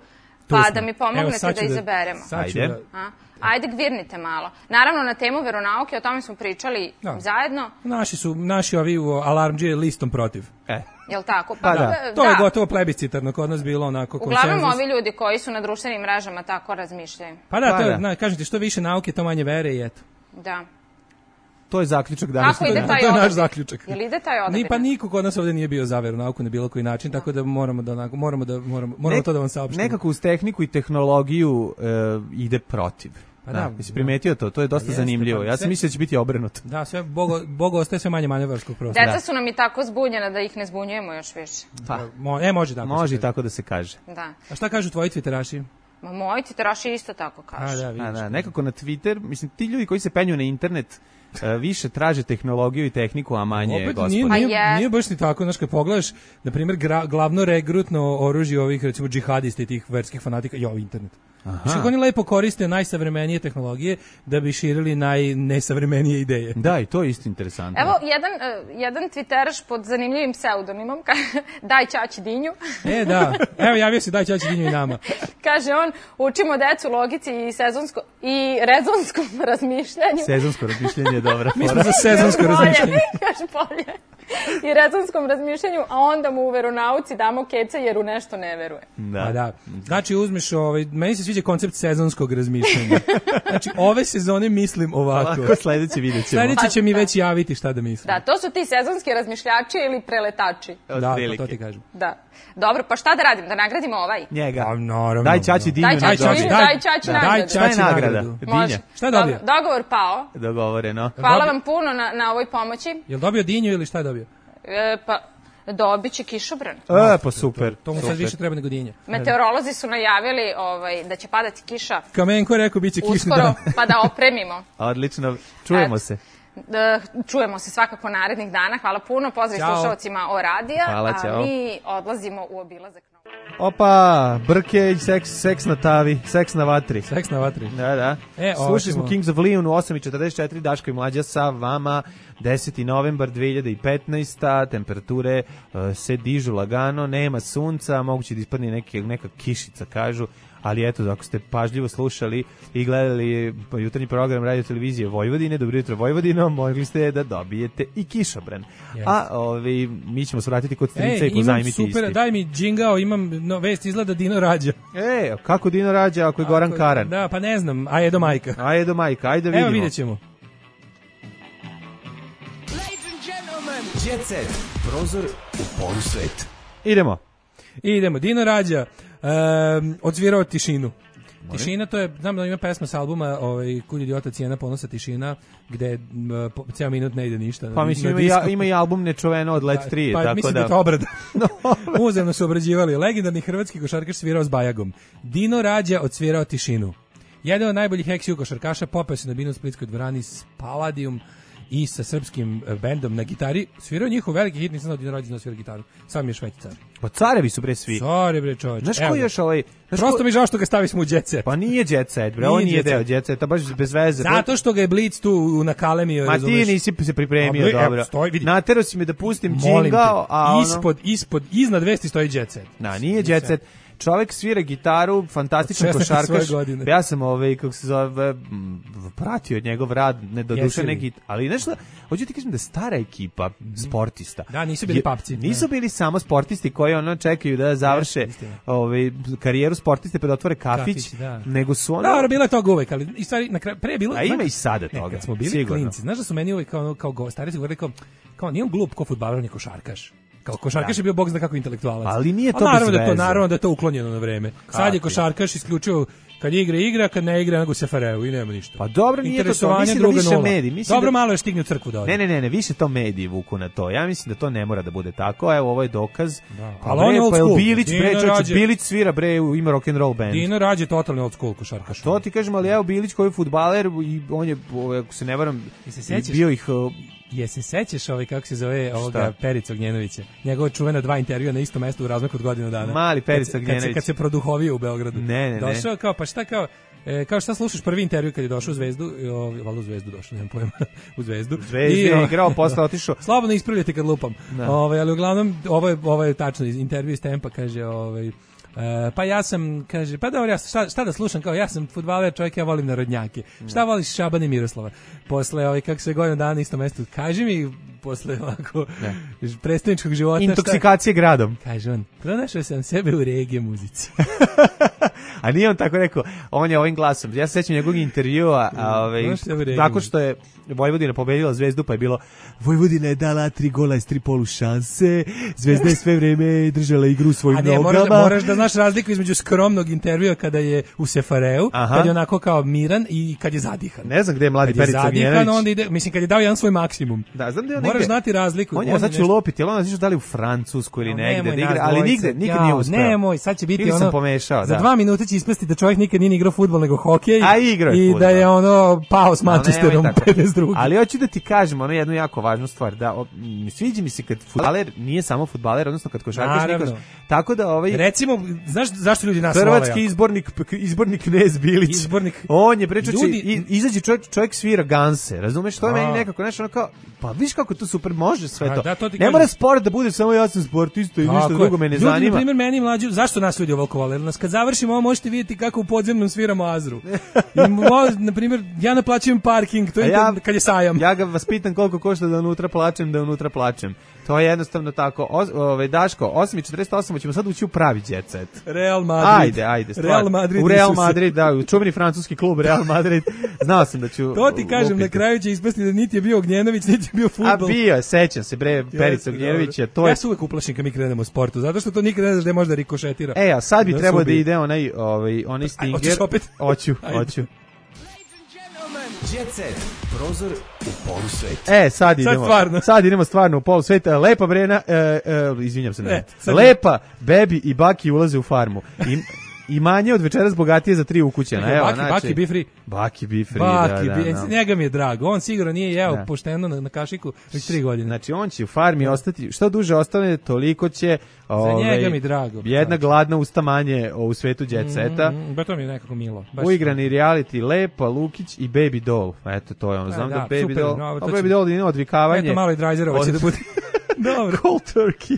pa da mi pomognete da izaberemo. Ajde, gvirnite malo. Naravno, na temu veronauke, o tome smo pričali zajedno. Naši ovi alarmđije listom protiv. Jel' tako? Pa da. To je gotovo plebiscitarno kod nas bilo onako konsenzus. Uglavnom ovi ljudi koji su na društvenim mrežama tako razmišljaju. Pa da, kažem ti, što više nauke, to manje vere i eto. Da. To je zaključak danas. Kako ide taj odabir? To je naš zaključak. Jel ide taj odabir? Pa niko kod nas ovdje nije bio za veronauku na bilo koji način, tako da moramo to da vam saopštimo. Nekako uz tehniku i tehnologiju ide protiv. Pa da, si primetio to je dosta zanimljivo. Ja sam mislio da će biti obrnuto. Da, sve Bogu ostaje sve manje manevarskog prostora. Deca su nam i tako zbunjena da ih ne zbunjujemo još više. Pa, može tako. Može i tako da se kaže. Da. A šta kažu tvoji twitteraši? Moji twitteraši isto tako kažu. Nekako na Twitter, mislim, ti ljudi koji se penju na internet više traže tehnologiju i tehniku, a manje gospodine. Nije baš ni tako, znaš, kad pogledaš, na primjer, glavno regrutno oružje ovih, recimo, džihadista i tih verskih fanatika, internet. Što oni lepo koriste najsavremenije tehnologije da bi širili najnesavremenije ideje. Da, i to je isto interesantno. Evo, jedan twitteraš pod zanimljivim pseudonimom, daj Ćaći Dinju. Da, evo javio se daj Ćaći Dinju i nama. Kaže on, učimo decu logici i rezonskom razmišljanju. Sezonsko razmišljanje je dobra. Mi smo za sezonsko razmišljanje. Kaže bolje. I rezonskom razmišljanju, a onda mu u veronauci damo keca jer u nešto ne veruje. Da. Znači uzmeš, meni se sviđa koncept sezonskog razmišljanja. Znači ove sezone mislim ovako. Sledeće vidjet ćemo. Sledeće će mi već javiti šta da mislim. Da, to su ti sezonski razmišljači ili preletači. Da, to ti kažem. Da. Dobro, pa šta da radim? Da nagradimo ovaj? Njega. Naravno. Daj Ćaći Dinju. Daj Ćaći nagradu. Šta je nagrada? Dinja. Šta je dobio? Dogovor pao. Dogovoreno. Hvala vam puno na ovoj pomoći. Jel dobio Dinju ili šta je dobio? Pa dobit će kišobran. Pa super. To mu sad više treba nego Dinja. Meteorolozi su najavili da će padati kiša. Kamenko je rekao bit će kišni dan. Pa da opremimo. Odlično, čujemo se. Čujemo se svakako narednih dana. Hvala puno, pozdrav slušalcima o radija. Hvala, ćao. A mi odlazimo u obilazak. Opa, brke i seks na tavi, seks na vatri. Seks na vatri. Da. Slušali smo Kings of Leon u 8:44, Daško i Mlađa sa vama, 10. novembar 2015. Temperature se dižu lagano, nema sunca, moguće da ispadne neka kišica, kažu. Ali eto, ako ste pažljivo slušali i gledali jutarnji program Radio Televizije Vojvodine, Dobro jutro Vojvodino, mogli ste da dobijete i kišobran. Yes. A mi ćemo se vratiti kod strica i pozajmiti isti. Super, daj mi džingao, imam vest, izgleda Dino rađa. Kako Dino rađa ako je Goran Karan? Da, pa ne znam, a je do majka. Ajde vidimo. Evo vidjet ćemo. Jet Set, prozor u polusvet. Idemo, Dino rađa. Odsvirao Tišinu. Tišina, to je, znam da ima pesma s albuma Kud idiota cijena ponosa Tišina, gde cijel minut ne ide ništa. Pa mislim, ima i album Nečuveno od Let 3. Pa mislim da je to obrada. Uzemno su obrađivali. Legendarni hrvatski košarkaš svirao s Bajagom. Dino rađa odsvirao Tišinu. Jedan od najboljih ex-ju košarkaša, popeo se na binu u Splitskoj dvorani s Palladium i sa srpskim bendom na gitari. Svirao njihov veliki hit, nisam znao Dino rađa svira gitaru. Sam je šveći car. Pa carevi su bre svi. Care bre čovječ. Znaš ko još Prosto mi žao što ga stavi smo u Jet Set. Pa nije Jet Set, bre, on nije deo Jet Seta, baš bez veze. Zato što ga je Blitz tu nakalemio, razumeš. Ma ti nisi se pripremio dobro. Natero si me da pustim džingao, a iznad vesti stoji Jet Set. Da, nije Jet Set. Čovjek svira gitaru, fantastičan košarkaš. Ja sam kako se zove, pratio njegov rad, ne doduše neki, ali nešto, hoću ti kažem da stara ekipa sportista. Da, nisu bili papci. Nisu bili samo sportisti koji čekaju da završe karijeru sportiste pa da otvore kafić, nego su Da, bilo je toga uvek, ali i stvari na kraju pre bilo. A ima i sada toga. Kad smo bili klinci, znaš da su meni uvek kao stari su govorili kao nije on glup kao fudbaler, on je košarkaš. Kao košarkaš je bio bog zna kako intelektualac. Ali nije to bez veze. Naravno da je to uklonjeno na vreme. Sad je košarkaš isključivo kad igra, kad ne igra nego se fareu i nema ništa. Pa dobro, nije to, mislim da više mediji. Dobro, malo je stigne u crkvu da ode. Ne, više to mediji vuku na to. Ja mislim da to ne mora da bude tako. Evo, ovo je dokaz. Ali on je old school. Bilić svira bre u ime rock and roll band. Dino rađe totalni old school košarkaš. To ti kažem, ali evo Bilić koji je fudbaler i on je, ako se ne varam, bio ih... Se sećaš kako se zove ovoga Perica Ognjenovića? Njegova čuvena 2 intervjua na istom mestu u razmaku od godinu dana. Mali Perica Ognjenović. Kad se produhovio u Beogradu. Ne. Došao kao, pa šta kao šta slušaš prvi intervju kad je došao u Zvezdu, valjda u Zvezdu došao, nemam pojma, u Zvezdu. Zvezdu je igrao, posle otišao. Slobodno ispravljate kad lupam. Ali uglavnom, ovo je tačno, intervju iz Tempa, kaže, pa ja sam, kaže, pa dobro, ja šta da slušam, kao ja sam fudbaler, čovjek, ja volim narodnjake. Šta voliš Šabana i Miroslava? Posle, kako se godinu dana na istom mestu, kaži mi, posle ovako predstavničkog života. Intoksikacije gradom. Kaže on, pronašao sam sebe u regije muzici. A nije on tako rekao, on je ovim glasom. Ja se sećam njegovog intervjua, tako što je Vojvodina pobedila Zvezdu, pa je bilo Vojvodina je dala 3 gola iz 3 polušanse, Zvezda je sve vreme držala igru u svojim nogama. Moraš da znaš razliku između skromnog intervjua kada je u Sefareu, kad je onako kao miran i kad je zadihan. Ne znam gde je mladi Perica Ognjenović. Onda ide, mislim kad je dao jedan svoj maksimum. Da, znam da je moraš znati razliku. On je znači lopiti, ali on znači da li u Francusku ili negde da igra, ali nigde nije uspeo. Nemoj, sad će biti ono. Pomešao, za 2 minute će ispasti da čovjek nikad nije igrao fudbal nego hokej. A igrao je i fudbal. Da je ono pao s Manchesterom 52. Ali hoću da ti kažem ono jednu jako važnu stvar, da sviđa mi se kad fudbaler nije samo fudbaler, odnosno kad košarkaš nikoš. Tako da recimo, znaš zašto ljudi nas hrvatski izbornik Knez Bilić. On je pričao izađe čovjek svira ganse, razumeš? To je meni nekako nešto kao, pa viš kako to super može sve to. Ne mora sport da bude samo ja sam sportista i ništa drugo me ne zanima. Ljudi, na primjer, meni mlađi, zašto nas ljudi ovoliko vole? Nas kad završimo ovo možete vidjeti kako u podzemnom sviramo Azru. Na primjer, ja naplaćujem parking, to je kad je sajam. Ja ga vas pitam koliko košta da unutra plačem. To je jednostavno tako. Daško, 8:48 ćemo sad ući u pravi jet set. Real Madrid. Ajde. Real Madrid. U Real Madrid, da, čuveni francuski klub Real Madrid. Znao sam da ću... To ti kažem, na kraju će ispasti da niti je bio Ognjenović, niti je bio fudbal. A bio je, sećam se, Perica Ognjenovića. Ja se uvek uplašim kad mi krenemo u sportu, zato što to nikad ne znaš da možda rikošetira. A sad bi trebao da ide onaj Stinger. Hoćeš opet? Hoću. Jet set, prozor u polusveta. Sad idemo stvarno u polusveta. Lepa Brena, izvinjam se, Lepa, Bebi i Baki ulaze u farmu. I manje od večeras bogatije za 3 ukućena. Baki be free. Baki be free, da. Njega mi je drago. On sigurno nije jeo pošteno na kašiku već 3 godine. Znači, on će u farmi ostati, što duže ostane, toliko će... Za njega mi drago. Jedna gladna usta manje u svetu jet seta. To mi je nekako milo. Uigrani reality, Lepa, Lukić i Baby Doll. Eto, to je ono. Znam da Baby Doll je odvikavanje. Eto, malo i Drajzerova će da bude... Dobro. Cold turkey.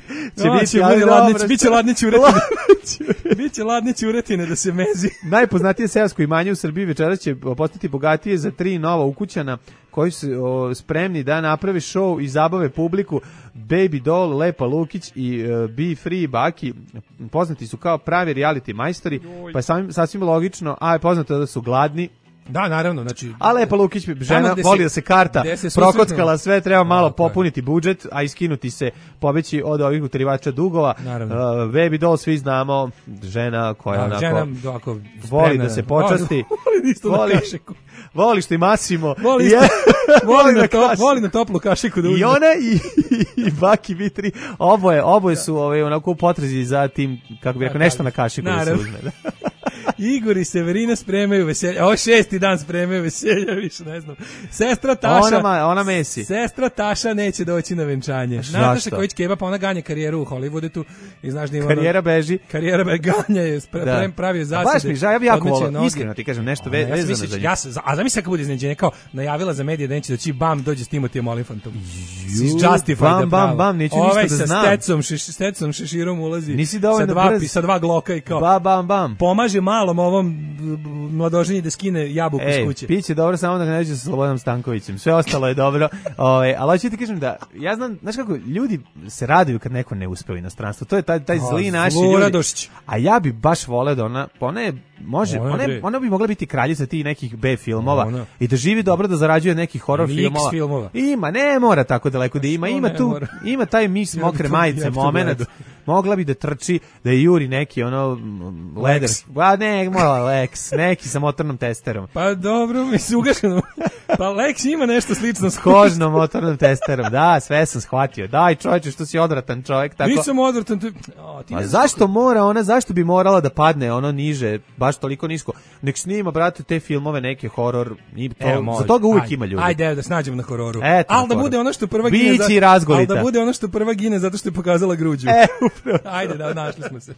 Biće ladne ćuretine da se mezi. Najpoznatije seosko imanje u Srbiji večeras će postati bogatije za 3 nova ukućana koji su spremni da naprave show i zabave publiku. Baby Doll, Lepa Lukić i Be Free Baki poznati su kao pravi reality majstori, pa je sasvim logično, a je poznato da su gladni. Da, naravno, znači... A Lepa Lukić, žena, voli da se karta prokockala, sve treba malo popuniti budžet, a iskinuti se, pobeći od ovih utarivača dugova. Baby Doll, svi znamo, žena koja onako voli da se počasti. Voli što i masimo. Voli na toplu kašiku da uzme. I ona i Baki Vitri, oboje su onako u potrazi za tim, kako bi rekao, nešto na kašiku da se uzme. Igor i Severina spremaju veselja. Ovo 6. dan spremaju veselja, više ne znam. Sestra Taša... Ona mesi. Sestra Taša neće doći na venčanje. Nataša Kojić-Keba, pa ona ganja karijeru u Hollywoodu tu. I znaš da ima karijera beži. Ganja je, pravi zasade. A baš mi žao, ja bi jako volao, iskreno ti kažem, nešto vezano za nju. A zamisli kako bude iznenađenje, kao najavila za medije da neće doći, bam, dođe s Timotijem Olifantom. Justified, bam, neću ništa da znam. Stecom šeširom ulazi. Nisi dovoljno brz. Sa 2 gloka i kao... Bam. Pomaže malom ovom mladoženji da skine jabuku iz kuće. Piće dobro samo da ga neđe sa Slobodanom Stankovićem. Sve ostalo je dobro. Ali hoću ti kažem da, ja znam, znaš kako, ljudi se raduju kad neko ne uspe u inostranstvu. To je taj zli naši ljudi. A ja bi baš voleo da ona bi mogla biti kraljica tih nekih B filmova i da živi dobro, da zarađuje nekih horor filmova. Ima, ne mora tako daleko da ima taj mis mokre majice moment. Mogla bi da trči, da je juri neki leder. Lex, neki sa motornom testerom. Pa dobro, mi se ugašeno. Pa Lex ima nešto slično s kožnom motornom testerom. Da, sve sam shvatio. Daj čovječe, što si odvratan čovjek. Tako... Nisam odvratan. Zašto bi morala da padne niže, baš toliko nisko? Nek snima, brate, te filmove, neke horor. Za toga uvijek ima ljudi. Ajde, da snađemo na hororu. Ali da bude ono što prva gine zato što je pokazala gruđu. Ajde, da, našli smo se.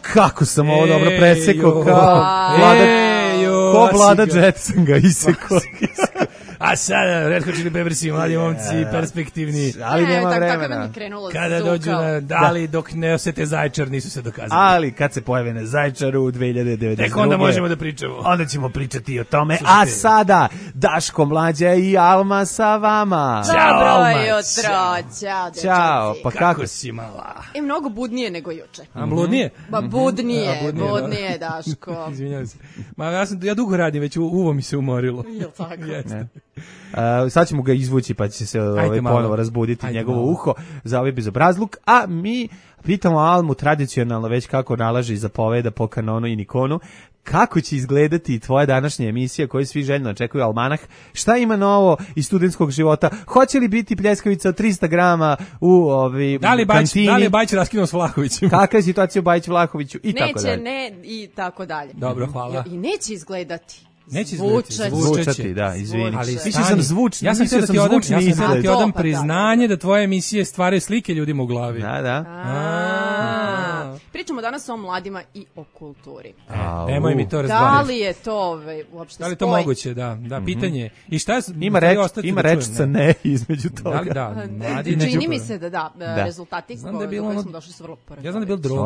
Kako sam ovo dobro presekao, ko Vlada Jetson ga isekao. A sada, Red Hot Chili Peppersi, mladi momci, perspektivni. Ali nema vremena. Tako mi krenulo kada dođu na Dali, dok ne osete Zaječar, nisu se dokazali. Ali kad se pojave na Zaječaru u 2092. Tek onda možemo da pričamo. Onda ćemo pričati o tome. A sada, Daško, Mlađa i Alma sa vama. Dobro jutro, čao. Ćao, pa kako si mala? Mnogo budnije nego juče. A bludnije? Ba budnije, Daško. Izvinjavam se. Ja dugo radim, već uvo mi se umorilo. Jel tako? Sad ćemo ga izvući pa će se ponovo razbuditi njegovo uho za ovaj bezobrazluk, a mi pitamo Almu tradicionalno već kako nalaže i zapoveda po kanonu i Nikonu, kako će izgledati tvoja današnja emisija koju svi željno očekuju, Almanah. Šta ima novo iz studentskog života? Hoće li biti pljeskavica od 300 grama u kantini? Da li je Bajić raskinuo s Vlahovićem? Kakva je situacija u Bajić-Vlahoviću i tako dalje? Neće, i tako dalje. Dobro, hvala. I neće izgledati. Neće zvučati, da, izvini. Ali mislio sam zvučni, ja sam htio da ti odam priznanje da tvoje emisije stvaraju slike ljudima u glavi. Da. Pričamo danas o mladima i o kulturi. Nemoj mi to razdvajati. Da li je to uopšte da li je to moguće, da, pitanje. I šta je, ima rečica ne između toga. Da, čini mi se da. Rezultati koji smo došli su vrlo porazili. Ja znam da je bilo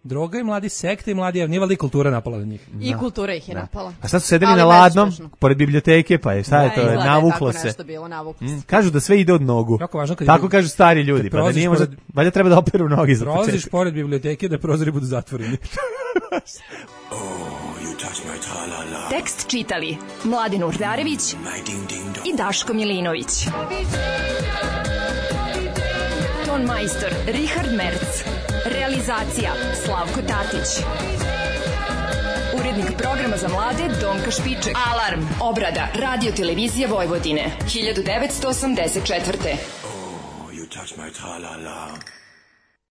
droga i mladi sekte i mladi, nije valjda i kultura napala na njih. I kultura ih je napala. A sad su sedeli na ladnom, pored biblioteke, pa je šta je to, navuklo se. Kažu da sve ide od nogu. Tako kažu stari ljudi, pa da nije možda, valjda treba da operu nogi za početak. Prolaziš pored biblioteke da prozori budu zatvoreni. Tekst čitali Mladen Urdarević i Daško Milinović. Ton majstor Richard Merc. Realizacija Slavko Tatić. Urednik programa za mlade Donka Špiček. Alarm. Obrada Radio Televizije Vojvodine 1984. You touch my tra-la-la.